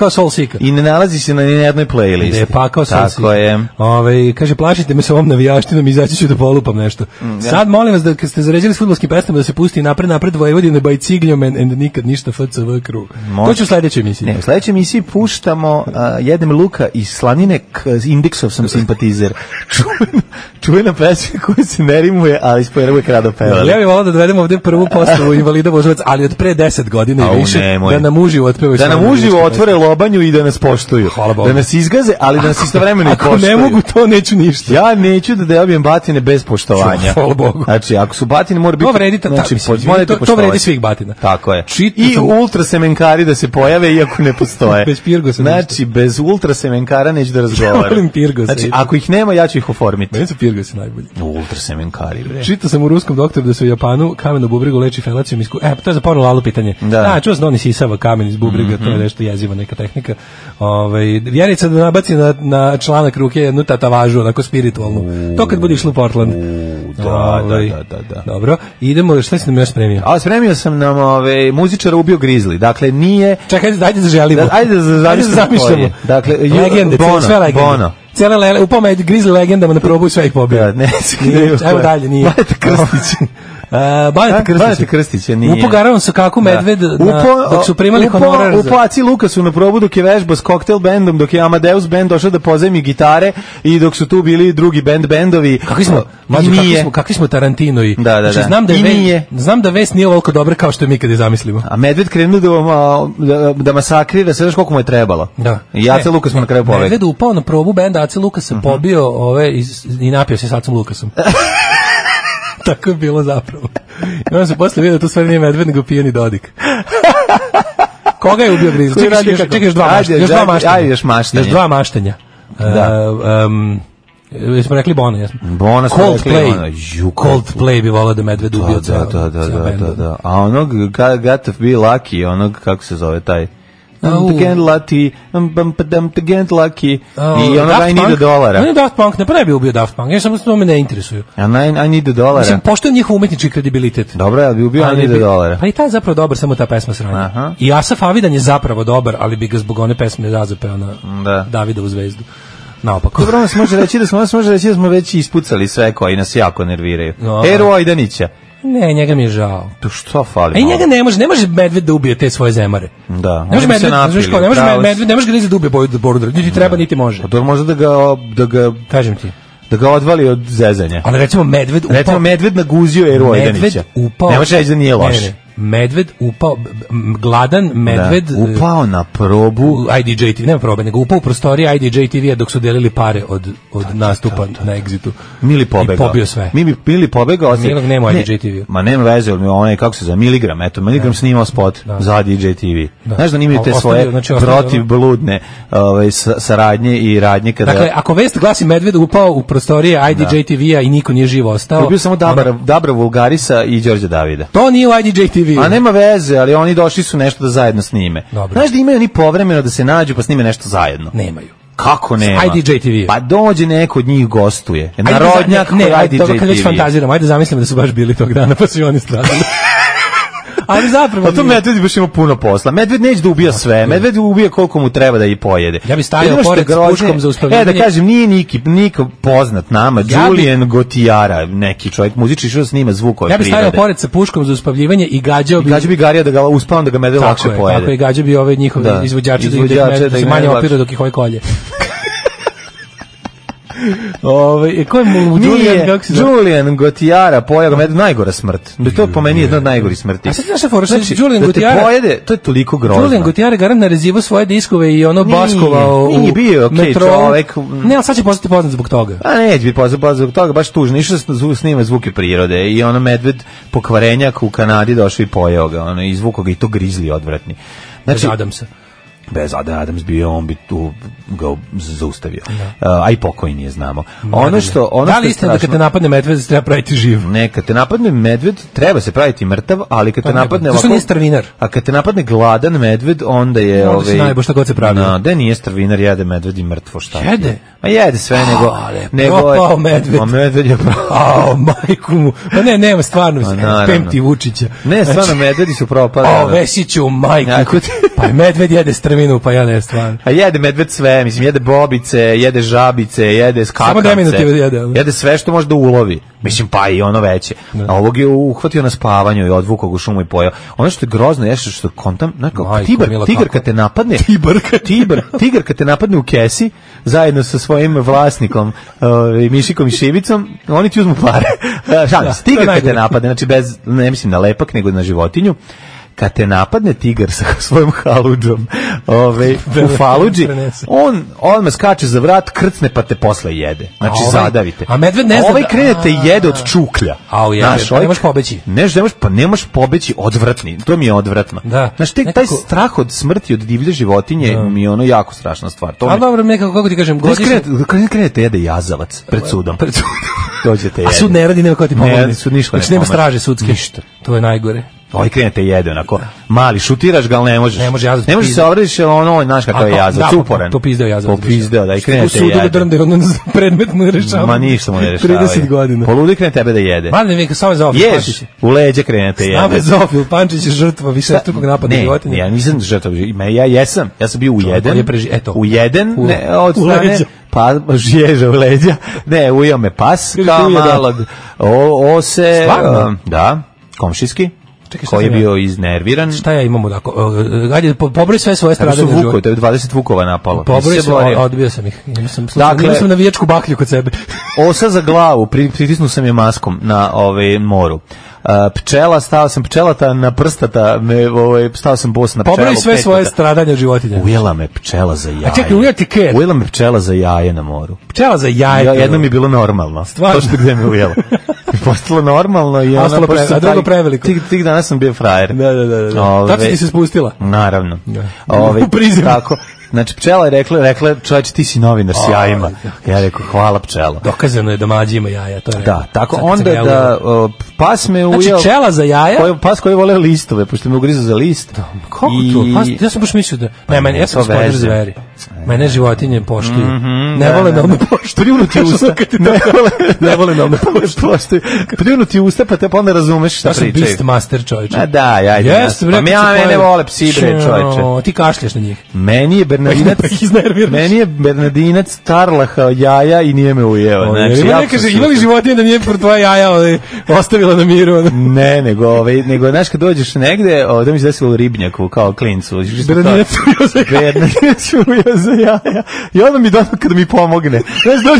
I ne nalazi se na jednoj playlisti. Gde je pakao Soul Seeker. Tako je. Kaže, plašite me sa ovom navijaštinom, izaći ću da polupam nešto. Sad molim vas da kad ste zaređili s fudbalskim pesmama da se pusti napred Vojvodine by Cigljom and nikad ništa FCV crew. To ću u sledećoj emisiji. Ne, u sledećoj emisiji puštamo jedem luka iz slanine, indeksov sam simpatizer. Čuvena pesma koja se ne rimuje, ali smo je uvijek rado pevali. Ja bih volao da dovedemo ovdje prvu postavu invalida Vožovac, ali od pre 10 godina i više, da nam uživo otpevaju. Da nam uživo otvore lobanju i da nas poštuju. Da nas izgaze, ali da nas istovremeno i poštuju. Ako ne mogu, to neću ništa. Ja neću da dobijem batine bez poštovanja. Hvala Bogu. Znači, ako su batine, mora biti... To vredi svih batina. Tako je. I ultrasemenkari da se pojave, iako ne postoje. Bez Pirgosa. Znači, bez ultrasemenkara neću da razgovaram. Znači, ako ih nema, ja ću ih oformiti. Meni su Pirgosi najbolji. Ultrasemenkari, bre. Čitao sam u Ruskom doktoru da se u Japanu kamen u bubregu leči felacijom to je za porno lalu pitanje. Čuo sam da on isisava kamen iz bubrega, to je nešto jeziva neka tehnika. Vjenica da nabaci na članak ruke jednu tatavažu, onako spiritualnu. To kad bude išlo u Portland. Da. Dobro, idemo, šta si nam još spremio? Spremio sam nam muzičara ubio grizli. Dakle, nije... Čekaj, dajte da želimo. Ajde da zamišljamo. Dakle, legende, sve legende. Bono. Upao me Grizzly legendama na probu i sve ih pobio. Evo dalje, nije. Baneta Krstića nije. Upo Garavan sa kako medved dok su primali honorar. Upo Aci Lukasu na probu dok je vežbao s koktel bendom, dok je Amadeus band došao da pozajmi gitare i dok su tu bili drugi bendovi. Kakvi smo Tarantinoji. Da. Znam da vest nije ovoliko dobra kao što je mi kad je zamislimo. A medved krenuo da masakrira, sve znaš koliko mu je trebalo. I Aca Lukas mu na kraju pobegao. Medved upao na probu benda Aca Lukasa, pobio i napio se s Acom Lukasom. Tako je bilo zapravo. I onda se posle vidio da to stvari nije medved, nego pijeni Dodik. Koga je ubio Grizzly? Čekaj, još dva maštanja. Jesmo rekli Bono, jesmo? Bono smo rekli Bono. Coldplay bi volao da medved ubio ceo. Da. A onog Got to be lucky, onog, kako se zove taj? I need $1. On je Daft Punk, ne bi ubio Daft Punk, ja samo što me ne interesuju. I need $1. Mislim, poštujem njihov umetnički kredibilitet. Dobro, ja bi ubio I need $1. Pa i taj je zapravo dobar, samo ta pesma sranja. I Asaf Avidan je zapravo dobar, ali bi ga zbog one pesme razapeo na Davidovu zvezdu. Naopako. Dobro, nas može reći da smo već ispucali sve koji nas jako nerviraju. Eru Ojdanića. Ne, njega mi je žao. To što fali? A njega ne može medved da ubije te svoje zemare. Da. Ne može medved ga Grizzly da ubije Boru, niti treba, niti može. Pa to može da ga kažem ti. Da ga odvali od zezanja. Ali recimo medved naguzio Eru Ojdanića. Ne može reći da nije loš. Medved upao, gladan medved upao na probu IDJ TV, nema probe, nego upao u prostorije IDJ TV-a dok su delili pare od nastupa na Exitu. Mili pobegao. I pobio sve. Mili pobegao. Milog nema IDJ TV. Ma nema veze, onaj, kako se zove, Miligram, Miligram snimao spot za IDJ TV. Znaš da nimaju te svoje protivbludne saradnje i radnje kada... Dakle, ako vest glasi medved upao u prostorije IDJ TV-a i niko nije živo ostao... To je bio samo Dabra Vulgarisa i Đorđe Davida. To nije u IDJ TV. A nema veze, ali oni došli su nešto da zajedno snime. Dobro. Znaš da imaju oni povremeno da se nađu pa snime nešto zajedno? Nemaju. Kako nema? IDJ TV. Pa dođe neko od njih gostuje. Narodnjak kod IDJ TV. Dobro, kad već fantaziram, ajde zamislimo da su baš bili tog dana pa su i oni stradali. Ali zapravo to medved baš ima puno posla. Medved neće da ubija sve. Medved ubija koliko mu treba da i pojede. Ja bih stavio pored s puškom za uspavljivanje. Da kažem, nije niko poznat nama. Julian Gotijara, neki čovjek muzički što snima zvukove prirode. Ja bih stavio pored sa puškom za uspavljivanje i gađao bi Garija da ga uspavam da ga medved lakše pojede. Tako je, gađao bi ove njihove izvođače da se manje opira dok ih ovaj kolje. Ko je Julian Gotijara pojao ga, najgora smrt. To je po meni jedna od najgorih smrti. A sad znaš šta fora, Julian Gotijara pojede, to je toliko grozno. Julian Gotijara garant narezivo svoje diskove i ono baskovao u bio čovek. Ne, ali sad će postati poznat zbog toga. A neće biti poznat zbog toga, baš tužno. Išao snima zvuke prirode i ono medved pokvarenjak u Kanadi došao i pojeo ga, izvukao ga i to Grizzly odvratni. Znači, Adamsa. Bez Adams bio, on bi tu ga zaustavio. A i pokojni je, znamo. Da li istina da kad te napadne medved treba praviti živ? Ne, kad te napadne medved treba se praviti mrtav, ali kad te napadne ovako... nije strvinar. A kad te napadne gladan medved, onda je... Onda se najbolj šta god se pravi. Da, nije strvinar, jede medved i mrtvo, šta? Jede? Ma jede sve, nego propao medved. A medved je propao. Majku mu. Pa ne, nema stvarno, pemti Vučića. Ne, stvarno, medvedi su propali. Vesiću, majku. Pa medved jede strvinu, pa ja ne stvarno. A jede medved sve, mislim, jede bobice, jede žabice, jede skakavce. Jede sve što može da ulovi. Mislim, pa i ono veće. A ovog je uhvatio na spavanju i odvukao ga u šumu i pojao. Ono što je grozno je što kontam, tigar kad te napadne, tigar kad te napadne u kesi, zajedno sa svojim vlasnikom, Mišikom i Šivicom, oni ti uzmu pare. Tigar kad te napadne, znači bez, ne mislim na lepak, nego na životinju, kad te napadne tigar sa svojom haludžom u Faludži, on odmah skače za vrat, krcne pa te posle jede. Znači zadavite. A medved ne zna. Ovaj krenete jede od čuklja. Ne možeš pobeći. Ne možeš pobeći, odvratni. To mi je odvratno. Znaš, taj strah od smrti, od divlje životinje mi je ono jako strašna stvar. A dobro, nekako, kako ti kažem, krenete jede jazavac pred sudom. dođete jede. A sud ne radi, nema ko ti pomogne. Ne, sud ništa ne znači, nema straže sudske. Ništa. To je najgore. Ovaj krenete jede, onako, mali, šutiraš ga, ali ne možeš. Ne može jazac. Ne možeš se obradiš, jer ono, znaš kakav je jazac, uporan. To pizdeo jazac. Popizdeo, da, i krenete jede. U sudu da drnde, ono predmet mu ne rešava. Ma ništa mu ne rešava. 30 godina. Poludi krene tebe da jede. Mane, veka, Save Zofil Pančić. Ješ, u leđe krenete jede. Save Zofil Pančić je žrtva višestrukog napada životinja. Ne, ja nisam žrtva, ja sam bio u jedan, od strane, pa ježa u leđa, ne, ujeo me pas, kao malog, ose, da, komšijski, koji je bio iznerviran. Šta ja imam odako? Ajde, pobroj sve svoje stradanje. To je 20 vukova napalo. Pobroj se, odbio sam ih. Imao sam navijačku baklju kod sebe. Osa za glavu, pritisnuo sam je maskom na moru. Pčela, stao sam pčelata na prstata, stao sam bos na pčelu. Pobroj sve svoje stradanja životinja. Ujela me pčela za jaje. A čekaj, ujeti ker. Ujela me pčela za jaje na moru. Pčela za jaje? Jedno mi je bilo normalno. Stvarno? To što gde me ujela. Postalo normalno i ona... A drugo preveliko. Tih dana sam bio frajer. Da. Tako ti se spustila? Naravno. U prizem. Tako. Znači, pčela je rekla, čovječe, ti si novinar s jajima. Ja rekao, hvala pčela. Dokazano je da mlađi ima jaja, to je. Da, tako onda da pas me ujeo... Znači, pčela za jaja? Pas koji vole listove, pošto me ugriza za list. Kako to? Ja sam baš mislio da... Ne, ja sam gospodar zveri. Mene životinje poštuju. Ne vole da me poštuju. Pljunuti usta. Ne vole da me poštuju. Pljunuti usta, pa te pa onda razumeš šta pričaju. Ja sam Beastmaster, čovječe. A da, ja. Pa mene vole psi, bre, čovječe. Ti kašljaš na njih. Meni je Bernardinac tarlahao jaja i nije me ujeo. Znači, ne kaže, imali životinje da nije pro tvoja jaja ostavila na miru? Ne, nego, znaš, kad dođeš negde, da mi se desilo u Ribnjaku, kao klincu. Bernardinac ujeo za jaja. I onda mi dono kada mi pomogne. Znaš,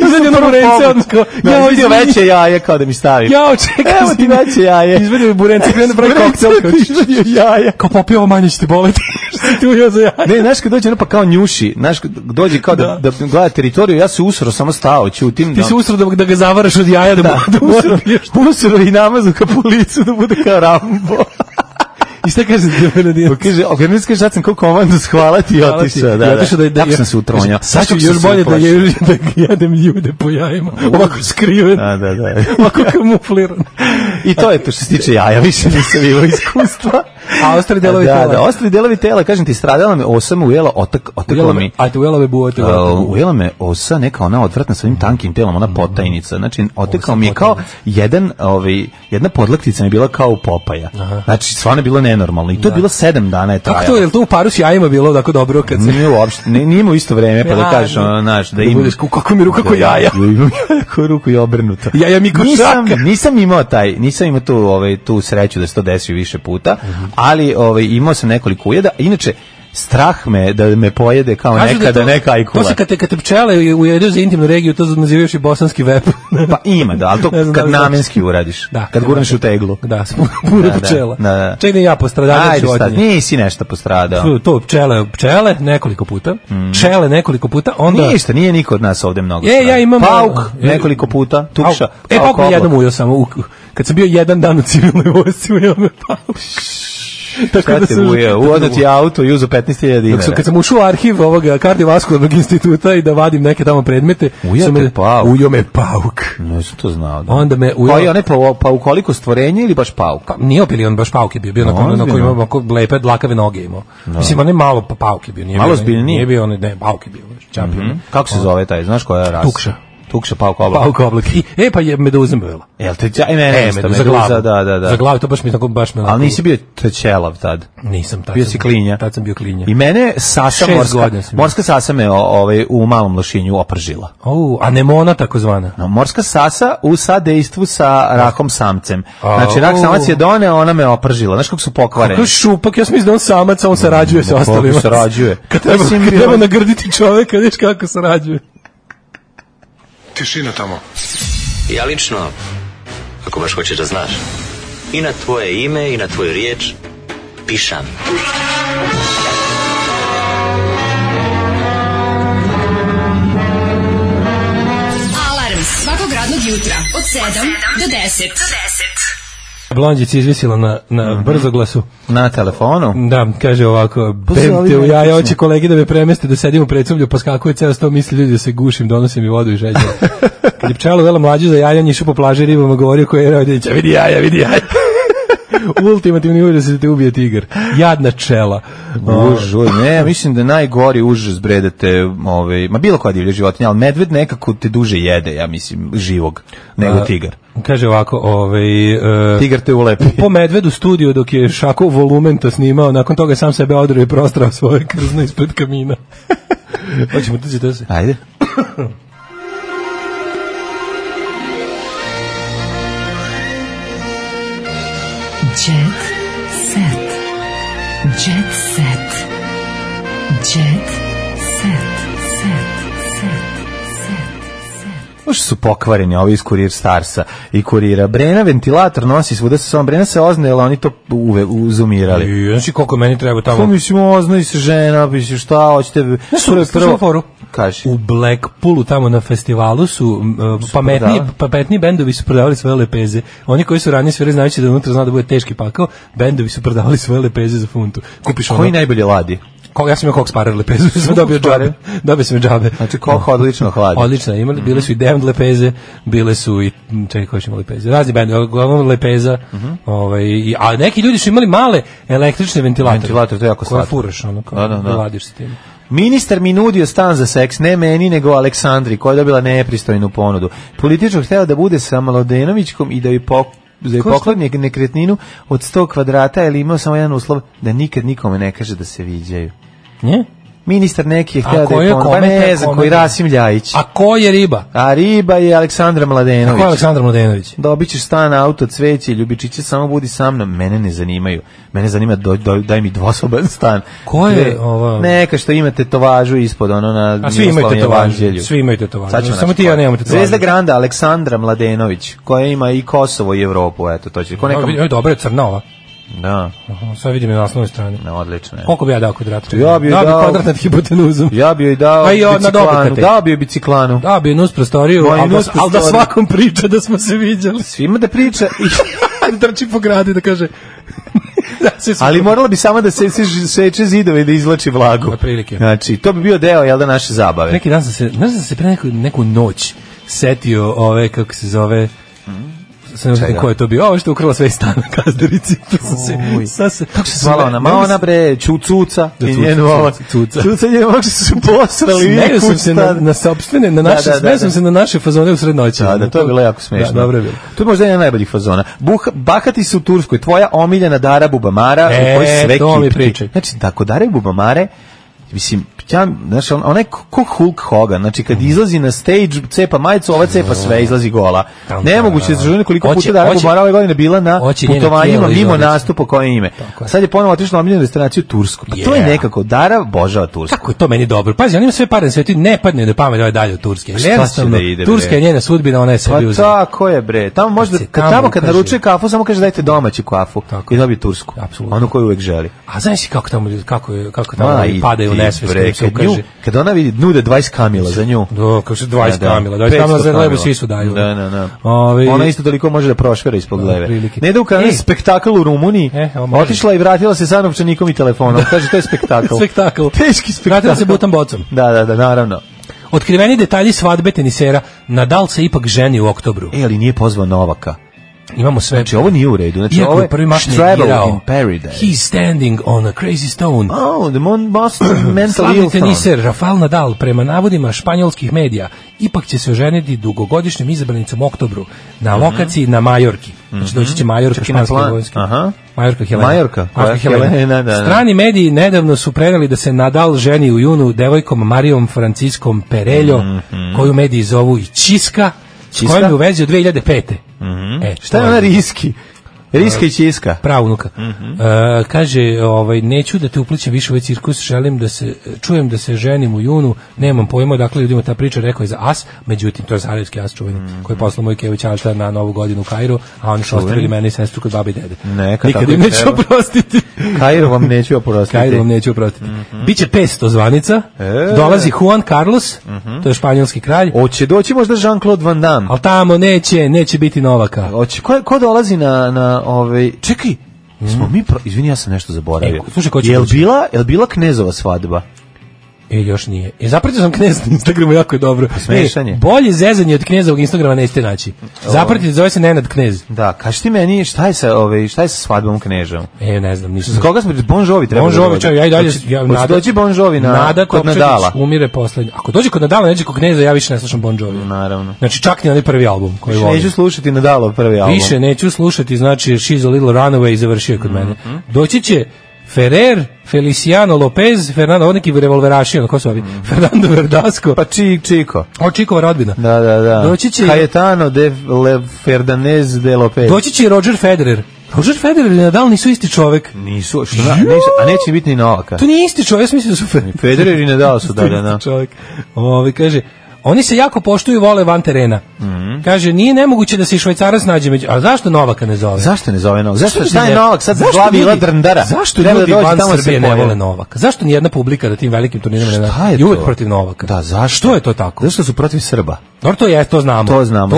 izvedio na burence, odnosno, ja vidio veće jaje kao da mi stavi. Jao, čekaj. Evo ti veće jaje. Izvedio burence, krenu da pravi koktel. Izvedio jaja. Kao popio ovo manje će ti boleti. Što si ti ujeo za jaja? Ne, znaš, kad dođe pa kao njuši, znaš, dođe kao da gleda teritoriju, ja se usro, samo stao, ćutim. Ti se usro da ga zavaraš od jaja, da usro i namazu ka po licu, da bude kao Rambo. I šta kaže Bernardinac? Kaže, Bernardinac sad sam kao komandu hvala ti i otišao. Tako sam se utronjao. Sad ću još bolje da jedem ljude po jajima. Ovako skriven. Da. Ovako kamufliran. I to je to što se tiče jaja, više nisam imao iskustva. A ostali delovi tela? Da, ostali delovi tela, kažem ti, stradala me osa, me ujela, otekla mi. A te ujela me buote? Ujela me osa, neka ona odvratna sa ovim tankim telom, ona potajnica. Znači, otekao mi je kao jedna podlaktica mi je bila kao u Popaja. Znači, stvarno je bilo nenormalno. I to je bilo 7 dana je trajalo. Kako to, je li to u paru s jajima bilo tako dobro? Nije uopšte, nije u isto vreme, pa da kažeš, znaš, da ima... Kako mi ruka ko jaja? Imam jako ruku i obrnuto. Jaja mi ko šaka. Nisam imao tu sreću da se to desi više puta, ali imao sam nekoliko ujeda. Inače, strah me da me pojede kao nekada neka ajkula. To se kad te pčele ujedu za intimnu regiju, to nazivaš i bosanski vep. Pa ima, da, ali to kad namenski uradiš. Kad gurneš u teglu. Da, puno pčela. Ček da ja postradam životinje. Nisi nešto postradao. To pčele nekoliko puta. Pčele nekoliko puta. Ništa, nije niko od nas ovde mnogo stradao. Ja imam pauk nekoliko puta, tukša. Pauk me jednom ujeo samo. Kad sam bio jedan dan u civilnoj vojsci, ujeo me pauk. Šta te ujeo? Uvodno ti auto i uzo 15.000 dinara. Kad sam ušao u arhiv ovoga kardiovaskularnog instituta i da vadim neke tamo predmete, ujeo me pauk. Nisam to znao. Onda me ujeo... Paukoliko stvorenje ili baš pauk? Nije opili, on baš pauk je bio na koji ima lepe dlakave noge imao. Mislim, on je malo pauk je bio. Malo zbiljniji? Nije bio, ne, pauk je bio. Kako se zove taj, znaš koja je rasa? Tukša. Tukša, pauk oblak. Pauk oblak. Pa je meduzem bila. Jel te meduza, da. Za glavu, to baš me tako baš me. Ali nisi bio trećelav tad. Nisam tad. Bio si klinja. Tad sam bio klinja. I mene sasa morska sasa me u Malom Lošinju opržila. Anemona takozvana. Morska sasa u sadejstvu sa rakom samcem. Znači rak samac je doneo, ona me opržila. Znaš kako su pokvareni. Kako šupak, ja sam mislio da on samac, on sarađuje sa ostalima. Kako sarađuje. Kad treba nagrditi čoveka, viš kako sarađuje. Tišina tamo. Ja lično, ako baš hoćeš da znaš, i na tvoje ime i na tvoju riječ pišam. Alarm svakog radnog jutra od 7 do 10. Blondjica izvisila na brzoglasu. Na telefonu? Da, kaže ovako, bemte u jaja, hoće kolegi da me premeste, da sedim u predsoblju, poskakuje ceo sto, misli ljudi da se gušim, donosim mi vodu i žeđe. Kad je pčela uvela mlađu za jajanje, išao po plaži ribama, govorio koji je rodinića, vidi jaja. Ultimativni užas da te ubije tigar. Jadna čela. Ne, mislim da najgori užas bredate, ma bilo koja divlja životinja, ali medved nekako te duže jede, ja mislim, živog, nego tigar. Kaže ovako, tigar te ulepi. Po medvedu studiju dok je Šako Volumenta snimao, nakon toga sam sebe odrio i prostrao svoje krzno ispred kamina. Hoćemo tući to se. Ajde. Jet set. Jet set. Jet set. Možda su pokvareni ovi iz Kurir Starsa i Kurira. Brena ventilator nosi svuda sa sobom. Brena se oznajela, oni to uzumirali. Znači koliko meni treba tamo? Ko mislim, oznaj se žena, mislim, šta hoćete? Prvo, kaži. U Blackpoolu tamo na festivalu su pametni bendovi su prodavali svoje lepeze. Oni koji su ranije svirali znajući da unutra zna da bude teški pakao, bendovi su prodavali svoje lepeze za funtu. Kupiš koji najbolje ladi? Ja sam imao Cox Sparer lepezu, dobio sam džabe. Znači koliko odlično hladi. Odlično, imali, bile su i Damned lepeze, bile su i, čekaj koji su imali lepeze, razni bendovi, uglavnom lepeza, a neki ljudi su imali male električne ventilatore. Ventilator, to je jako slatko. Koje furaš, ono, kao da ladiš s tim. Ministar mi nudio stan za seks, ne meni, nego Aleksandri, koja je dobila nepristojnu ponudu. Političar hteo da bude sa Mladenovićkom i da je pokloni nekretninu od 100 kvadrata, ali imao samo jedan uslov, da nikad nikome ne kaže da se viđaju. Ne? Ministar neki je htio da je ponudu, pa ne znam, koji Rasim Ljajić. A ko je riba? A riba je Aleksandra Mladenović. A ko je Aleksandra Mladenović? Dobit ćeš stan, auto, cveće, ljubičiće, samo budi sa mnom. Mene ne zanimaju. Mene zanima, daj mi dvosoban stan. Ko je ovo? Neka što ima tetovažu ispod, ono na a svi imaju tetovažu. Svi imaju tetovažu. Samo ti ja nemam tetovažu. Zvezda Granda, Aleksandra Mladenović, koja ima i Kosovo i Evropu, eto, to će. Dobro je crna ova. Da. Sad vidim je na naslovnoj strani. Odlično je. Koliko bi ja dao kvadrata? Ja bi dao kvadrat nad hipotenuzom. Ja bi joj dao biciklanu. Dao bi joj biciklanu. Dao bi nus prostoriju, ali da svakom priča da smo se viđali. Svima da priča i da trči po gradu da kaže... ali morala bi samo da se seče zidove i da izvlači vlagu. Znači, to bi bio deo, jel da, naše zabave. Neki dan sam se pre neku noć setio ove, kako se zove... Sam ne znam ko je to bio. Ovo što je ukrala sve iz stana Kazdarici. Kako se zvala ona? Ona bre, Cuca. Cuca je možda su posrali. Smeju sam se na sopstvene, smeju sam se na naše fazone u srednoći. Da, to je bilo jako smešno. Dobro je bilo. To je možda jedan najboljih fazona. Bahati su u Turskoj, tvoja omiljena Dara Bubamara, u kojoj sve to mi pričaj. Znači, tako Dara Bubamare, mislim, znaš, onaj ko Hulk Hogan, znači kad izlazi na stage, cepa majicu, ova cepa sve, izlazi gola. Nemoguće da želim koliko puta Dara Bubamara ove godine bila na putovanjima mimo nastupa koje ime. Sad je ponovo otišla na omiljenu destinaciju Tursku. Pa to je nekako, Dara božava Tursku. Kako je to meni dobro? Pazi, on ima sve pare na svetu, ne padne da pamet ovaj dalje od Turske. Jednostavno, Turska je njena sudbina, ona je sebi uzela. Pa tako je, bre. Tamo možda, kad naručuje kafu, samo kaže dajte domaću kafu i dobije tursku. Onu koju uvek želi. A znaš kako tamo padaju u nesvest. Kad ona vidi nude 20 kamila za nju. Da, kako se 20 kamila. 20 kamila za lebu svi su daju. Da. Ona isto toliko može da prošvera ispod leve. Ne ide u kanal spektakl u Rumuniji. Otišla i vratila se sa novčanikom i telefonom. Kaže, to je spektakl. Spektakl. Teški spektakl. Vratila se butan bocom. Da, naravno. Otkriveni detalji svadbe tenisera. Nadal se ipak ženi u oktobru. Ali nije pozvao Novaka. Imamo sve. Znači, ovo nije u redu. Znači, ovo je prvi mač ne igrao. Paradise. He's standing on a crazy stone. Oh, the most mental slavni teniser Rafael Nadal, prema navodima španjolskih medija, ipak će se oženiti dugogodišnjim izabranicom u oktobru na lokaciji na Majorki. Znači, doći će Majorka, španski vojski. Majorka Helena. Strani mediji nedavno su preneli da se Nadal ženi u junu devojkom Marijom Franciskom Perello, koju mediji zovu i Čiska, s kojom je u vezi od 2005. Šta je ona riski? Riska i Čiska. Pravunuka. Kaže, neću da te uplićem više u ovaj cirkus, želim da se, čujem da se ženim u junu, nemam pojma, dakle ljudima ta priča rekao je za as, međutim, to je Sarajevski as čuveni, koji je poslao moj Kević Alta na Novu godinu u Kairu, a oni su ostavili mene i sestru kod babi i dede. Nikad im neću oprostiti. Kairu vam neću oprostiti. Biće 500 zvanica, dolazi Juan Carlos, to je španjolski kralj. Hoće doći možda Jean-Claude Van Damme. Ali tamo neće biti Novaka. Ko dolazi na čekaj, smo mi, izvini, ja sam nešto zaboravio. Slušaj, Jel bila Knezova svadba? Još nije. Zapratio sam Knez na Instagramu, jako je dobro. Smešanje. Bolje zezanje od Knezovog Instagrama nećete naći. Zapratite, zove se Nenad Knez. Da, kaži ti meni šta je sa svadbom Knežom? Ne znam, nisam. Za koga smo Bon Jovi treba? Bon Jovi, ja i dalje doći Bon Jovi kod Nadala. Umire poslednji. Ako dođe kod Nadala, neđe kod Kneza, ja više ne slušam Bon Jovi. Naravno. Znači čak ni onaj prvi album koji volim. Neću slušati Nadalov prvi album. Više neću slušati, znači She's a Little Runaway završio kod mene. Doći će Ferrer, Feliciano Lopez, Fernando, neki revolveraši, ko su ovi? Fernando Verdasco. Pa Chico. Čikova rodbina. Da. Doći će Cayetano de Fernandez de Lopez. Doći će Roger Federer. Roger Federer i Nadal nisu isti čovek. Nisu, a neće biti ni Novaka. To nije isti čovek, ja mislim da su Federer i Nadal su da. Čovek. Kaže, oni se jako poštuju, vole van terena. Kaže, nije nemoguće da se i Švajcarac nađe među... A zašto Novaka ne zove? Zašto ne zove Novaka? Šta je Novak sad glavi Ila Drndara? Zašto ljudi van Srbije ne vole Novaka? Zašto nijedna publika na tim velikim turnirima ne nađe? I uvek protiv Novaka. Da, zašto? Što je to tako? Zašto su protiv Srba? Dobro, to znamo. To znamo.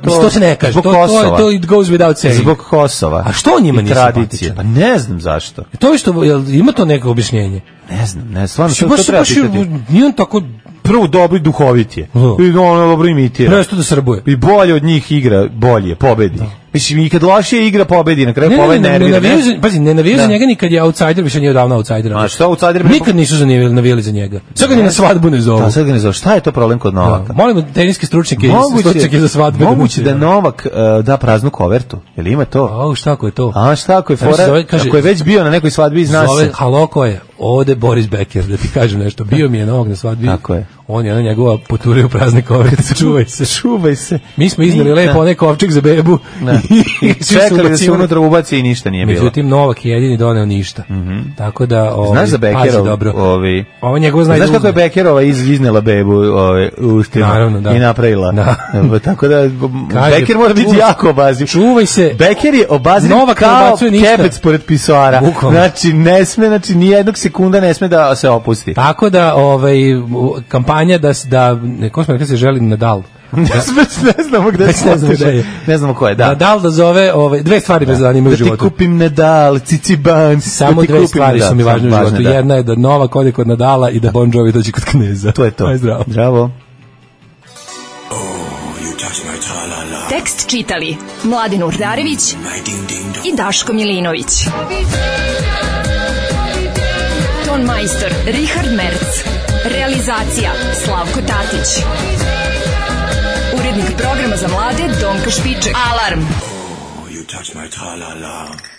To se ne kaže. Zbog Kosova. To it goes without saying. Zbog Kosova. A što njima nije simpatično? Pa ne znam zašto. To je što, ima to neko objašnjenje? Ne znam, stvarno to treba pitati. Nije on tako... Prvo dobro i duhovit je. I ono dobro imitira. Presto da srbuje. I bolje od njih igra, bolje, pobedi. Mislim, i kad lošije igra, pobedi, na kraju pobedi nervira. Ne navijaju za njega ni kad je outsider, više nije odavno outsider. A što outsider? Nikad nisu navijali za njega. Sad ga ni na svadbu ne zovu. Sad ga ne zovu. Šta je to problem kod Novaka? Molimo teniske stručnjake za svadbe. Moguće da Novak da praznu kovertu. Jel ima to? Šta ako je to? A šta ako je fora? Ako je već bio na nekoj svadbi, zna se. Halo, ko je? Ovde Boris Becker, da ti kažem nešto. Bio mi je Novak na svadbi. Tako je. On je njegova poturio u prazne koverice. Čuvaj se. Mi smo iznali lepo onaj kovčeg za bebu. I čekali da se unutra ubaci i ništa nije bilo. Međutim, Novak je jedini doneo ništa. Tako da... Znaš za Beckerov? Ovo njegov zna... Znaš kako je Beckerova iznela bebu u ustima i napravila? Tako da Becker mora biti jako obaziv. Čuvaj se. Becker je obaziv kao kepec pored pisoara. Znači, ne sme, nijednog sekunda ne sme da se opusti. Tako da, kampanja ko smo rekli se želi Nadal. Ne znamo gde je. Ne znamo ko je, da. Nadal da zove, dve stvari me zanimaju u životu. Da ti kupim Nadal, Ciciban. Samo dve stvari su mi važne u životu. Jedna je da Novak ode kod Nadala i da Bon Jovi dođe kod Kneza. To je to. Aj, zdravo. Zdravo. Tekst čitali Mladin Urdarević i Daško Milinović. Ton majstor Richard Merc. Realizacija Slavko Tatić. Urednik programa za mlade Donka Špiček. Alarm! Oh, you touch my tra-la-la.